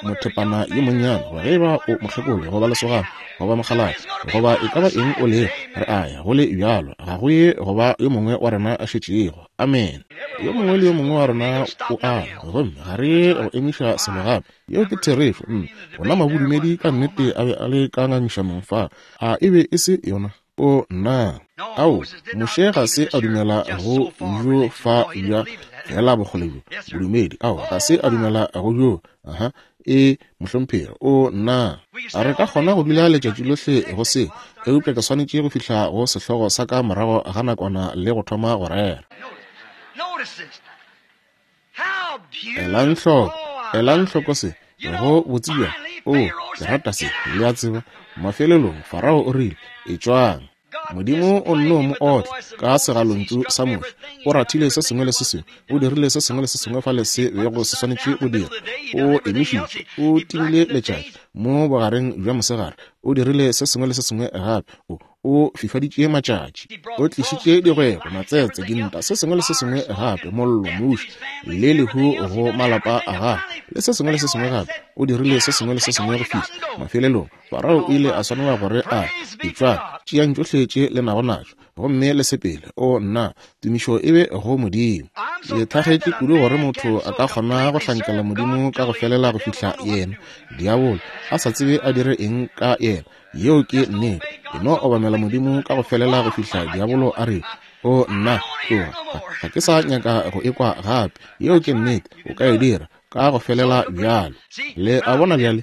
mothepana yo monnyane, goba ge eba o mokgekolo, goba lesogana, goba mokgalabje, goba e ka ba eng o lego, re a ya go le bjalo, ga go ye go ba yo mongwe wa rena a šetšego. Amen. Yo mongwe le yo mongwe wa rena o a ya, gomme ga re ye go emiša selo gape. Yeo ke therešo. Ona mabodumedi ka nnete a be a le ka ngangišanong fa. A e be e se yona? O nna. Ao, Moshe ga se a dumela go bjo fa bja fela bokgole bjo bodumedi. Ao, ga se a dumela go bjo. Aha, e mohlomphegi. O nna. A re ka kgona go dula letšatši lohle go se, eupša ke swanetše go fihla go sehlogo sa ka morago ga nakwana le go thoma go rera. Elang hloko, elang hloko se, go botsebja. O, ke rata se, le a tseba. Mafelelong Farao o rile, etšwang. Modimo o nno mo otla ka segalontšu sa Moshe. O rathile se sengwe le se sengwe, o dirile se sengwe le se sengwe fale se bego se swanetše go dira. O emišitše, o timile letšatši mo bogareng bja mosegare, o dirile se sengwe le se sengwe gape. O o fifaditše matšatši, o tlišitše digwebo, matsetse, dinta, se sengwe le se sengwe gape, mollo, muši le lehu go malapa a gagwe, le se sengwe le se sengwe gape. O dirile se sengwe le se sengwe go fihla mafelelong Farao o ile a swanela gore a etšwang, tšeang tšohle tše le nago natšo gomme le sepele. O nna, tumišo e be go Modimo. Ke thagetše kudu gore motho a ka kgona go hlankela Modimo ka go felela go fihla yena diabolo a sa tsebe a dire eng ka yena. Yeo ke nnete. E no obamela Modimo ka go felela go fihla diabolo a re, o nna, tloga, ga ke sa nyaka go ekwa gape. Yeo ke nnete. O ka e dira ka go felela bjalo. Le a bona bjale,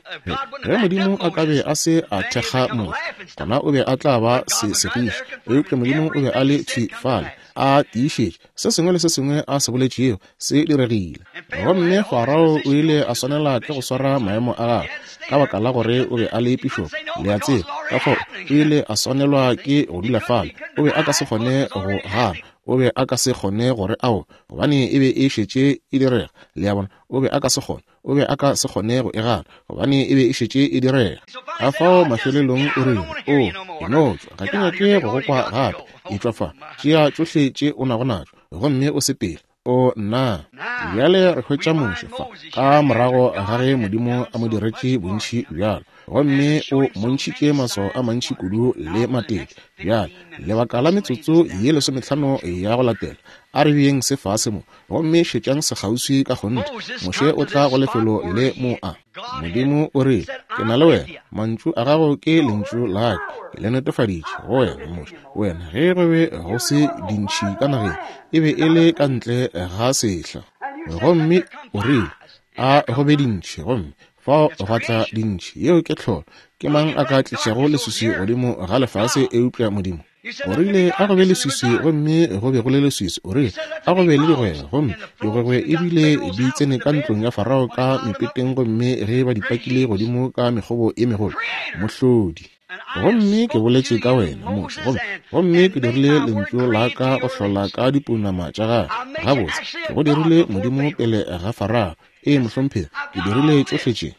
ge Modimo a ka be a se a thekga Moshe, gona o be a tla ba se segiša. Eupša Modimo o be a le thwi fale, a tiišetše se sengwe le se sengwe a se boletšego se diregile. Gomme Farao o ile a swanela ke go swara maemo a gagwe ka baka la gore o be a le pišopo, le a tseba. Ka fao o ile a swanelwa ke go dula fale, o be a ka se kgone go gana. O be a ka se kgone gore ao, gobane e be e šetše e direga. Le a bona, o be a ka se kgone, o be a ka se kgone go e gana, gobane e be e šetše e direga. Ka fao mafelelong o rile, o, e no tšwa, ga ke nyake go go kwa gape. Etšwa fa, tšea tšohle tše o nago natšo, gomme o sepele. O nna. Bjale re hwetša Moshe fa, ka morago ga ge Modimo a mo diretše bontši bjalo, gomme o montšhitše maswao a mantši kudu le matete. Bjale, lebaka la metsotso ye lesomehlano ya go latela, a re beeng se fase mo, gomme šetšang sekgauswi ka kgonthe. Moshe o tla go lefelo le mo a. Modimo o rile, ke na le wena, mantšu a gago ke lentšu la ka, ke le netefaditše go wena, Moshe. Wena, ge go be go se dintšhi ka nageng, e be e le ka ntle ga sehla. Gomme o rile, a go be dintšhi, gomme fao gwa tla dintšhi. Yeo ke tlholo. Ke mang a ka tlišago leswiswi godimo ga lefase eupša Modimo? O rile, a go be leswiswi, gomme go be go le leswiswi. O rile, a go be le digwegwe, gomme digwegwe ebile di tsene ka ntlong ya Farao ka mepeteng, gomme ge ba di pakile godimo ka mekgobo e megolo. Mohlodi. Gomme ke boletše ka wena, Moshe, gomme gomme ke dirile lentšu la ka go hlola ka dipounama tša gagwe. Gabotse, ke go dirile Modimo pele ga Farao. Ee, mohlomphegi, ke dirile tšohle tše.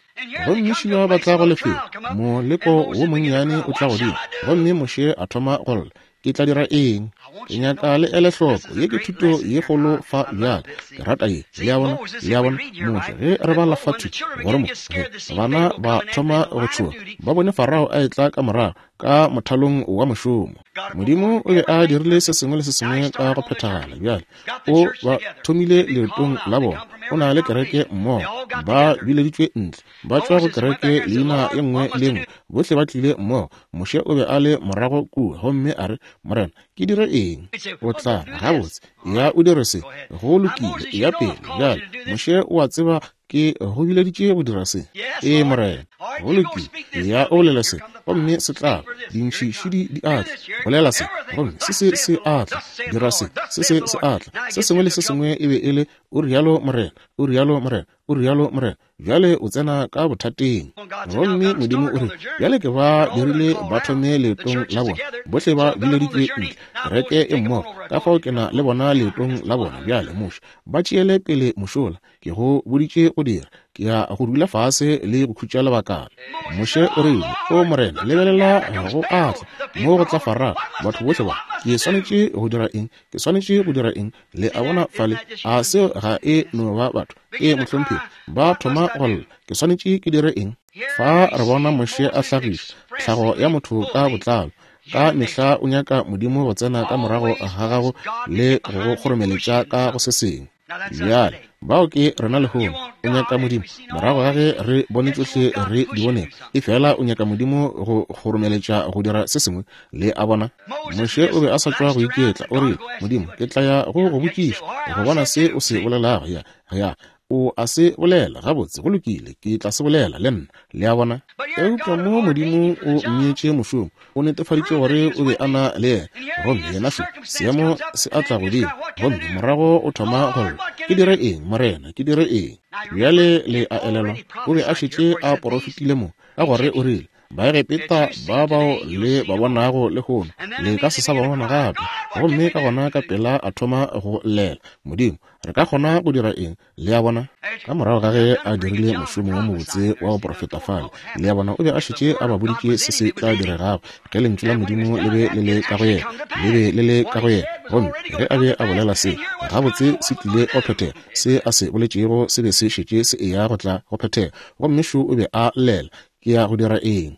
Gomme šiba ba tla go lefelo, moleko wo monnyane o tla godimo, gomme Moshe a thoma go lla. Ke tla dira eng? Ke nyaka le ele hloko. Ye ke thuto ye kgolo fa bjale. Ke rata ye. Le a bona, le a bona, Moshe, ge re bala fa thwi, gore mo, ge bana ba thoma go tšhoga, ba bone Farao a etla ka morago, ka mothalong wa mošomo. Modimo o be a dirile se sengwe le se sengwe ka go phethagala. Bjale o ba thomile leetong la bona. O na le kereke mmogo, ba bileditšwe ntle, ba tšwa go kereke leina ye nngwe le nngwe, bohle ba tlile mmogo. Moshe o be a le morago kua, gomme a re, Morena, ke dire eng? O tla re, gabotse, ya o dire se, go lokile, ya pele. Bjale Moshe o a tseba ke go bileditše go dira se. Ee, Morena, go lokile, ya o bolela se, gomme se tla. Dintšhi šidi di a tla. Bolela se, gomme se se se a tla. Dira se, se se se a tla. Se sengwe le se sengwe e be e le, o rialo Morena, o rialo Morena, o rialo Morena. Bjale o tsena ka bothateng. Gomme Modimo o re, bjale ke ba dirile ba thome leetong la bona, bohle ba bileditšwe ntle, kereke e mmogo, ka fao ke na le bona leetong la bona. Bjale Moshe, ba tšeele pele mošola, ke go boditše go dira, ke ya go dula fase le go khutša lebakana. Moshe o rile, o Morena, lebelela go a tla, mo go tla Farao, batho bohle ba, ke swanetše go dira eng? Ke swanetše go dira eng? Le a bona fale, a seo ga e no ba batho? Ee, mohlomphegi, ba thoma go lla, ke swanetše ke dire eng? Fa re bona Moshe a hlagiša tlhago ya motho ka botlalo. Ka mehla o nyaka Modimo go tsena ka morago ga gago le go go kgoromeletša ka go se sengwe. Bjale, bao ke rena lehono. O nyaka Modimo morago ga ge re bone tšohle re di bonego, efela o nyaka Modimo go kgoromeletša go dira se sengwe. Le a bona, Moshe o be a sa tšwa go iketla. O rile, Modimo, ke tla ya go go botšiša go bona se o se bolelago. Ya, ya, o a se bolela, gabotse, go lokile, ke tla se bolela le nna. Le a bona? Eupša mo Modimo o mmeetše mošomo, o netefaditše gore o be a na le yena, gomme yena šo, seemo se a tla godimo, gomme morago o thoma go lla, ke dire eng, Morena, ke dire eng? Bjale le a elelwa, o be a šetše a porofetile mo, ka gore o rile, Baegepeta ba bao le ba bonago lehono, le ka se sa ba bona gape. Gomme ka gona ka pela a thoma go llela, Modimo, re ka kgona go dira eng? Le a bona? Ka morago ga ge a dirile mošomo wo mobotse wa go porofeta fale, le a bona, o be a šetše a ba boditše se se tla diregago ge lentšu la Modimo le be le le ka go yena, le be le le ka go yena. Gomme ge a be a bolela se, gabotse se tlile go phethega. Se a se boletšego se be se šetše se eya go tla go phethega. Gomme šo o be a llela, ke ya go dira eng?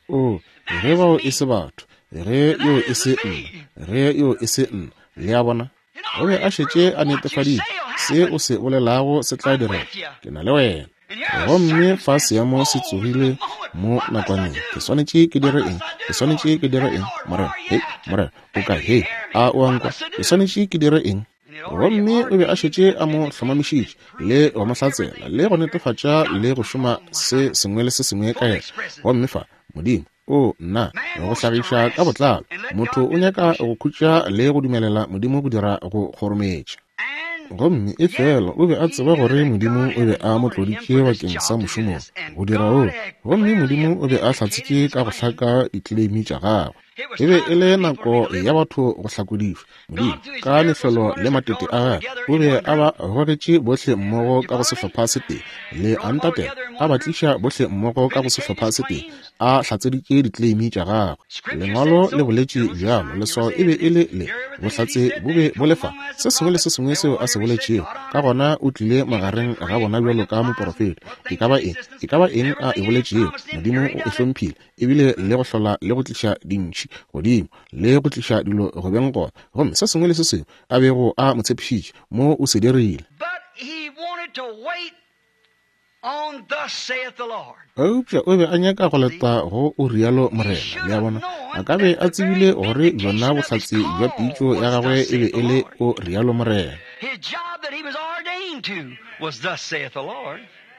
O, ge bao e se batho, ge yo e se nna, ge yo e se nna. Le a bona? O be a šetše a netefaditše, se o se bolelago se tla direga, ke na le wena. Gomme fa seemo se tsogile mo nakwaneng, ke swanetše ke dire eng? Ke swanetše ke dire eng, Morena? Hei, Morena, o kae? Hei, a o a nkwa? Ke swanetše ke dire eng? Gomme o be a šetše a mo hlomamišitše le go mo hlatsela le go netefatša le go šoma se sengwe le se sengwe ka yena. Gomme fa Modimo, o nna, go hlagiša ka botlalo. Motho o nyaka go khutša le go dumelela Modimo go dira go kgorometša. Gomme efela o be a tseba gore Modimo o be a mo tloditše bakeng sa mošomo go dira o. Gomme Modimo o be a hlatsitše ka go hlaka ditleleimi tša gagwe. E be e le nako ya batho go hlakodišwa. Modimo ka mehlolo le matete a gagwe o be a ba gogetše bohle mmogo ka go sehlopha se tee, le a ntatela, a ba tliša bohle mmogo ka go sehlopha se tee, a hlatseditše ditleimi tša gagwe. Lengwalo le boletše bjalo, leswao e be e le le, bohlatse bo be bo le fa, se sengwe le se sengwe seo a se boletšego. Ka gona o tlile magareng ga bona bjalo ka moporofeta. E ka ba eng, e ka ba eng a e boletšego, Modimo o e hlomphile, ebile le go hlola le go tliša dintšhi godimo, le go tliša dilo go beng gona. Gomme se sengwe le se sengwe a bego a mo tshepišitše, mo o se dirile. Eupša o be a nyaka go leta go o rialo Morena. Le a bona, a ka be a tsebile gore bjona bohlatse bja pitšo ya gagwe e be e le o rialo Morena.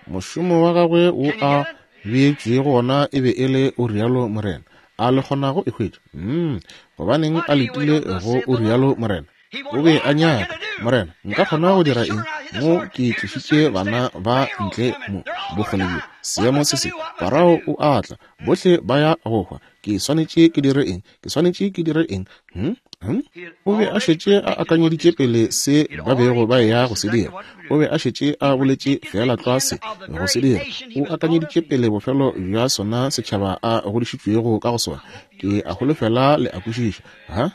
Mošomo wa gagwe wo a beetšwego gona e be e le o rialo Morena. A le kgonago e hwetša? Mm, gobaneng a letile go o rialo Morena? O be a nyaka, Morena, nka kgona go dira eng? Mo ke tlišitše bana ba ntle mo bokgole bjo, seemo se se, Farao o a tla, bohle ba ya go hwa. Ke swanetše ke dire eng? Ke swanetše ke dire eng? Hm? Hm? O be a šetše a akanyeditše pele se ba bego ba ya go se dira. O be a šetše a boletše feela tlwa se go se dira. O akanyeditše pele bofelo bja sona setšhaba a godišitšwego ka go sona. Ke a holofela le a kwešiša. Ha?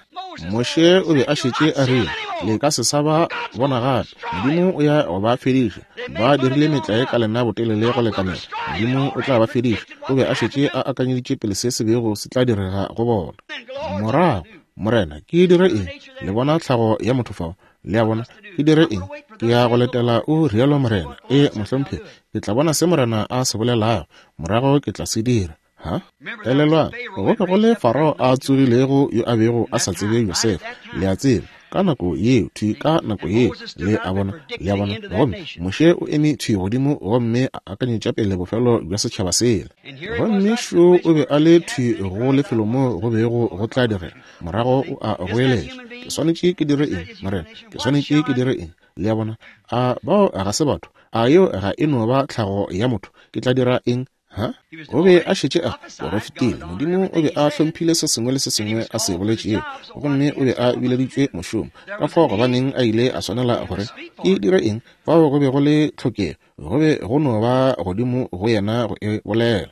Moshe o be a šetše a rile, le ka se sa ba bona gape. Modimo o ya go ba fediša. Ba dirile metlae ka lena botelele go lekanela. Modimo o tla ba fediša. O be a šetše a akanyeditše pele se se bego se tla direga go bona. Morago, Morena, ke dire eng? Le bona tlhago ya motho fao. Le a bona, ke dire eng? Ke ya go letela o rialo Morena. E, mohlomphegi, ke tla bona se Morena a se bolelago. Morago ke tla se dira. Ha? Elelwang, go be go le Farao a tsogilego yo a bego a sa tsebe Josefa. Le a tseba, ka nako yeo, thwi ka nako yeo, le a bona, le a bona. Gomme Moshe o eme thwi godimo gomme a akanyetša pele bofelo bja setšhaba sela. Gomme šo o be a le thwi go lefelo moo go bego go tla direga. Morago o a goeletša, ke swanetše ke dire eng, Morena? Ke swanetše ke dire eng? Le a bona, a bao ga se batho? A yeo ga e no ba tlhago ya motho? Ke tla dira eng? Ha? O be a šetše a porofetile. Modimo o be a hlomphile se sengwe le se sengwe a se boletšego, gomme o be a bileditšwe mošomo. Ka fao gobaneng a ile a swanela gore ke dire eng? Fao go be go le tlhokego, go be go no ba godimo go yena go e bolela.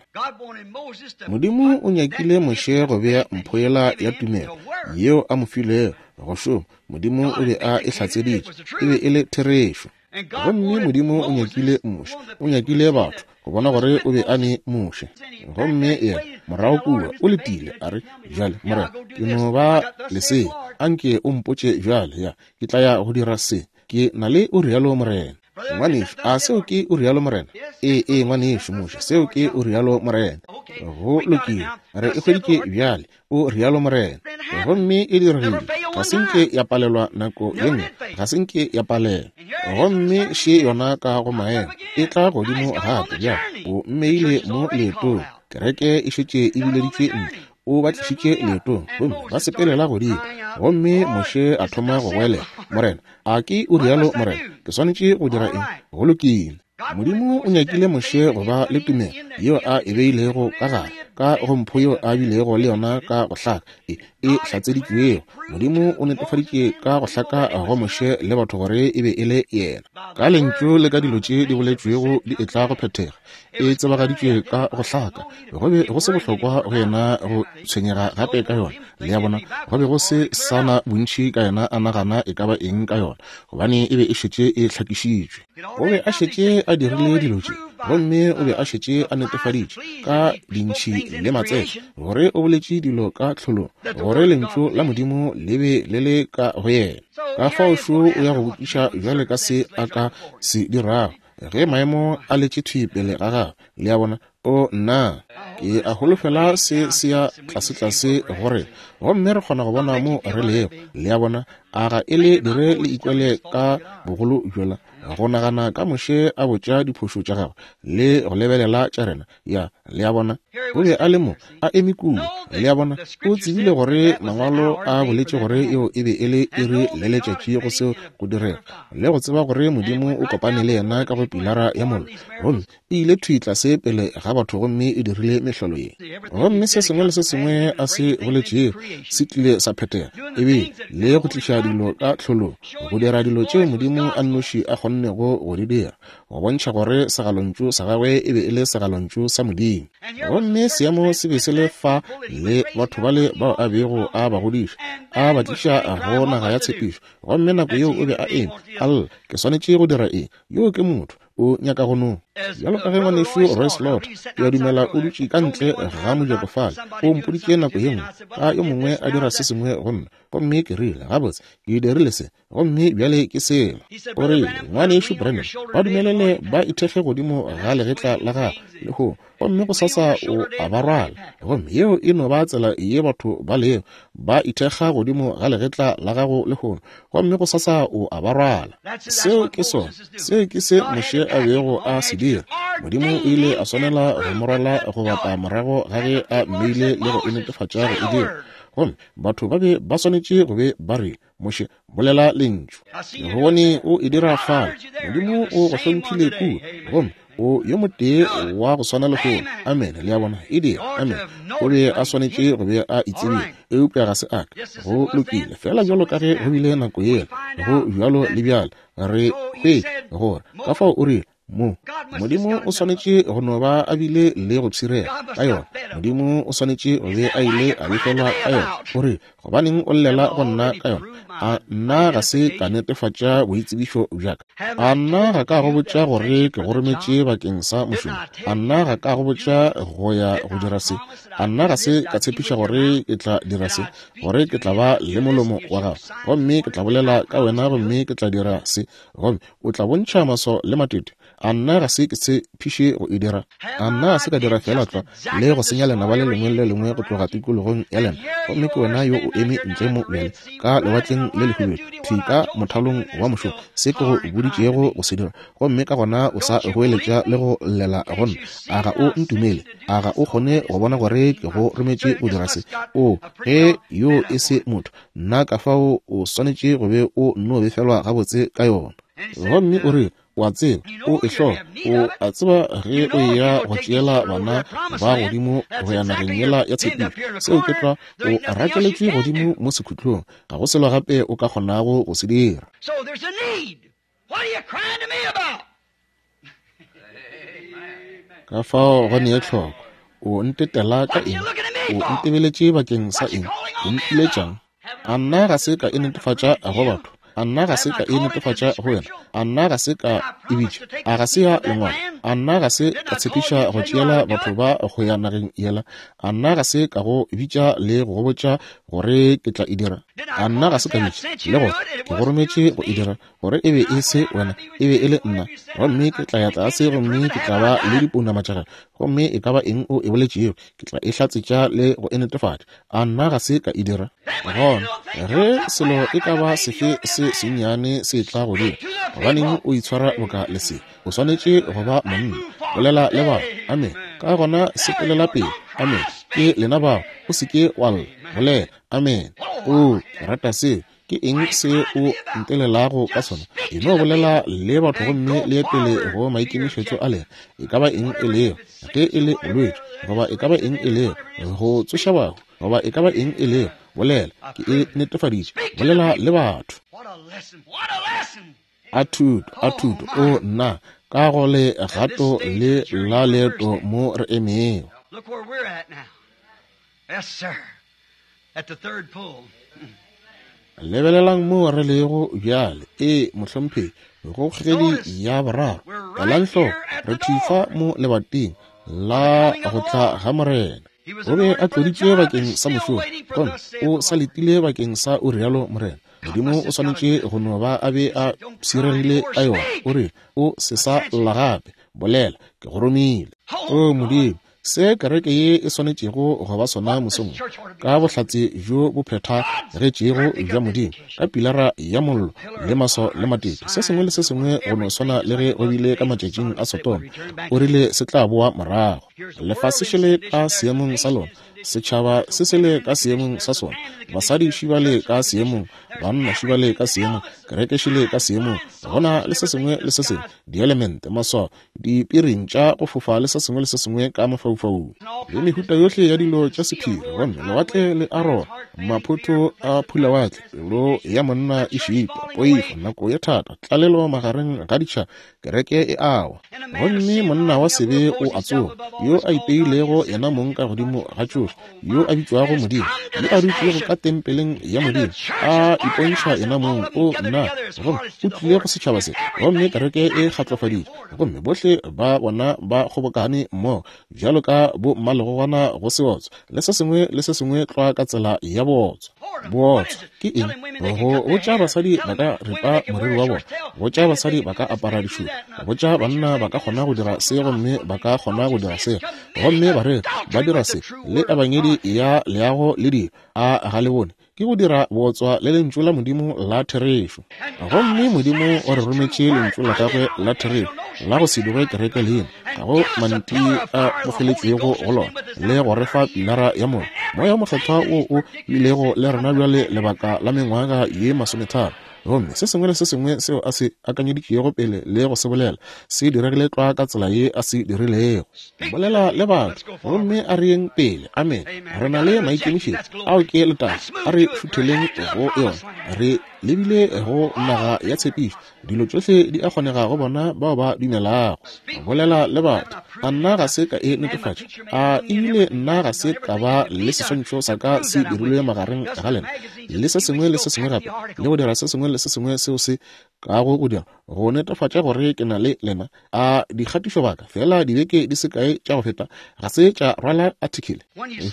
Modimo o nyakile Moshe go bea mpho yela ya tumelo yeo a mo filego go šoma. Modimo o be a e hlatseditše, e be e le therešo. Gomme Modimo o nyakile Moshe, o nyakile batho go bona gore o be a ne Moshe. Gomme yena morago kua o letile, a re, bjale Morena, ke no ba lesea, anke o mpotše bjale, ya ke tla ya go dira se, ke na le o rialo Morena. Ngwanešu, a seo ke o rialo Morena? Ee, ee, ngwanešu Moshe, seo ke o rialo Morena. Go lokile, re e hweditše bjale, o rialo Morena. Gomme e diregile, ga se nke ya palelwa nako ye nngwe, ga se nke ya palelwa. Gomme še yona ka go maemo, e tla godimo gape bjale, o mmeile mo leetong. Kereke e šetše e bileditšwe ntle, o ba tlišitše leetong, gomme ba sepelela godimo. Gomme Moshe a thoma go goelela, Morena, a ke o rialo Morena, ke swanetše go dira eng? Go lokile. Modimo o nyakile Moshe go ba le tumelo yeo a e beilego ka gare, ka go mpho yeo a bilego le yona ka go hlaka, e e hlatseditšwego. Modimo o netefaditše ka go hlaka go Moshe le batho gore e be e le yena. Ka lentšu le ka dilo tše di boletšwego di etla go phethega, e tsebagaditšwe ka go hlaka. Go be go se bohlokwa go yena go tshwenyega gape ka yona. Le a bona, go be go se sana bontši ka yena a nagana e ka ba eng ka yona, gobane e be e šetše e hlakišitšwe. O be a šetše a dirile dilo tše, gomme o be a šetše a netefaditše ka dintšhi le matsele gore o boletše dilo ka tlholong, gore lentšu la Modimo le be le le ka go yena. Ka fao šo o ya go botšiša bjale ka se a ka se dirago ge maemo a letše thwi pele ga gagwe. Le a bona, o nna ke a holofela se se ya tlasetlase gore gomme re kgona go bona mo re lego. Le a bona, a ga e le dire le ikwele ka bogolo bjola? Go nagana ka Moshe a botša diphošo tša gagwe le go lebelela tša rena. Ya, le a bona, o be a le mo a eme kua. Le a bona, o tsebile gore mangwalo a boletše gore eo e be e le iri le letšatši go seo go direga, le go tseba gore Modimo o kopane le yena ka go pilara ya mollo, gomme e ile thwi tlase pele ga batho gomme e dirile mehlolo ye. Gomme se sengwe le se sengwe a se boletšego se tlile sa phethega, ebe le go tliša dilo ka tlholong, go dira dilo tšeo Modimo a nnoši a kgonnego go di dira, go bontšha gore segalontšu sa gagwe e be e le segalontšu sa Modimo. Gomme seemo se be se le fa le batho bale bao a bego a ba godiša, a ba tliša go naga ya tshepišo. Gomme nako yeo o be a eme a lla, ke swanetše go dira eng? Yo ke motho, o nyaka go no. Bjalo ka ge ngwanešu Roy Slaughter, ke a dumela o dutše ka ntle ga mojako fale, o mpoditše nako ye nngwe ka yo mongwe a dira se sengwe go nna, gomme ke rile, gabotse, ke dirile se, gomme bjale ke sela. O rile, ngwanešu Branham, ba dumelele ba ithekge godimo ga legetla la gagwe lehono, gomme go sasa o a ba rwala. Gomme yeo e no ba tsela ye batho ba lego, ba ithekga godimo ga legetla la gago lehono, gomme go sasa o a ba rwala. Seo ke sona, seo ke se Moshe a bego a se dira. Modimo o ile a swanela go mo rwala go bapa morago ga ge a mmeile le go e netefatša go e dira. Gomme batho ba be ba swanetše go be ba re, Moshe, bolela lentšu. Ke bone o e dira fale. Modimo o go hlomphile kua, gomme o yo motee wa go swana lehono. Amen. Le a bona, e dira. Amen. O be a swanetše go be a itsebile, eupša ga se a ka. Go lokile, fela bjalo ka ge go bile nako yela, go bjalo le bjale. Re hwetša gore ka fao o rile mo Modimo o swanetše go no ba a bile le go pshirega ka yona. Modimo o swanetše go be a ile a befelwa ka yona. O re, gobaneng o llela go nna ka yona? A nna ga se ka netefatša boitsebišo bja ka? A nna ga ka go botša gore ke go rometše bakeng sa mošomo? A nna ga ka go botša go ya go dira se? A nna ga se ka tshepiša gore ke tla dira se, gore ke tla ba le molomo wa gago, gomme ke tla bolela ka wena, gomme ke tla dira se, gomme o tla bontšha maswao le matete? A nna ga se ke tshepiše go e dira? A nna ga se ka dira fela tlwa le go senya lenaba le lengwe le lengwe go tloga tikologong ya lena? Gomme ke wena yo o eme ntle mo bjale ka lewatleng le lehubelo, thwi ka mothalong wa mošomo, se ke go boditšego go se dira, gomme ka gona o sa goeletša le go llela go nna. A ga o ntumele? A ga o kgone go bona gore ke go rometše go dira se? O, ge yo e se motho, nna ka fao o swanetše go be o nno befelwa gabotse ka yona. Gomme o rile, o a tseba, o e hloka, o a tseba ge o eya go tšeela bana ba godimo go ya nageng yela ya tshepišo, seo ke tlwa, o rakeletšwe godimo mo sekhutlong, ga go selo gape o ka kgonago go se dira. Ka fao go nee tlhoko, o ntetela ka eng? O ntebeletše bakeng sa eng? O mpiletšang? A nna ga se ka e netefatša go batho? A nna ga se ka e netefatša go wena? A nna ga se ka e bitša? A ga se ya lengwalo? A nna ga se ka tshepiša go tšeela batho ba go ya nageng yela? A nna ga se ka go bitša le go botša gore ke tla e dira? A nna ga se ka bitša le gore ke go rometše go e dira, gore e be e se wena, e be e le nna? Gomme ke tla ya tlase, gomme ke tla ba le dipounama tša gago, gomme e ka ba eng o e boletšego, ke tla e hlatsetša le go e netefatša. A nna ga se ka e dira? Gona ge selo e ka ba sefe se sennyane se tla godimo, gobaneng o itshwara boka lesea? O swanetše go ba monna. Bolela le bao. Amen. Ka gona sepelela pele. Amen. Ke lena bao. O se ke wa lla. Bolela. Amen. O, ke rata seo. Ke eng se o ntelelago ka sona? E no bolela le batho gomme le ye pele go maikemišetšo a lena. E ka ba eng e lego, ge e le bolwetši, goba e ka ba eng e lego, go tsoša bahu, goba e ka ba eng e lego, bolela. Ke e netefaditše. Bolela le batho. A thuto, a thuto, o nna, ka go le gato le la leeto mo re emego. Look where we're at now. Yes, sir. At the third pull. Lebelelang mo re lego bjale. E, mohlomphegi, go kgogedi ya boraro. Elang hloko, re thifa mo lebating la go tla ga Morena. O be a tloditšwe bakeng sa mošomo, gomme o sa letile bakeng sa o rialo Morena. Modimo o swanetše go no ba a be a pshiregile ka yona. O re, o se sa lla gape, bolela, ke go romile. O Modimo, Se kereke ye e swanetšego go ba sona mosong, ka bohlatse bjo bo phethagetšego bja Modimo, ka pilara ya mollo le maswao le matete, se sengwe le se sengwe go no swana le ge go bile ka matšatšing a Sodoma, o rile se tla boa morago. Lefase šele ka seemong sa lona, setšhaba se sele ka seemong sa sona, basadi šibale ka seemong, banna šibale ka seemong, kereke šile ka seemong, gona le se sengwe le se sengwe, dielemente, maswao, dipiring tša go fofa le se sengwe le se sengwe ka mafaufaung, le mehuta yohle ya dilo tša sephiri, gomme lewatle le arona, maphoto a phulawatle, pelo ya monna e šitwa, poifo, nako ye thata, tlalelo magareng ga ditšhaba, kereke e awa. Gomme monna wa sebe o a tsoga, yo a ipeilego yena mong ka godimo ga tšohle, yo a bitšwago Modimo, yo a dutšego ka tempeleng ya Modimo, a ipontšha yena mong, o nna, gomme o tlile go setšhaba se, gomme kereke e kgatlofaditšwe, gomme bohle ba bona ba kgobokane mmogo bjalo ka bo mmalegogwana go seotswa, le se sengwe le se sengwe tlwa ka tsela ya bootswa. Bootswa ke eng? Go botša basadi ba ka ripa moriri wa bona, botša basadi ba ka apara dišupo, botša banna ba ka kgona go dira se gomme ba ka kgona go dira se, gomme ba re ba dira se le ebangedi ya leago le dilo, a ga le bone ke go dira bootswa le lentšu la Modimo la therešo. Gomme Modimo o re rometše lentšu la gagwe la therešo la go se dirwe kereke leina, ga go manti a bofeletšwego go lona, le go re fa pilara ya mollo, Moya o Mokgethwa wo o bilego le rena bjale lebaka la mengwaga ye masometharo. Gomme se sengwe le se sengwe seo a se akanyeditšego pele le go se bolela se diregile tlwa ka tsela ye a se dirilego. Bolela le batho, gomme a re yeng pele. Amen. Re na le maikemišetšo, ao ke letago, a re šutheleng go yona. Re lebile go naga ya tshepišo, dilo tšohle di a kgonega go bona bao ba dumelago. Bolela le batho, a nna ga se ka e netefatša, a ebile nna ga se ka ba le seswantšho sa ka se dirilwe magareng ga lena, le se sengwe le se sengwe gape, le go dira se sengwe le se sengwe seo se kago go dira go netefatša gore ke na le lena. A dikgatišobaka fela dibeke di se kae tša go feta ga se tša rwala article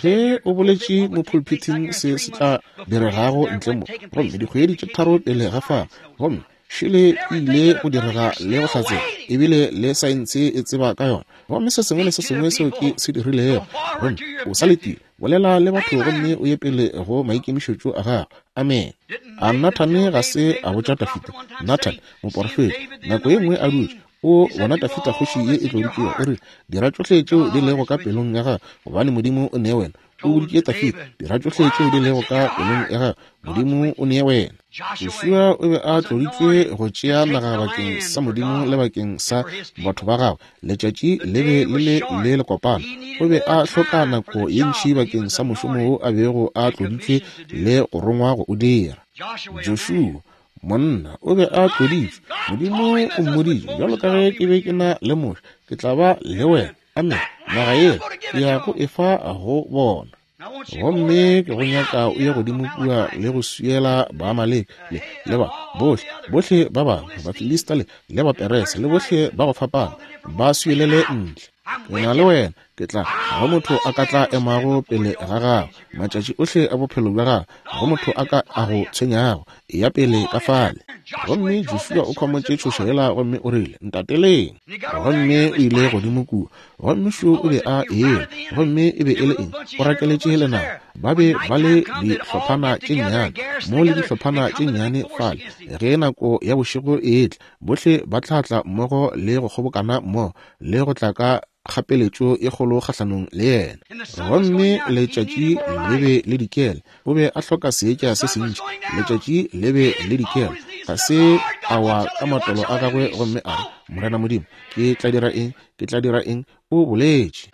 ge o boletše mo pulpiting se se tla diregago ntle mo, gomme dikgwedi tše tharo pele ga fao, gomme šele e ile go direga le go hlatsela, ebile le saense e tseba ka yona, gomme se sengwe le se sengwe seo ke se dirilego. Gomme o sa letile, bolela le batho gomme o ye pele go maikemišetšo a gago. Amen. A Nathane ga se a botša Dafida, Nathan moporofeta, nako ye nngwe a dutše o bona Dafida kgoši ye e tloditšwego, o rile, dira tšohle tšeo di lego ka pelong ya gago, gobane Modimo o ne wena. O boditše Dafida, dira tšohle tšeo di lego ka pelong ya gago, Modimo o ne wena. Joshua o be a tloditšwe go tšea naga bakeng sa Modimo le bakeng sa batho ba gagwe. Letšatši le be le le le lekopana, o be a hloka nako ye ntši bakeng sa mošomo wo a bego a tloditšwe le go rongwa go o dira. Joshua monna o be a tloditšwe, Modimo o mmoditše, bjalo ka ge ke be ke na le Moshe, ke tla ba le wena. Amen. Naga ye ke ya go efa go bona. Gomme ke go nyaka o ye godimo kua le go swiela Baamaleke le le ba bohle, bohle ba bangwe, Bafilista le le Baperese le bohle ba go fapana, ba swielele ntle. Ke na le wena, ke tla ga motho a ka tla emago pele ga gago matšatši ohle a bophelo bja gago, ga motho a ka a go tshwenyago, eya pele ka fale. Gomme Joshua o khwamotše tšhoša yela gomme o rile, ntateleng. Gomme o ile godimo kua, gomme šo o be a eme, gomme e be e le eng? O rakeletše lenaba. Ba be ba le dihlophana tše nnyane mo le dihlophana tše nnyane fale. Ge nako ya bošego e etla, bohle ba tla tla mmogo le go kgobokana mmogo le go tla ka kgapeletšo e kgolo kgahlanong le yena. Gomme letšatši le be le dikela, o be a hloka seetša se sentši. Letšatši le be le dikela, ga se a wa ka matolo a gagwe gomme a re, Morena Modimo, ke tla dira eng? Ke tla dira eng? O boletše.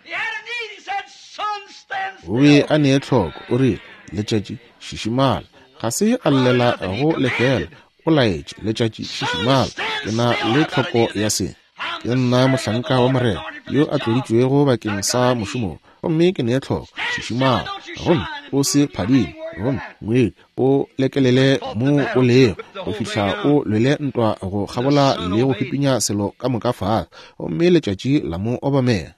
O be a nee tlhoko, o rile, letšatši šišimala. Ga se a llela go lefela, o laetše, letšatši šišimala, ke na le tlhoko ya se. Ke nna mohlanka wa Morena yo a tloditšwego bakeng sa mošomo, gomme ke nee tlhoko, šišimala, gomme o se phadime, gomme ngwedi o lekelele mo o lego go fihla o lwele ntwa go kgabola le go pipinya selo ka moka fase, gomme letšatši la mo obamela.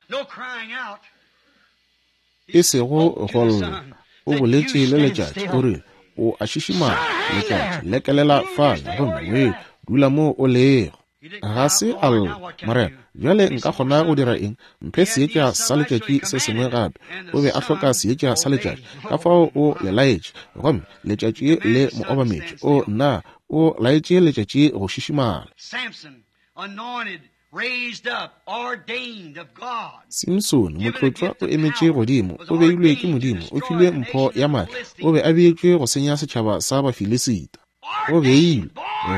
E sego go lla, o boletše le letšatši, o rile, o a šišimala, letšatši lekelela fale, gomme ngwedi dula mo o lego. Ga se a lla, Morena, bjale nka kgona go dira eng? Mphe seetša sa letšatši se sengwe gape. O be a hloka seetša sa letšatši, ka fao o le laetše, gomme letšatši le mo obametše. O nna, o laetše letšatši go šišimala. Simsone, motlotšwa, o emetše godimo, o beilwe ke Modimo, o filwe mpho ya maatla, o be a beetšwe go senya setšhaba sa Bafilisita. O beilwe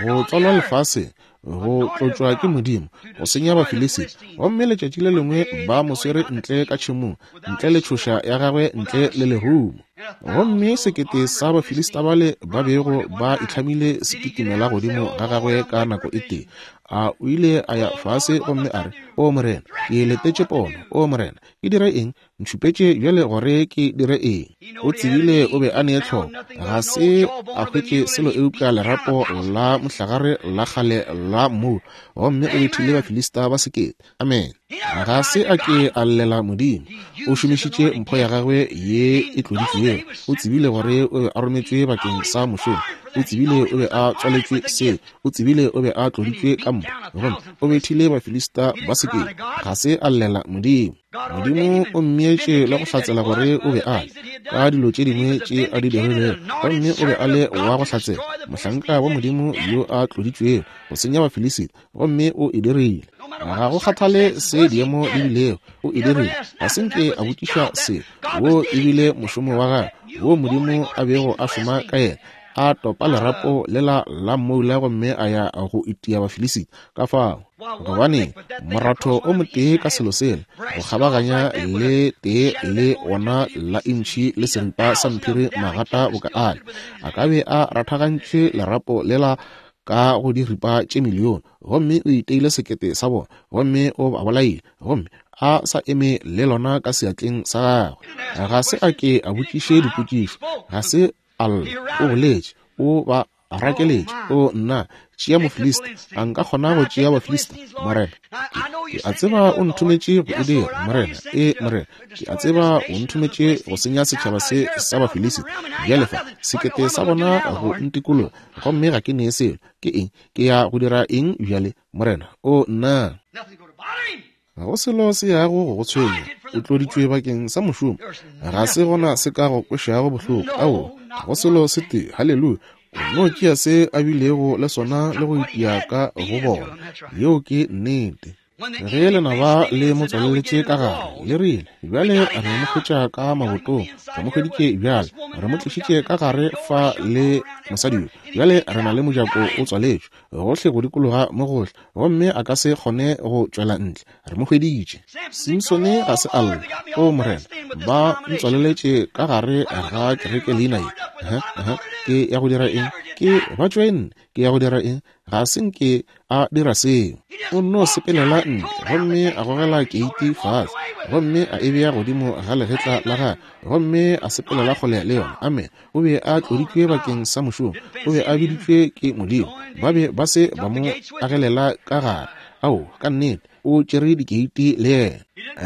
go tswalwa lefaseng, go tlotšwa ke Modimo, go senya Bafilisita. Gomme letšatši le lengwe ba mo swere ntle ka tšhemong, ntle le tšhoša ya gagwe, ntle le lerumo. Gomme sekete sa Bafilista bale ba bego ba itlhamile se kitimela godimo ga gagwe ka nako e tee. A o ile a ya fase gomme a re, O Morena, ke letetše pono. O Morena, ke dire eng? Ntšhupetše bjale gore ke dire eng. O tsebile o be a ne tlhoko. Ga se a hwetše selo eupša lerapo la mohlagare la kgale la mmu, gomme o bethile Bafilista ba sekete. Amen. Ga se a ke a llela Modimo. O šomišitše mpho ya gagwe ye e tloditšwego. O tsebile gore o be a rometšwe bakeng sa mošomo. O tsebile o be a tswaletšwe se. O tsebile o be a tloditšwe ka mpho, gomme o bethile Bafilista ba sekete. Ga se a llela Modimo. Modimo o mmeetše le go hlatsela gore o be a le ka dilo tše dingwe tše a di dirilego, gomme o be a le wa go hlatsela, mohlanka wa Modimo yo a tloditšwego go senya Bafilisita, gomme o e dirile. Ga go kgathale se diemo di bilego, o e dirile. Ga se nke a botšiša se. Wo e bile mošomo wa gagwe, wo Modimo a bego a šoma ka yena. A topa lerapo lela la mmoula gomme a ya go itia Bafilisita. Ka fao, gobane moratho o motee ka selo sela, go kgabaganya le tee le ona la intšhi le seripa sa mphiri magata boka ale, a ka be a rathagantše lerapo lela ka go diripa tše milione, gomme o iteile sekete sa bona, gomme o ba bolaile, gomme a sa eme le lona ka seatleng sa gagwe. Ga se a ke a botšiše dipotšišo, ga se a lla, o boletše, o ba rakeletše. O nna, tšea Mofilista. A nka kgona go tšea Bafilista, Morena? Ke a tseba o nthometše go e dira, Morena. E, Morena, ke a tseba o nthometše go senya setšhaba se sa Bafilisita. Bjale fa, sekete sa bona go ntikologa, gomme ga ke nee selo. Ke eng? Ke ya go dira eng bjale, Morena? O nna, ga go selo se yago go go tshwenya. O tloditšwe bakeng sa mošomo. Ga se gona se ka go kwešago bohloko. Ao, ga go selo se tee. Haleluya. O no tšea se a bilego le sona le go itia ka go bona. Yeo ke nnete. Ge lenaba le mo tswaleletše ka gare, le rile, bjale re mo hwetša ka mabotong, re mo hweditše bjale, re mo tlišitše ka gare fa le mosadi yo, bjale re na le mojako o tswaletšwe gohle go dikologa mo gohle, gomme a ka se kgone go tšwela ntle. Re mo hweditše. Simsone ga se a lla, O Morena, ba ntswaleletše ka gare ga kereke leina ye. Uh-huh, ke ya go dira eng? Ke ba tšoenne. Ke ya go dira eng? Ga se nke a dira seo. O nno sepelela ntle, gomme a gogela keiti fase, gomme a e bea godimo ga legetla la gagwe, gomme a sepelela kgole le yona. Amen. O be a tloditšwe bakeng sa mošomo. O be a biditšwe ke Modimo. Ba be ba se ba mo agelela ka gare. Ao, ka nnete, o tšere dikeiti le yena.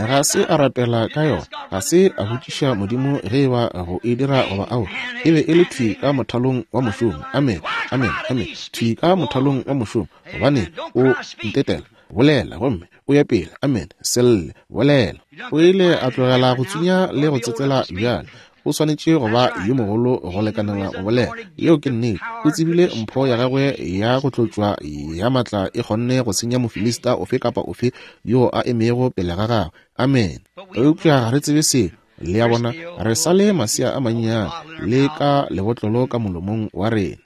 Ga se a rapela ka yona. Ga se a botšiša Modimo ge e ba go e dira goba ao. E be e le thwi ka mothalong wa mošomo. Amen, amen, amen. Thwi ka mothalong wa mošomo, gobane o ntetela. Bolela, gomme o ya pele. Amen. Se lle, bolela. O ile a tlogela go tsunya le go tsetsela bjale. O swanetše go ba yo mogolo go lekanela go bolela. Yeo ke nnete. O tsebile mpho ya gagwe ya go tlotšwa ya maatla e kgonne go senya Mofilista ofe kapa ofe yo a emego pele ga gagwe. Amen. Eupša ga re tsebe selo. Le a bona, re sa le masea a mannyane le ka lebotlolo ka molomong wa rena.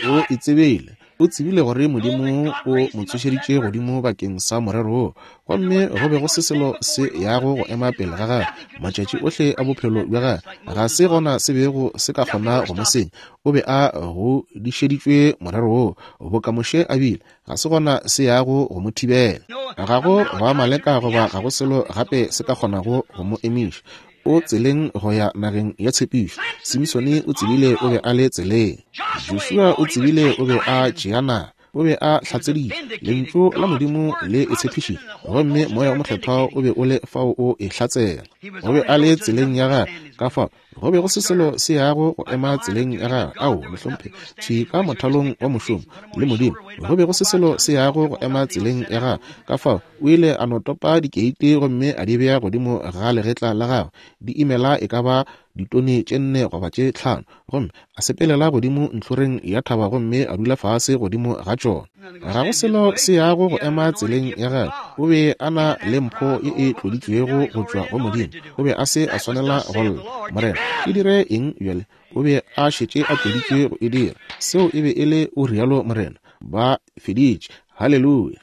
O e tsebile. O tsebile gore Modimo o mo tsošeditše godimo bakeng sa morero wo, gomme go be go se selo se yago go ema pele ga gagwe matšatši ohle a bophelo bja gagwe. Ga se gona se bego se ka kgona go mo senya. O be a godišeditšwe morero wo, boka Moshe a bile. Ga se gona se yago go mo thibela. Ga go ba maleka goba ga go selo gape se ka kgonago go mo emiša. O tseleng go ya nageng ya tshepišo. Simsone o tsebile o be a le tseleng. Joshua o tsebile o be a tšea naga. O be a hlatseditše lentšu la Modimo le e tshepišitše, gomme Moya o Mokgethwa o be o le fao o e hlatsela. O be a le tseleng ya gagwe, ka fao Go be go se selo se yago go ema tseleng ya gagwe. Ao, mohlomphegi, thwi ka mothalong wa mošomo le Modimo. Go be go se selo se yago go ema tseleng ya gagwe. Ka fao o ile a no topa dikeiti gomme a di bea godimo ga legetla la gagwe, di imela e ka ba ditone tše nne goba tše tlhano, gomme a sepelela godimo ntlhoreng ya thaba gomme a dula fase godimo ga tšona. Ga go selo se yago go ema tseleng ya gagwe. O be a na le mpho ye e tloditšwego go tšwa go Modimo. O be a se a swanela go lla, Morena, ke dire eng bjale? O be a šetše a tloditšwe go e dira. Seo e be e le o rialo Morena. Ba feditše. Haleluya.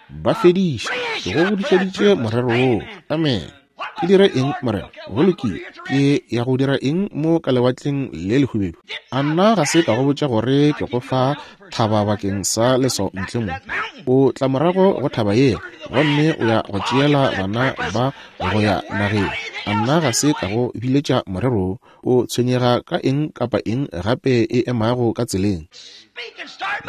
Ba fediša. Ke go godišeditše morero woo. Amen. Ke dire eng, Morena? Go lokile. Ke ya go dira eng mo ka lewatleng le lehubedu? A nna ga se ka go botša gore ke go fa thaba bakeng sa leswao ntle mo? O tla morago go thaba yela, gomme o ya go tšeela bana ba go ya nageng. A nna ga se ka go biletša morero? O tshwenyega ka eng kapa eng gape e emago ka tseleng?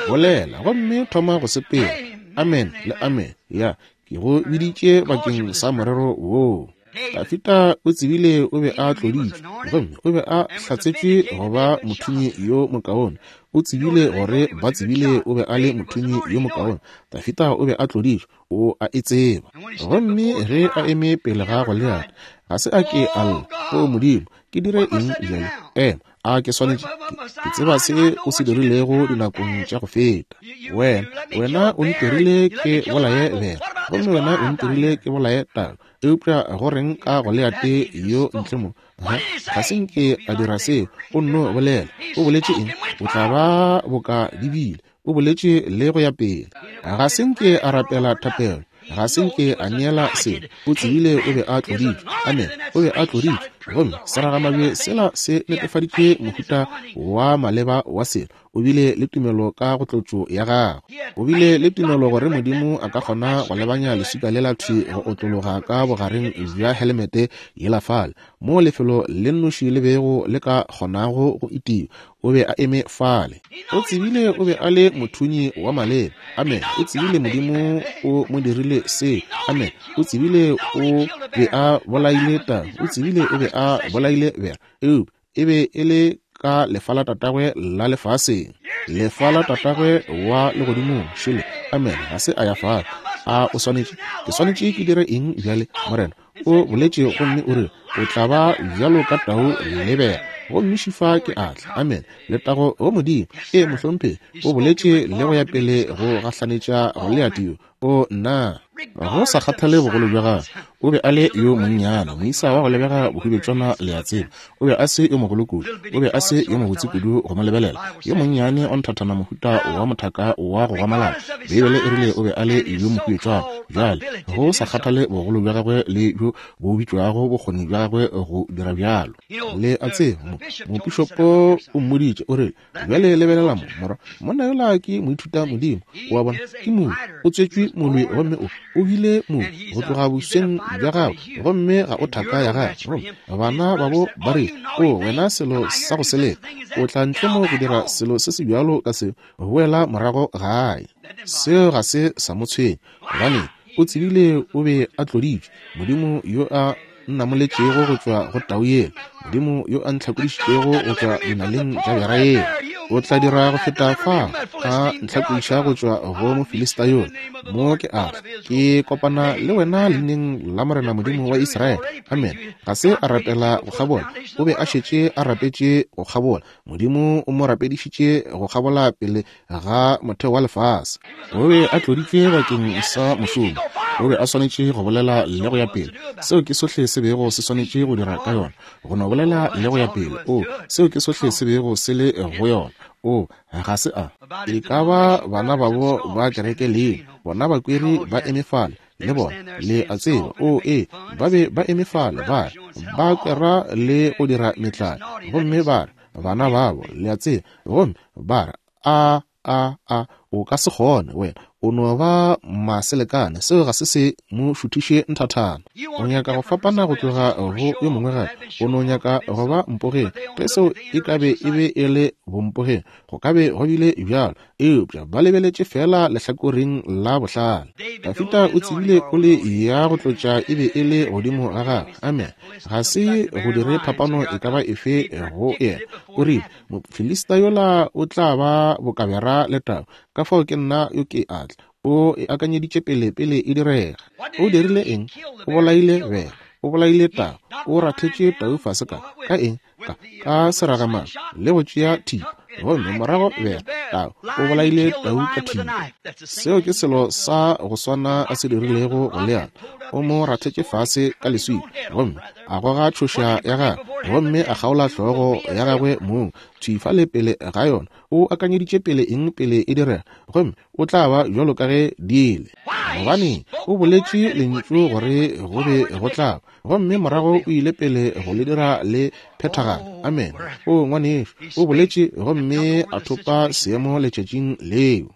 Bolela gomme thoma go sepela. Amen le amen. Ya, ke go biditše bakeng sa morero woo. Dafida o tsebile o be a tloditšwe, gomme o be a hlatsetšwe go ba mothunyi yo mokaone. O tsebile gore ba tsebile o be a le mothunyi yo mokaone. Dafida o be a tloditšwe, o a e tseba. Gomme ge a eme pele ga Goliate, ga se a ke a lla, o Modimo, ke dire eng bjale? Ema, a ke swanetše, ke tseba se o se dirilego dinakong tša go feta. Wena, wena o ntirile ke bolaye bera, gomme wena o ntirile ke bolaye tau. Eupša go reng ka Goliate yo ntle mo? Ha, ga se nke a dira seo. O nno bolela. O boletše eng? O tla ba boka dibile. O boletše le go ya pele. Ga se nke a rapela thapelo. Ga se nke a neela selo. O tsebile o be a tloditšwe. Amen. O be a tloditšwe. Gomme seragamabje sela se netefaditše mohuta wa maleba wa selo. O bile le tumelo ka go tlotšo ya gagwe. O bile le tumelo gore Modimo a ka kgona go lebanya leswika lela thwi go otlologa ka bogareng bja helemete yela fale, moo lefelo le nnoši le bego le ka kgonago go itiwa. O be a eme fale. O tsebile o be a le mothunyi wa maleba. Amen. O tsebile Modimo o mo dirile se. Amen. O tsebile o be a bolaile tau. O tsebile o be a bolaile bera. Eupša e be e le ka lefa la tatagwe la lefaseng, lefa la tatagwe wa legodimong. Šele. Amen. Ga se a ya fale. A o swanetše? Ke swanetše ke dire eng bjale, Morena? O boletše gomme o re o tla ba bjalo ka tau le bera, gomme šifa ke atla. Amen. Letago go Modimo. E mohlomphegi, o boletše le go ya pele go gahlanetša Goliate yo. O nna, go sa kgathale bogolo bja gagwe, o be a le yo monnyane, moisa wa go lebega bohubetšwana le a tseba. O be a se yo mogolo kudu, o be a se yo mobotse kudu go mo lebelela, yo monnyane o nthathana mohuta wa mothaka wa go gwamalala. Beibele e rile o be a le yo mohubetšwana. Bjale, go sa kgathale bogolo bja gagwe le bjo bo bitšwago bokgoni bja gagwe go dira bjalo. Le a tseba, mopišopo o mmoditše, o rile, bjale lebelela mo, morwa, monna yola ke moithuta Modimo, o a bona, ke molwi, o tswetšwe molwi gomme o o bile molwi go tloga bosweng bja gagwe, gomme ga o thaka ya gagwe. Gomme bana babo ba rile, o wena selo sa go seleka, o tla ntle mo go dira selo se se bjalo ka seo, boela morago gae. Seo ga se sa mo tshwenya, gobane o tsebile o be a tloditšwe. Modimo yo a nnamoletšego go tšwa go tau yela, Modimo yo a ntlhakodišitšego go tšwa dinaleng tša bera yela, o tla dira go feta fa a ntlhakodiša go tšwa go Mofilista yola. Mo ke a tla, ke kopana le wena leineng la Morena Modimo wa Israele. Amen. Ga se a rapela go kgabola, o be a šetše a rapetše go kgabola. Modimo o mo rapedišitše go kgabola pele ga motheo wa lefase. O be a tloditšwe bakeng sa mošomo. O be a swanetše go bolela le go ya pele. Seo ke sohle se bego se swanetše go dira ka yona, go no bolela le go ya pele. O, seo ke sohle se bego se le go yona. O, ga se a. E ka ba bana babo ba kereke le bona bakweri ba eme fale le bona, le a tseba. O, e, ba be ba eme fale ba re ba kwera le go dira metlae, gomme ba re bana babo, le a tseba, gomme ba re a a a o ka se kgone wena, O no ba maselekane, seo ga se se mo šuthiše nthathana. O nyaka go fapana go tloga go yo mongwe gape. O no nyaka go ba mpogeng. Ge seo e ka be e be e le bompogeng, go ka be go bile bjalo, eupša ba lebeletše fela lehlakoreng la bohlale. Dafida o tsebile ole ya go tlotša e be e le godimo ga gagwe. Amen. Ga se go dire phapano e ka ba efe go yena. O rile, Mofilista yola o tla ba bokabera le tau, ka fao ke nna yo ke atla. O e akanyeditše pele pele e direga. O dirile eng? O bolaile bere, o bolaile tau, o rathetše tau fase ka ka eng? Ka ka seragamang le go tšea thipa, gomme morago bere, tau, o bolaile tau ka thipa. Seo ke selo sa go swana a se dirilego Goliath. O mo rathetše fase ka leswika, gomme a goga tšhoša ya gagwe, gomme a kgaola hlogo ya gagwe mong thwi fale pele ga yona. O akanyeditše pele eng pele e direga, gomme o tla ba bjalo ka ge di le. Gobane o boletše lentšu gore go be go tla ba, gomme morago o ile pele go le dira le phethagala. Amen. O ngwanešu, o boletše gomme a thopa seemo letšatšing leo.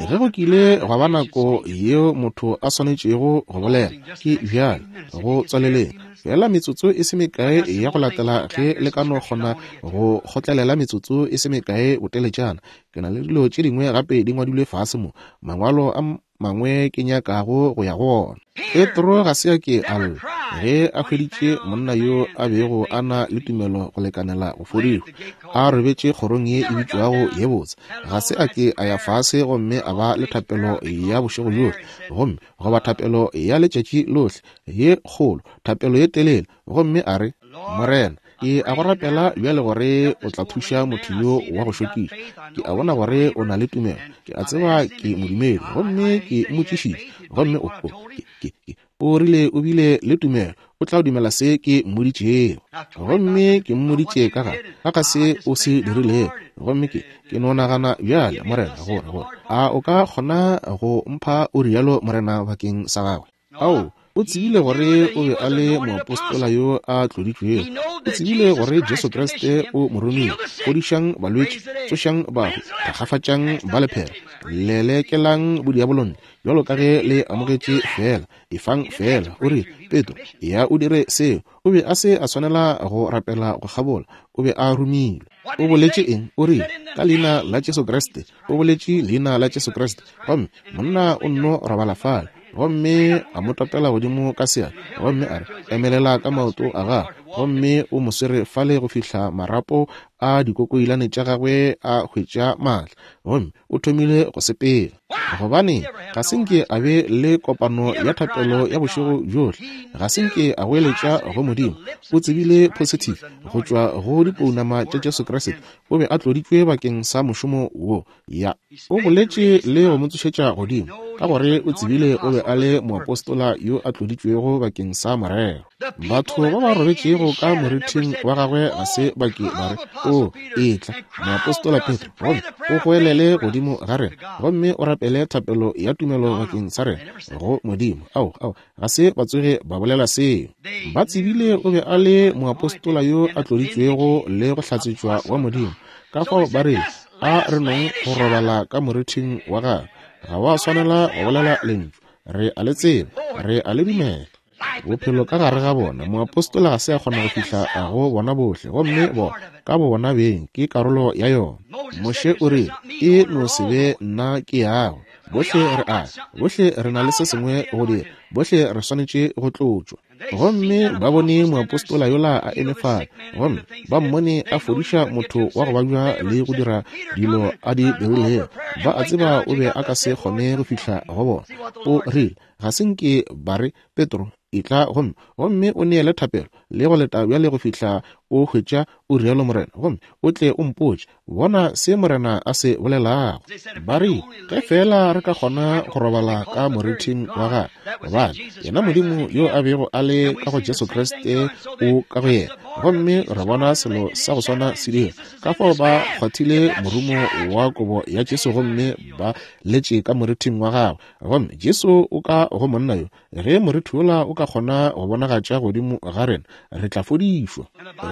Ge go kile gwa ba nako yeo motho a swanetšego go bolela, ke bjale go tswaleleng. Fela metsotso e se mekae ya go latela ge le ka no kgona go kgotlelela metsotso e se mekae boteletšana. Ke na le dilo tše dingwe gape di ngwadilwe fase mo, mangwalo a mangwe ke nyakago go ya go ona. Petro ga se a ke a lla ge a hweditše monna yo a bego a na le tumelo go lekanela go fodišwa, a robetše kgorong ye e bitšwago ye botse. Ga se a ke a ya fase gomme a ba le thapelo ya bošego bjohle, gomme goba thapelo ya letšatši lohle ye kgolo, thapelo ye telele, gomme a re, Morena, ke a go rapela bjale gore o tla thuša motho yo wa go šokiša. Ke a bona gore o na le tumelo. Ke a tseba ke modumedi, gomme ke mmotšišitše, gomme o, o, ke, ke, o rile o bile le tumelo, o tla dumela se ke mmoditšego. Gomme ke mmoditše ka ga ka ga se o se dirilego. Gomme ke ke no nagana bjale, Morena, gore gore a o ka kgona go mpha o rialo, Morena, bakeng sa gagwe. Ao, o tsebile gore o be a le moapostola yo a tloditšwego. O tsebile gore Jesu Kriste o mo romile. Fodišang balwetši, tsošang bahu, thakgafatšang ba lephera, lelekelang bodiabolone, bjalo ka ge le amogetše fela, efang fela. O rile, Petro, ya o dire seo. O be a se a swanela go rapela go kgabola, o be a romilwe. O boletše eng? O rile, ka leina la Jesu Kriste. O boletše leina la Jesu Kriste, gomme monna o nno robala fale. Gomme a mo topela godimo ka seatla, gomme a re, emelela ka maoto a gagwe, gomme o mo swere fale go fihla marapo a dikokoilane tša gagwe a hwetša maatla, gomme o thomile go sepela. Gobane ga se nke a be le kopano ya thapelo ya bošego bjohle, ga se nke a goeletša go Modimo. O tsebile positive go tšwa go dipounama tša Jesu Kriste, o be a tloditšwe bakeng sa mošomo wo. Ya, o boletše le go mo tsošetša godimo, ka gore o tsebile o be a le moapostola yo a tloditšwego bakeng sa morero. Batho ba ba robetšego ka morithing wa gagwe ga se ba ke ba re, o etla moapostola Petro, gomme o goelele godimo ga rena, gomme o rapele thapelo ya tumelo bakeng sa rena go Modimo. Ao, ao, ga se ba tsoge ba bolela seo. Ba tsebile o be a le moapostola yo a tloditšwego le go hlatsetšwa wa Modimo. Ka fao ba re, a re nong go robala ka morithing wa gagwe. Ga wa swanela go bolela lentšu. Re a le tseba, re a le dumela. Bophelo ka gare ga bona, moapostola ga se a kgona go fihla go bona bohle, gomme bona ka bo bona beng ke karolo ya yona. Moshe o rile, e no se be nna ke yago. Bohle re a, bohle re na le se sengwe go dira, bohle re swanetše go tlotšwa. Gomme ba bone moapostola yola a eme fale, gomme ba mmone a fodiša motho wa go babja le go dira dilo a di dirilego. Ba a tseba o be a ka se kgone go fihla go bona. O rile, ga se nke ba re, Petro, etla gomme gomme o neele thapelo le go leta bjale go fihla o hwetša o rialo Morena, gomme o tle o mpotše, bona se Morena a se bolelago. Ba re, ge fela re ka kgona go robala ka morithing wa gagwe, gobane yena Modimo yo a bego a le ka go Jesu Kriste o ka go yena, gomme re bona selo sa go swana se dira. Ka fao ba kgwathile morumo wa kobo ya Jesu gomme ba letše ka morithing wa gagwe, gomme Jesu o ka go monna yo. Ge morithi wola o ka kgona go bonagatša godimo ga rena, re tla fodišwa.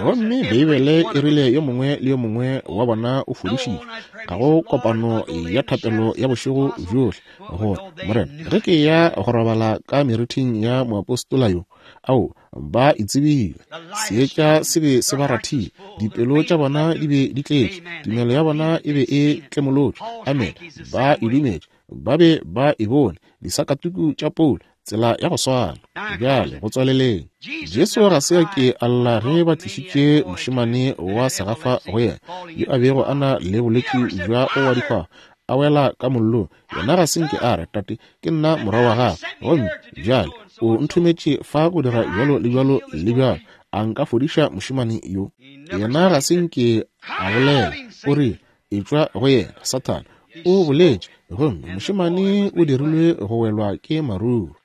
Gomme Beibele e rile yo mongwe le yo mongwe wa bona o fodišitšwe. Ga go kopano ya thapelo ya bošego bjohle gore, Morena, ge ke ya go robala ka meriting ya moapostola yo, ao, ba e tsebile. Seetša se be se ba rathile, dipelo tša bona di be di tletše, tumelo ya bona e be e tlemolotšwe. Amen. Ba e dumetše, ba be ba e bone, disakatuku tša Paulo, tsela ya go swana. Bjale go tswaleleng, Jesu ga se a ke a lla ge ba tlišitše mošemane wa segafa go yena, yo a bego a na le bolwetši bja go wa dihwahwa, a wela ka mollong. Yena ga se nke a re, Tate, ke nna morwa wa gago, gomme bjale o nthometše fa go dira bjalo le bjalo le bjalo, a nka fodiša mošemane yo? Yena ga se nke a bolela. O rile, etšwa go yena, Sathane. O boletše, gomme mošemane o dirilwe go welwa ke maruru.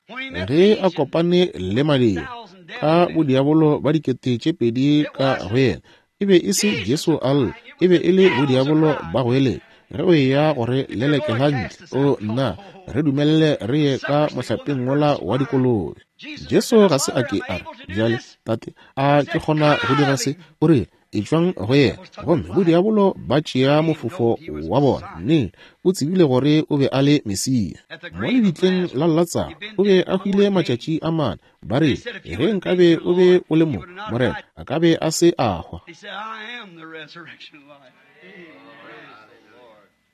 Ge a kopane le madira ka bodiabolo ba dikete tše pedi ka go yena, e be e se Jesu a lla, e be e le bodiabolo ba go eletša. Ge o eya gore lelekela ntle, o nna, re dumelele re ye ka mohlapeng wola wa dikolobe. Jesu ga se a ke a re, bjale, Tate, a ke kgona go dira se? O rile, etšwang go yena. Gomme bodiabolo ba tšea mofofo wa bona. Nnete, o tsebile gore o be a le Mesia. Mo lebitleng la Latsaro, o be a hwile matšatši a mane. Ba rile, ge nkabe o be o le mo, Morena, a ka be a se a hwa.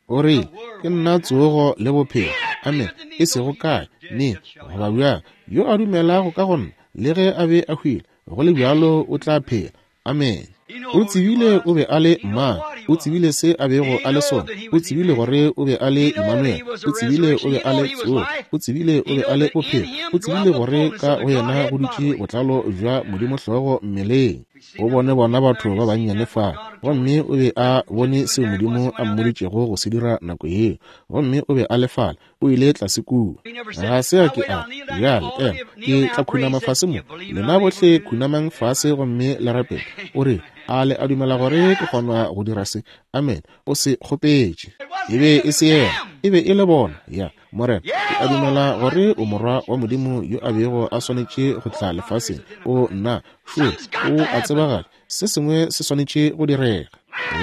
O rile, ke nna tsogo le bophelo. Amen. E sego kae, neng, goba bjang. Yo a dumelago ka go nna, le ge a be a hwile, go le bjalo o tla phela. Amen. O tsebile o be a le mang, o tsebile se a bego a le sona, o tsebile gore o be a le Emmanuel, o tsebile o be a le tsogo, o tsebile o be a le bophelo, o tsebile gore ka go yena go dutše botlalo bja Modimo hlogo mmeleng. O bone bona batho ba bannyane fa, gomme o be a bone seo Modimo a mmoditšego go se dira nako yeo, gomme o be a le fale. O ile tlase kua. Ga se a ke a bjale, ema, ke tla khunama fase mo. Lena bohle khunamang fase gomme le rapele. O re, a le a dumela gore ke kgona go dira se? Amen. O se kgopetše. E be e se yena, e be e le bona. Ya, Morena, ke a dumela gore o morwa wa Modimo yo a bego a swanetše go tla lefaseng. O nna, šo, o a tsebagala. Se sengwe se swanetše go direga.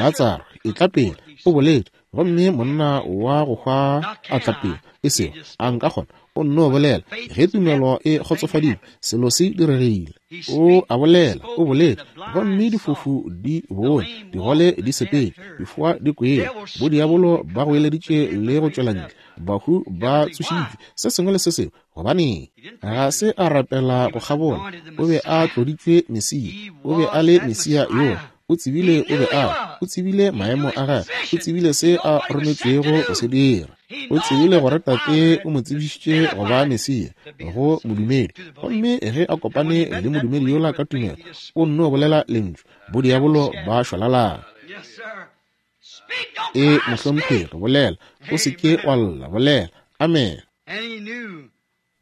Latsaro, e tla pele, o boletše. Gomme monna wa go hwa a tla pele, e sego a nka kgona, o nno bolela. Ge tumelo e kgotsofadile, selo se diregile. O a bolela, o boletše, gomme difofu di bone, digole di sepetše, difoa di kwele, bodiabolo ba goeleditše le go tšwela ntle, bahu ba tsošitšwe, se sengwe le se sengwe. Gobaneng? Ga se a rapela go kgabola, o be a tloditšwe Mesia, o be a le Mesia yoo. O tsebile o be a, o tsebile maemo a gagwe, o tsebile se a rometšwego go se dira. O tsebile gore Tate o mo tsebišitše go ba Mesia go modumedi. Gomme ge a kopane le modumedi yola ka tumelo, o nno bolela lentšu, bodiabolo ba šwalalana. E mohlomphegi, bolela, o se ke wa lla, bolela. Amen.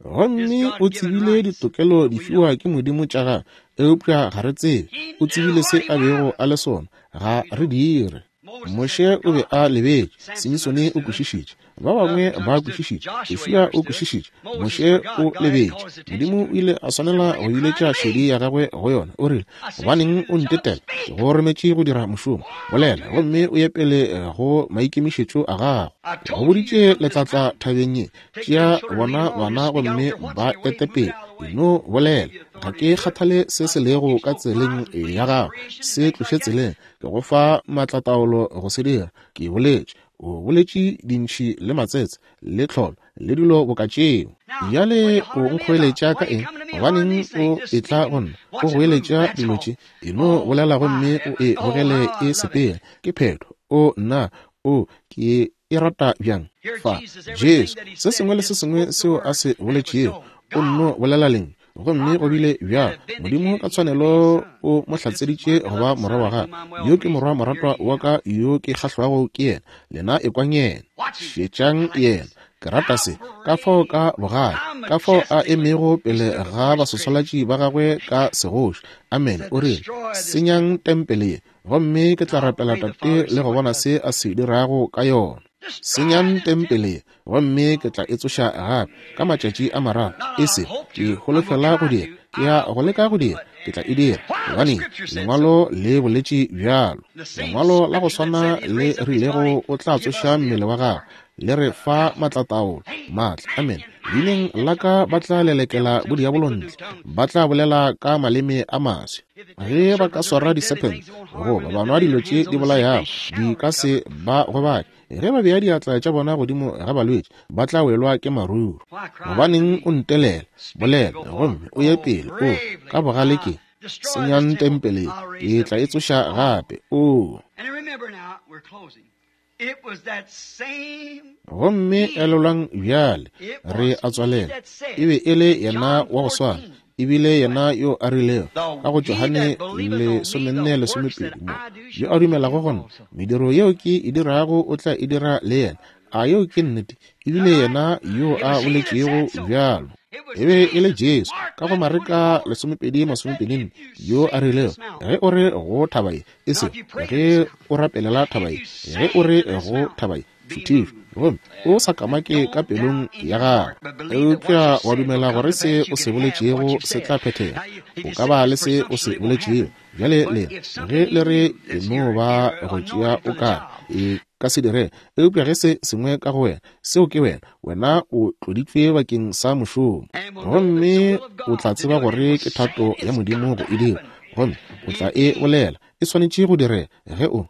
Gomme o tsebile ditokelo di fiwa ke Modimo tša gagwe, eupša ga re tsebe. O tsebile se a bego a le sona, ga re dire. Moshe o be a lebetše, Simisone o kwešišitše, ba bangwe ba kwešišitše, Joshua o kwešišitše, Moshe o lebetše. Modimo o ile a swanela go iletša šedi ya gagwe go yona. O rile, gobaneng o ntetela? Ke go rometše go dira mošomo. Bolela, gomme o ye pele go maikemišetšo a gago. Go boditše letlatla thabeng ye, tšea bona bana gomme ba ete pele. No bolela, ga ke kgathale se se lego ka tseleng ya gago, se tloše tseleng. Ke go fa maatlataolo go se dira. Ke boletše. O boletše dintšhi le matsetse le tlholo le dilo boka tšeo. Bjale o nkgoeletša ka eng? Gobaneng o etla go nna o goeletša dilo tše? E no bolela gomme o e bogele e sepela. Ke phetho. O nna, o ke e rata bjang. Fa Jesu, se sengwe le se sengwe seo a se boletšego, o nno bolela leng, gomme go bile bjalo. Modimo ka tshwanelo o mo hlatseditše go ba morwa wa gagwe. Yo ke morwa moratwa wa ka yo ke kgahlwago ke yena. Lena ekwang yena, šetšang yena. Ke rata se, ka fao ka bogale, ka fao a emego pele ga basoswalatši ba gagwe ka segoši. Amen. O rile, senyang tempele ye, gomme ke tla rapela Tate le go bona se a se dirago ka yona. Senyang tempele ye, gomme ke tla e tsoša gape ka matšatši a mararo. E se ke holofela go dira, ke ya go leka go dira. ke tla e dira, gobane Lengwalo le boletše bjalo. Lengwalo la go swana le rilego o tla tsoša mmele wa gagwe, le re fa maatlataolo, maatla. Amen. Leineng la ka ba tla lelekela bodiabolo ntle, ba tla bolela ka maleme a maswe. Ge ba ka swara disephente goba ba nwa dilo tše di bolayago, di ka se ba gobatše. Ge ba bea diatla tša bona godimo ga balwetši, ba tla welwa ke maruru. Gobaneng o ntelela? Bolela gomme o ye pele. O ka bogale ke senyang tempele, ke tla e tsoša gape. O gomme elelwang bjale, re a tswalela. E be e le yena wa go swana, ebile yena yo a rilego ka go Johane lesomenne lesomepedi mo, yo a dumelago go nna, mediro yeo ke e dirago o tla e dira le yena. A yeo ke nnete? Ebile yena yo a boletšego bjalo. E be e le Jesu ka go Mareka lesomepedi masomepedi nne yo a rilego, ge o re go thaba ye, e se ge o rapelela thaba ye, ge o re go thaba ye, šuthišwa, gomme o sa kamake ka pelong ya gago, eupša wa dumela gore se o se boletšego se tla phethega, o ka ba le se o se boletšego. Bjale le ge le re e no ba go tšea o ka e ka se dire, eupša ge se sengwe ka go wena, seo ke wena, wena o tloditšwe bakeng sa mošomo, gomme o tla tseba gore ke thato ya Modimo go e dira, gomme o tla e bolela. E swanetše go direga ge o.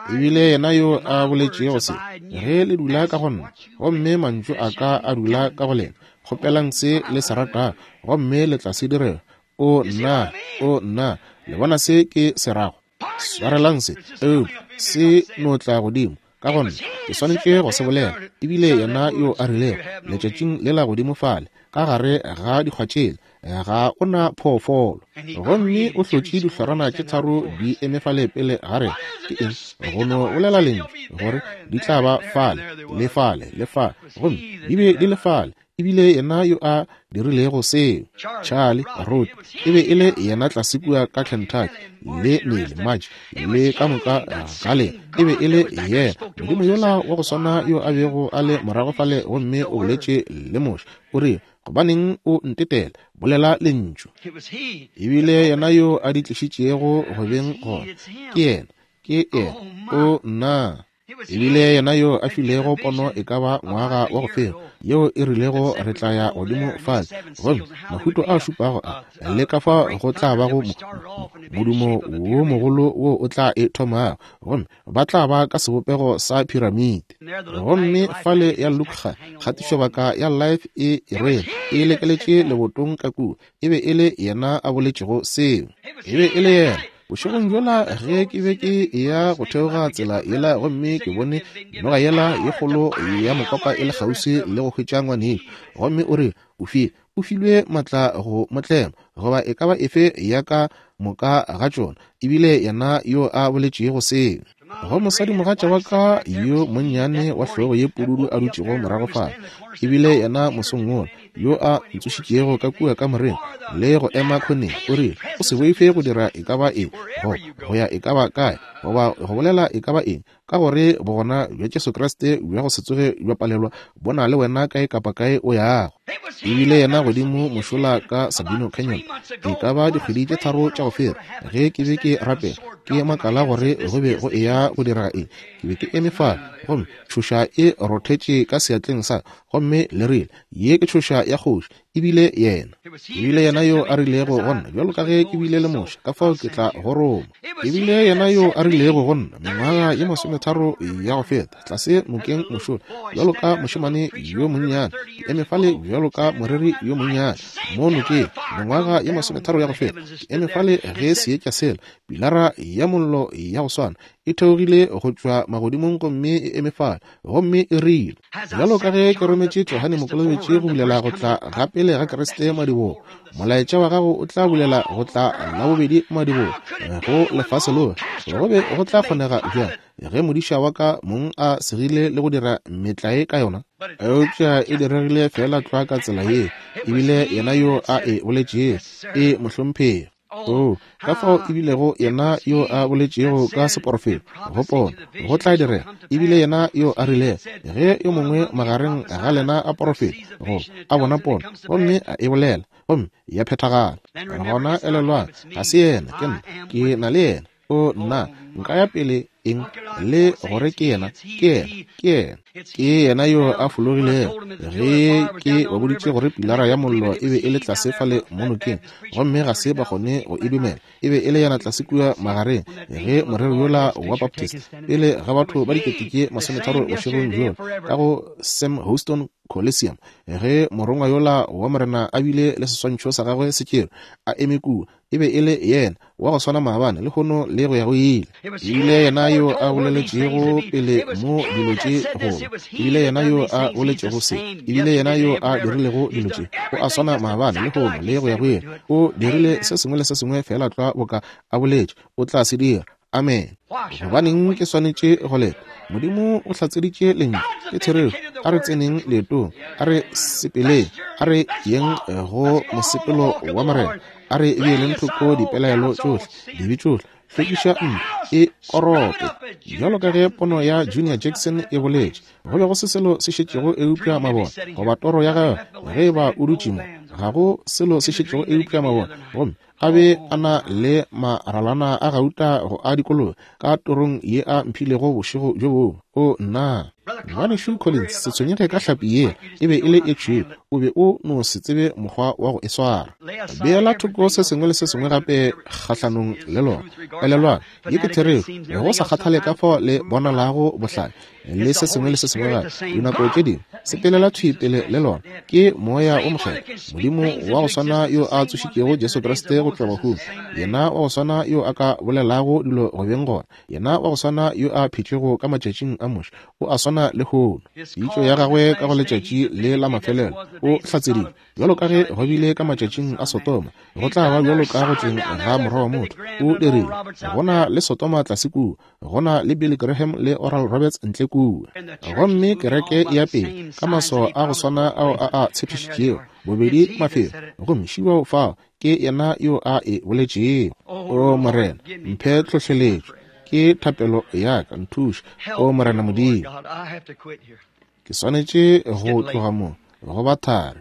Ebile yena yo a boletšego se, ge le dula ka go nna, gomme mantšu a ka a dula ka go lena, kgopelang se le se ratago, gomme le tla se direga. O nna, o nna, le bona se ke se rago? Swarelang se, eupša se no tla godimo ka gona ke swanetše go se bolela. Ebile yena yo a rilego letšatšing lela godimo fale ka gare ga dikgwa tšela, ga o na phoofolo, gomme o hlotše dihlorana tše tharo di eme fale pele ga rena. Ke eng? Go no bolela lentšu gore di tla ba fale le fale le fale, gomme di be di le fale. Ebile yena yo a dirilego seo, Charlie Roth, e be e le yena tlase kua ka Kentucky, le Neil March le ka moka ga lena, e be e le yena Modimo yola wa go swana yo a bego a le morago fale, gomme o boletše le Moshe, o rile, gobaneng o ntetela? Bolela lentšu. Ebile yena yo a di tlišitšego go beng gona, ke yena, ke yena. O nna. Ebile yena yo a filego pono e ka ba ngwaga wa go fela, yeo e rilego re tla ya godimo fale, gomme mahuto a šupago a le ka fa go tla bago modumo wo mogolo wo o tla e thomago, gomme ba tla ba ka sebopego sa piramite. Gomme fale ya Luka, kgatišobaka ya Life e e rwele e lekeletše lebotong ka kua. E be e le yena a boletšego seo. E be e le yena. Bošegong bjola ge ke be ke eya go theoga tsela yela, gomme ke bone noga yela ye kgolo ya mokopa e le kgauswi le go hwetša ngwanešo, gomme o re o fie o filwe maatla go motlema goba e ka ba efe ya ka moka ga tšona. Ebile yena yo a boletšego seo. Go mosadimogatša wa ka yo monnyane wa hlogo ye pududu a dutšego morago fale, ebile yena mosong wola yo a ntsošitšego ka kua kamoreng le go ema khoneng, o rile, o se boife go dira e ka ba eng, goba go ya e ka ba kae, goba go bolela e ka ba eng, ka gore bogona bja Jesu Kriste bja go se tsoge bja palelwa bo na le wena kae kapa kae o yago. Ebile yena godimo mošola ka Sabino Canyon, e ka ba dikgwedi tše tharo tša go feta, ge ke be ke rapela, ke makala gore go be go eya go dira eng. Ke be ke eme fale, gomme tšhoša e rothetše ka seatleng sa, gomme le rile, ye ke tšhoša ya kgoši. Ebile yena, ebile yena yo a rilego go nna, bjalo ka ge ke bile le Moshe, ka fao ke tla go roma. Ebile yena yo a rilego go nna mengwaga ye masometharo ya go feta, tlase nokeng mošola, bjalo ka mošemane yo monnyane, ke eme fale bjalo ka moreri yo monnyane mo nokeng, mengwaga ye masometharo ya go feta, ke eme fale ge seetša sela, pilara ya mollo ya go swana, e theogile go tšwa magodimong gomme e eme fale, gomme e rile, bjalo ka ge ke rometše Johane Mokolobetši go bulela go tla ga pele ga Kriste madibogo, molaetša wa gago o tla bulela go tla la bobedi madibogo go lefase lohle. Go be go tla kgonega bjang ge modiša wa ka mong a segile le go dira metlae ka yona? Eupša e diregile fela tlwa ka tsela yeo. Ebile yena yo a e boletšego, e mohlomphegi. Oo, ka fao e bilego yena yo a boletšego ka seporofeto, go pono, go tla direga, e bile yena yo a rilego, ge yo mongwe magareng ga lena a porofeta, go a bona pono, gomme a e bolela, gomme ya phethagala. Gona elelwang, ga se yena, ke nna, ke na le yena. O nna, nka ya pele eng le gore ke yena, ke yena, ke yena, ke yena yo a fologilego. Ge ke ba boditše gore pilara ya mollo e be e le tlase fale mo nokeng, gomme ga se ba kgone go e dumela, e be e le yena tlase kua magareng, ge morero yola wa Baptist pele ga batho ba dikete tše masometharo bošegong bjola ka go Sam Houston Coliseum, ge morongwa yola wa Morena a bile le seswantšho sa gagwe se tšerwe a eme kua, e be e le yena wa go swana maabane, lehono le go ya go ile. E bile yena yo a boleletšego pele mo dilo tše goba, e bile yena yo a boletšego se, e bile yena yo a dirilego dilo tše. O a swana maabane, lehono le go ya go ile. O dirile se sengwe le se sengwe fela tlwa boka a boletše o tla se dira. Amen. Gobaneng ke swanetše go leta? Modimo o hlatseditše lentšu, ke therešo. A re tseneng leetong, a re sepeleng, a re yeng go mosepelo wa Morena, a re beeleng thoko dipelaelo tšohle, dibe tšohle, hlwekiša ntlo e korope. Bjalo ka ge pono ya Junior Jackson e boletše, go be go se selo se šetšego eupša mabone, goba toro ya gagwe, ge e ba o dutše mo, ga go selo se šetšego eupša mabone, gomme a be a na le maralana a gauta go a dikolobe ka torong ye a mphilego bošego bjo bongwe. O nna, ngwanešu Collins, se tshwenyege ka hlapi yela, e be e le e tšhweu, o be o no se tsebe mokgwa wa go e swara. Beela thoko se sengwe le se sengwe gape kgahlanong le lona. Elelwang, ye ke therešo, go sa kgathale ka fao le bonalago bohlale le se sengwe le se sengwe gape, dinako tše dingwe sepelela thwi pele le lona. Ke moya o mokgethwa, Modimo wa go swana yo a tsošitšego Jesu Kriste go tšwa bahung, yena wa go swana yo a ka bolelago dilo go beng gona, yena wa go swana yo a phetšego ka matšatšing a Moshe, o a swana lehono. Pitšo ya gagwe ka go letšatši le la mafelelo o hlatseditše, bjalo ka ge go bile ka matšatšing a Sotoma, go tla ba bjalo ka go tleng ga morwa wa motho. O dirile, go na le Sotoma tlase kua, go na le Billy Graham le Oral Roberts ntle kua, gomme kereke ya pele ka maswao a go swana ao a a tshepišitšego, bobedi mafelo, gomme šibao fao ke yena yo a e boletšego. O Morena, mphe tlhohleletšo, ke thapelo ya ka, nthuše, o Morena Modimo. Ke swanetše go tloga mo, go ba thari.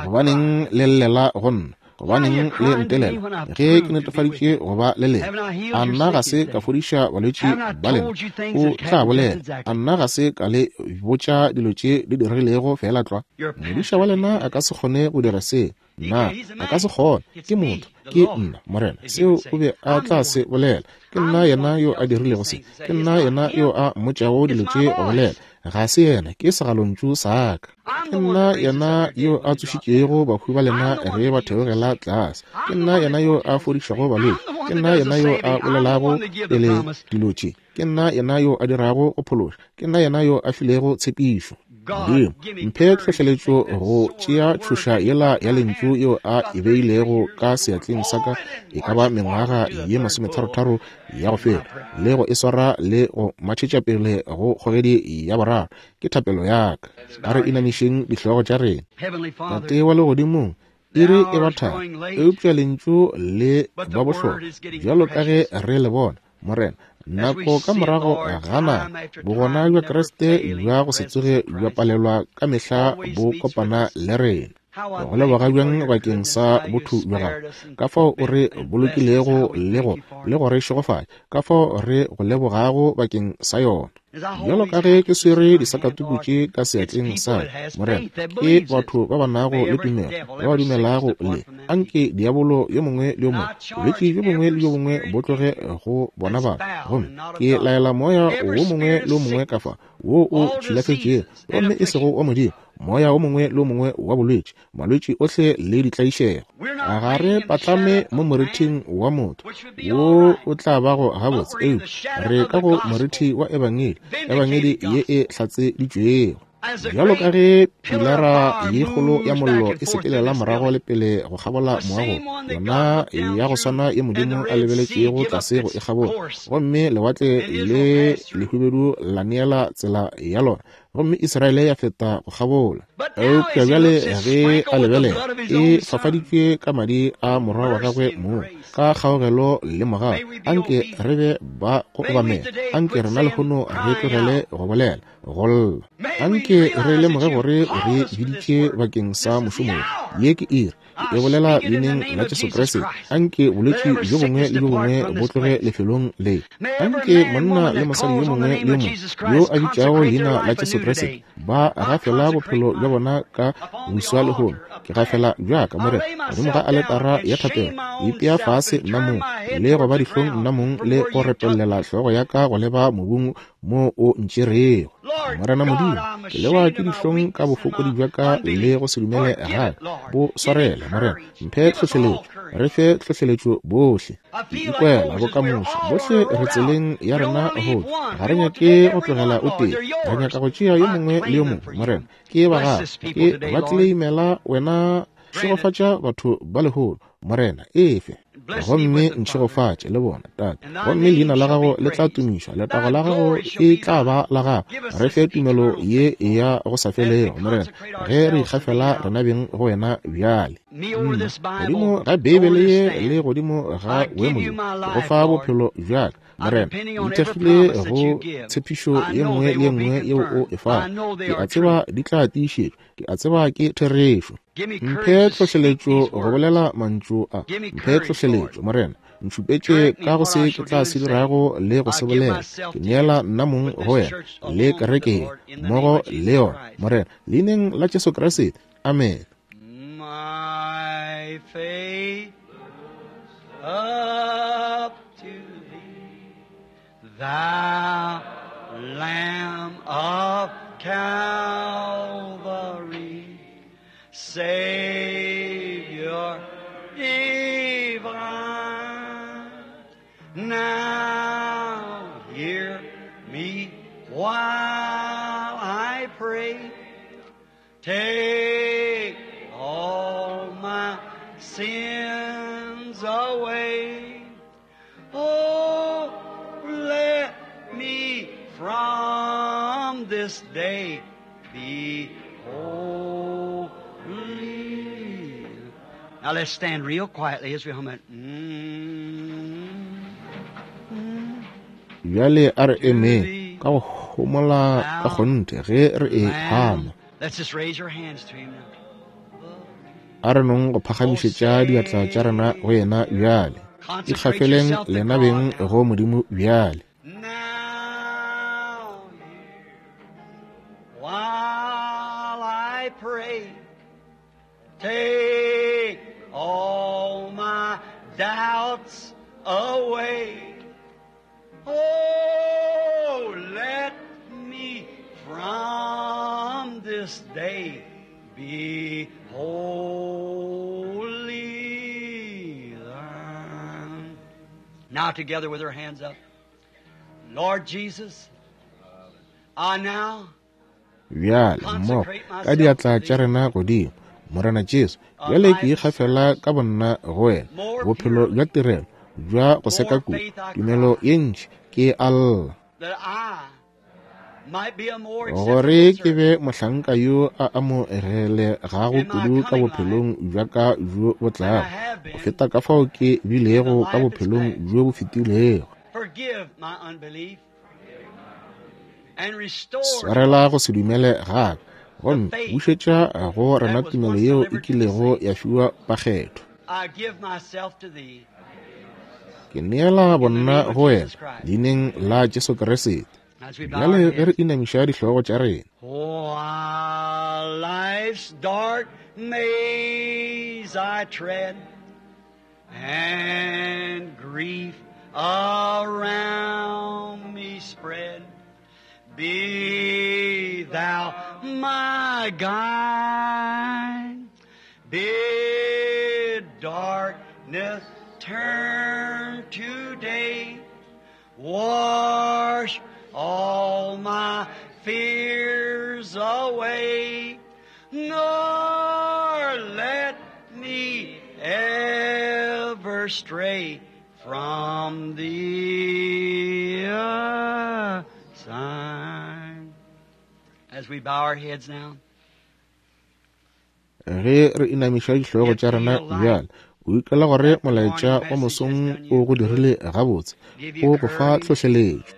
Gobaneng le llela go nna? Gobaneng le ntelela ge ke netefaditše go ba le lena? A nna ga se ka fodiša balwetši ba lena? O tla bolela. A nna ga se ka le botša dilo tše di diregilego fela tlwa? Modiša wa lena a ka se kgone go dira se. Nna a ka se kgone, ke motho, ke nna Morena. Seo o be a tla se bolela. Ke nna yena yo a dirilego se, ke nna yena yo a mmotšago dilo tše go bolela. Ga se yena, ke segalontšu sa ka. Ke nna yena yo a tsošitšego bahu ba lena ge ba theogela tlase. Ke nna yena yo a fodišago balwetši. Ke nna yena yo a bolelago pele dilo tše. Ke nna yena yo a dirago go phološa. Ke nna yena yo a filego tshepišo. Modimo, mphe tlhohleletšo go tšea tšhoša yela ya lentšu yeo a e beilego ka seatleng sa ka e ka ba mengwaga ye masometharotharo ya go feta, le go e swara le go matšhetša pele go kgogedi ya boraro. Ke thapelo ya ka. A re inamišeng dihlogo tša rena. Tate wa legodimong, iri e ba thari, eupša lentšu le ba bohlokwa bjalo ka ge re le bona, Morena. Nako ka morago ga nako, bogona bja Kriste bja go se tsoge bja palelwa ka mehla bo kopana le rena. Go leboga bjang bakeng sa botho bja gago, ka fao o re bolokilego le go le go re šegofatša, ka fao re go lebogago bakeng sa yona. Bjalo ka ge ke swere disakatuku tše ka seatleng sa ka, Morena, ke batho ba ba nago le tumelo, ba ba dumelago le. Anke diabolo yo mongwe le yo mongwe, bolwetši bjo bongwe le bjo bongwe bo tloge go bona batho, gomme ke laela moya wo mongwe le wo mongwe ka fa wo o tšhilafetšego, gomme e sego wa Modimo, moya wo mongwe le wo mongwe wa bolwetši, malwetši ohle le ditlaišego. Ga re patlame mo morithing wa motho wo o tla bago gabotse, eupša re ka go morithi wa ebangedi, ebangedi ye e hlatseditšwego. Bjalo ka ge pilara ye kgolo ya mollo e sepelela morago le pele go kgabola moago, yona ya go swana ye Modimo a lebeletšego tlase go e kgabola, gomme lewatle le lehubedu la neela tsela ya lona gomme Israele ya feta go kgabola. Eupša bjale ge a lebelela, e fafaditšwe ka madi a morwa wa gagwe mong, ka kgaogelo le mogau. Anke re be ba go obamela. Anke rena lehono re tlogele go bolela, go lla. Anke re lemoge gore o re biditše bakeng sa mošomo wo. Ye ke iri. Ke e bolela leineng la Jesu Kriste. Anke bolwetši bjo bongwe le bjo bongwe bo tloge lefelong le. Anke monna le mosadi yo mongwe le yo mongwe yo a bitšago leina la Jesu Kriste ba gafela bophelo bja bona ka boswa lehono. Ke gafela bjaka, Morena, godimo ga aletara ya thapelo, ke ipea fase nna mong, le go ba dihlong nna mong, le go repellela hlogo ya ka go leba mobung mo o ntšerego. Morena Modimo, ke lewa ke dihlong ka bofokodi bja ka le go se dumele ga ka. Bo swarele, Morena. Mphe tlhohleletšo, re fe tlhohleletšo bohle. Ke ikwela bokamoso, bohle re tseleng ya rena go tšwa. Ga re nyake go tlogela o tee, re nyaka go tšea yo mongwe le yo mongwe. Morena, ke ba gago, ke ba tleleimela wena. Šegofatša batho ba lehono, Morena, efe. Gomme ntšhegofatše le bona, Tate. Gomme leina la gago le tla tumišwa, letago la gago e tla ba la gago. Re fe tumelo ye ya go sa felego, Morena, ge re ikgafela rena beng go wena bjale. Nna, godimo ga Beibele ye le godimo ga boemo bjo, ke go fa bophelo bja ka. Morena, ke ithekgile go tshepišo ye nngwe le ye nngwe yeo o e fago. Ke a tseba di tla tiišetšwa, ke a tseba ke therešo. Mphe tlhohleletšo go bolela mantšu a. Mphe tlhohleletšo, Morena. Ntšhupetše ka go se ke tla se dirago le go se bolela. Ke neela nna mong go wena le kereke ye, mmogo le yona, Morena, leineng la Jesu Kriste. Amen. My faith up to thee, thou Lamb of Calvary, Savior divine. Now hear me while I pray. Take all my sins away. Oh, let me from this day be holy. Now let's stand real quietly as we hum it. Mm-hmm. Bjale a re emeng ka go homola ka kgonthe ge re e hama. Let's just raise your hands to him now. A re nong go phagamišetša diatla tša rena go yena bjale. Ikgafeleng lena beng go Modimo bjale. Now, while I pray, take all my doubts away. Oh, let me from this day be holy. Now together with our hands up. Lord Jesus, I now Bjale mmogo ka diatla tša rena godimo, Morena Jesu, bjale ke ikgafela ka bonna go wena, bophelo bja tirelo bja go seka kudu, tumelo ye ntši ke a lla, that I might be a more gore acceptable ke be mohlanka yo a amogelegago kudu ka bophelong bja ka bjo bo tlago, go feta ka fao ke bilego ka bophelong bjo bo fetilego. Forgive my unbelief and restore Swarela go se dumele ga ka, gomme bušetša go rena tumelo yeo e kilego ya fiwa bakgethwa. I give myself to thee. Ke neela bonna go wena, leineng la Jesu Kriste. As we bow our Bjale ge re heads. inamiša dihlogo tša rena, While life's dark maze I tread, and grief around me spread, be thou my guide. Bid darkness turn to day. Wash all my fears away, nor let me ever stray from thee aside. As we bow our heads now. Ge re inamiša dihlogo tša rena bjale, o ikela gore molaetša wa mosong o go dirile gabotse, o go fa tlhohleletšo.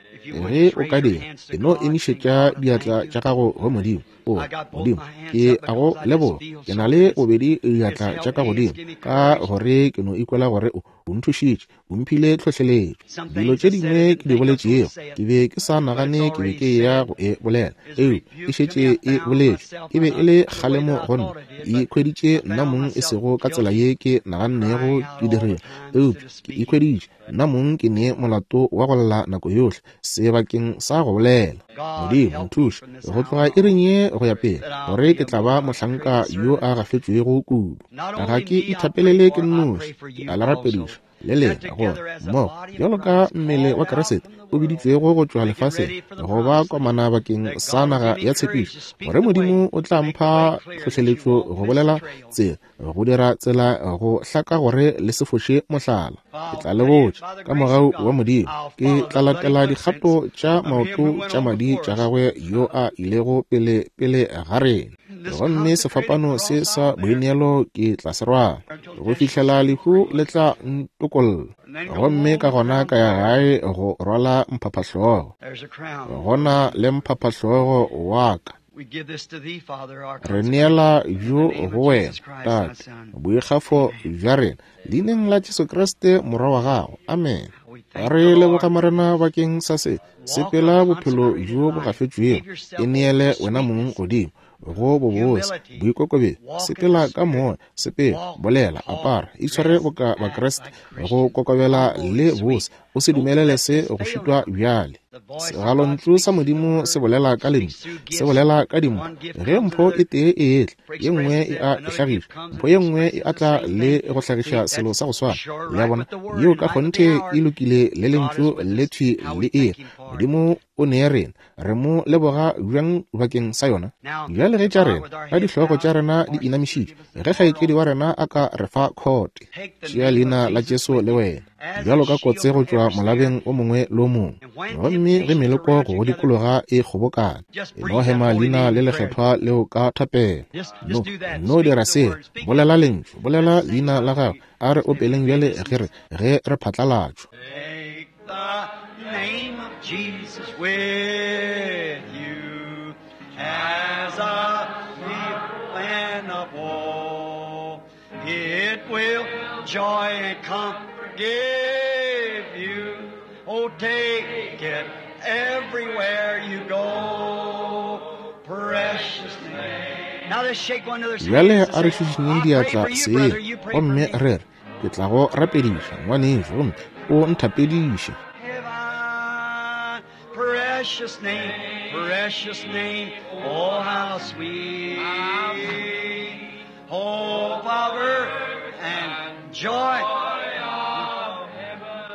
Ge o ka dira, e no emišetša diatla tša gago go Modimo. O Modimo, ke a go leboga. Ke na le bobedi diatla tša ka godimo, ka gore ke no ikwela gore o o nthušitše, o mphile tlhohleletšo. Dilo tše dingwe ke di boletšego, ke be ke sa nagane ke be ke ya go e bolela, eupša e šetše e boletšwe. E be e le kgalemo go nna, e ikhweditše nna mong e sego ka tsela ye ke nagannego ke dirile, eupša ke ikhweditše nna mong ke ne molato wa go lla nako yohle sebakeng sa go bolela. Modimo nthuše go tloga iring ye go ya pele, gore ke tla ba mohlanka yo a gafetšwego kudu. Ga ke ithapelele ke nnoši, ke a le rapediša le lena gore mmogo bjalo ka mmele wa Kriste o biditšwego go tšwa lefaseng go ba komana bakeng sa naga ya tshepišo, gore Modimo o tla mpha tlhohleletšo go bolela tsela, go dira tsela go hlaka gore le se foše mohlala. Ke tla le botša ka mogau wa Modimo, ke tla latela dikgato tša maoto tša madi tša gagwe yo a ilego pele pele ga rena. Gomme sefapano se sa boineelo ke tla se rwala go fihlela lehu le tla ntokolla, gomme ka gona ka ya gae go rwala mphaphahlogo. Gona le mphaphahlogo wa ka. Re neela bjo go wena, Tate, boikgafo bja rena, leineng la Jesu Kriste Morwa wa gago. Amen. Re leboga Morena bakeng sa se. Sepela bophelo bjo bo gafetšwego, e neele wena mong godimo go bobose, boikokobetšo. Sepela ka moya, sepela, bolela, apara, itshware boka Bakriste, go kokobela le bose. O se dumelele se go šitwa bjale. Segalontšu sa Modimo se bolela ka lentšu, se bolela ka dimpho. Ge mpho e tee e etla, ye nngwe e a e hlagiša. Mpho ye nngwe e atla le go hlagiša selo sa go swana. Le a bona, yeo ka kgonthe e lokile le lentšu le thwi le ere. Modimo o nee rena, re mo leboga bjang bakeng sa yona. Bjale ge tša rena, ka dihlogo tša rena di inamišitšwe, ge kgaetšedi wa rena a ka re fa khote, tšea leina la Jesu le wena bjalo ka kotse go tšwa molabeng o mongwe le o mongwe. Gomme ge meloko go dikologa e kgobokana, e no hema leina le lekgethwa leo ka thapelo. No, no dira se, bolela lentšu, bolela leina la gago. A re opeleng bjale ge re ge re phatlalatšwa. Name of Jesus with you as a plan of woe. It will joy and comfort give you. Oh, take it everywhere you go. Precious name. Now let's shake one another's Bjale hands a re and say, šišinyeng I pray diatla for you, seng, brother. You pray for gomme me. re re, ke tla go rapediša ngwanešu, gomme o nthapediše. Heaven, precious name, precious name, oh how sweet. Hope of earth and joy.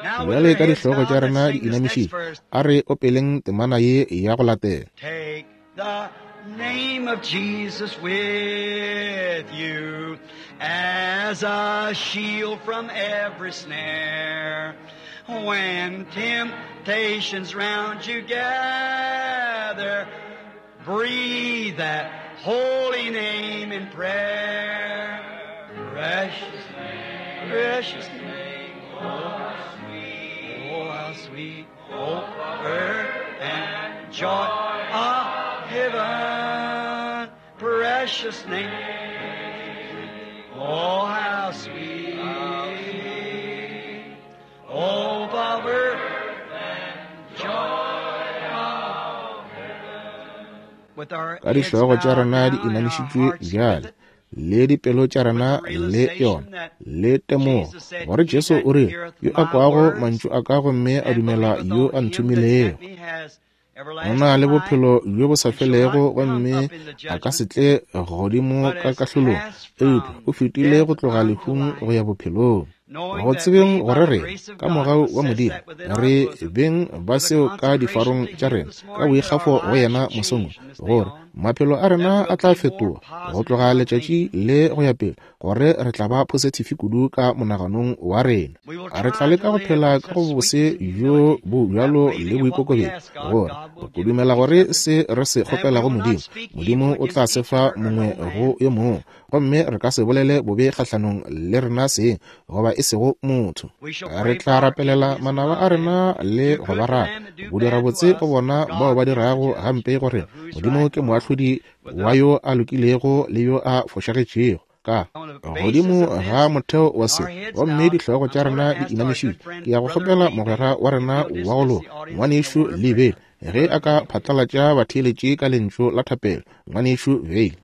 Now with Bjale our ka heads dihlogo tša bowed, let's rena di sing this next inamišitšwe, verse. a re opeleng temana ye ya go latela. Take the name of Jesus with you as a shield from every snare. When temptations round you gather, breathe that holy name in prayer. Precious name, precious name, oh how sweet, oh how sweet, oh earth and joy of heaven. Precious name, oh how sweet, oh of earth and joy of heaven. With our Ka heads dihlogo tša bowed rena di now and our inamišitšwe hearts with bjale, it, le dipelo tša with rena the le yona, realization that le temogo Jesus said, gore He Jesu that o rile, heareth yo a my kwago words mantšu a ka gomme a and dumela believeth yo on a him that nthomilego, sent me has o na le everlasting life bophelo bjo bo sa and shall not felego, come gomme up in the a ka se judgment, tle godimo but ka has kahlolong, passed eupša from o fetile death go tloga unto lehung go life. ya bophelong. Go tsebeng gore rena, ka mogau wa Modimo, re beng ba seo ka difarong tša rena, ka boikgafo go yena mosong, gore maphelo a rena a tla fetoga go tloga letšatši le go ya pele, gore re tla ba positive kudu ka monaganong wa rena. Re tla leka go phela ka go bose bjo bo bjalo le boikokobetšo, gore go dumela gore se re se kgopelago Modimo, Modimo o tla se fa mongwe go yo mongwe, gomme re ka se bolele bobe kgahlanong le rena seng goba e sego motho. Re tla rapelela manaba a rena le go ba rata, go dira botse go bona bao ba dirago gampe go rena. Modimo ke moahlodi wa yo a lokilego le yo a fošagetšego. Ka godimo ga motheo wa se, gomme dihlogo tša rena di inamišitšwe, ke ya go kgopela mogwera wa rena wa go loka, ngwanešu Lee Vayle, ge a ka phatlalatša batheeletši ka lentšu la thapelo. Ngwanešu Vayle.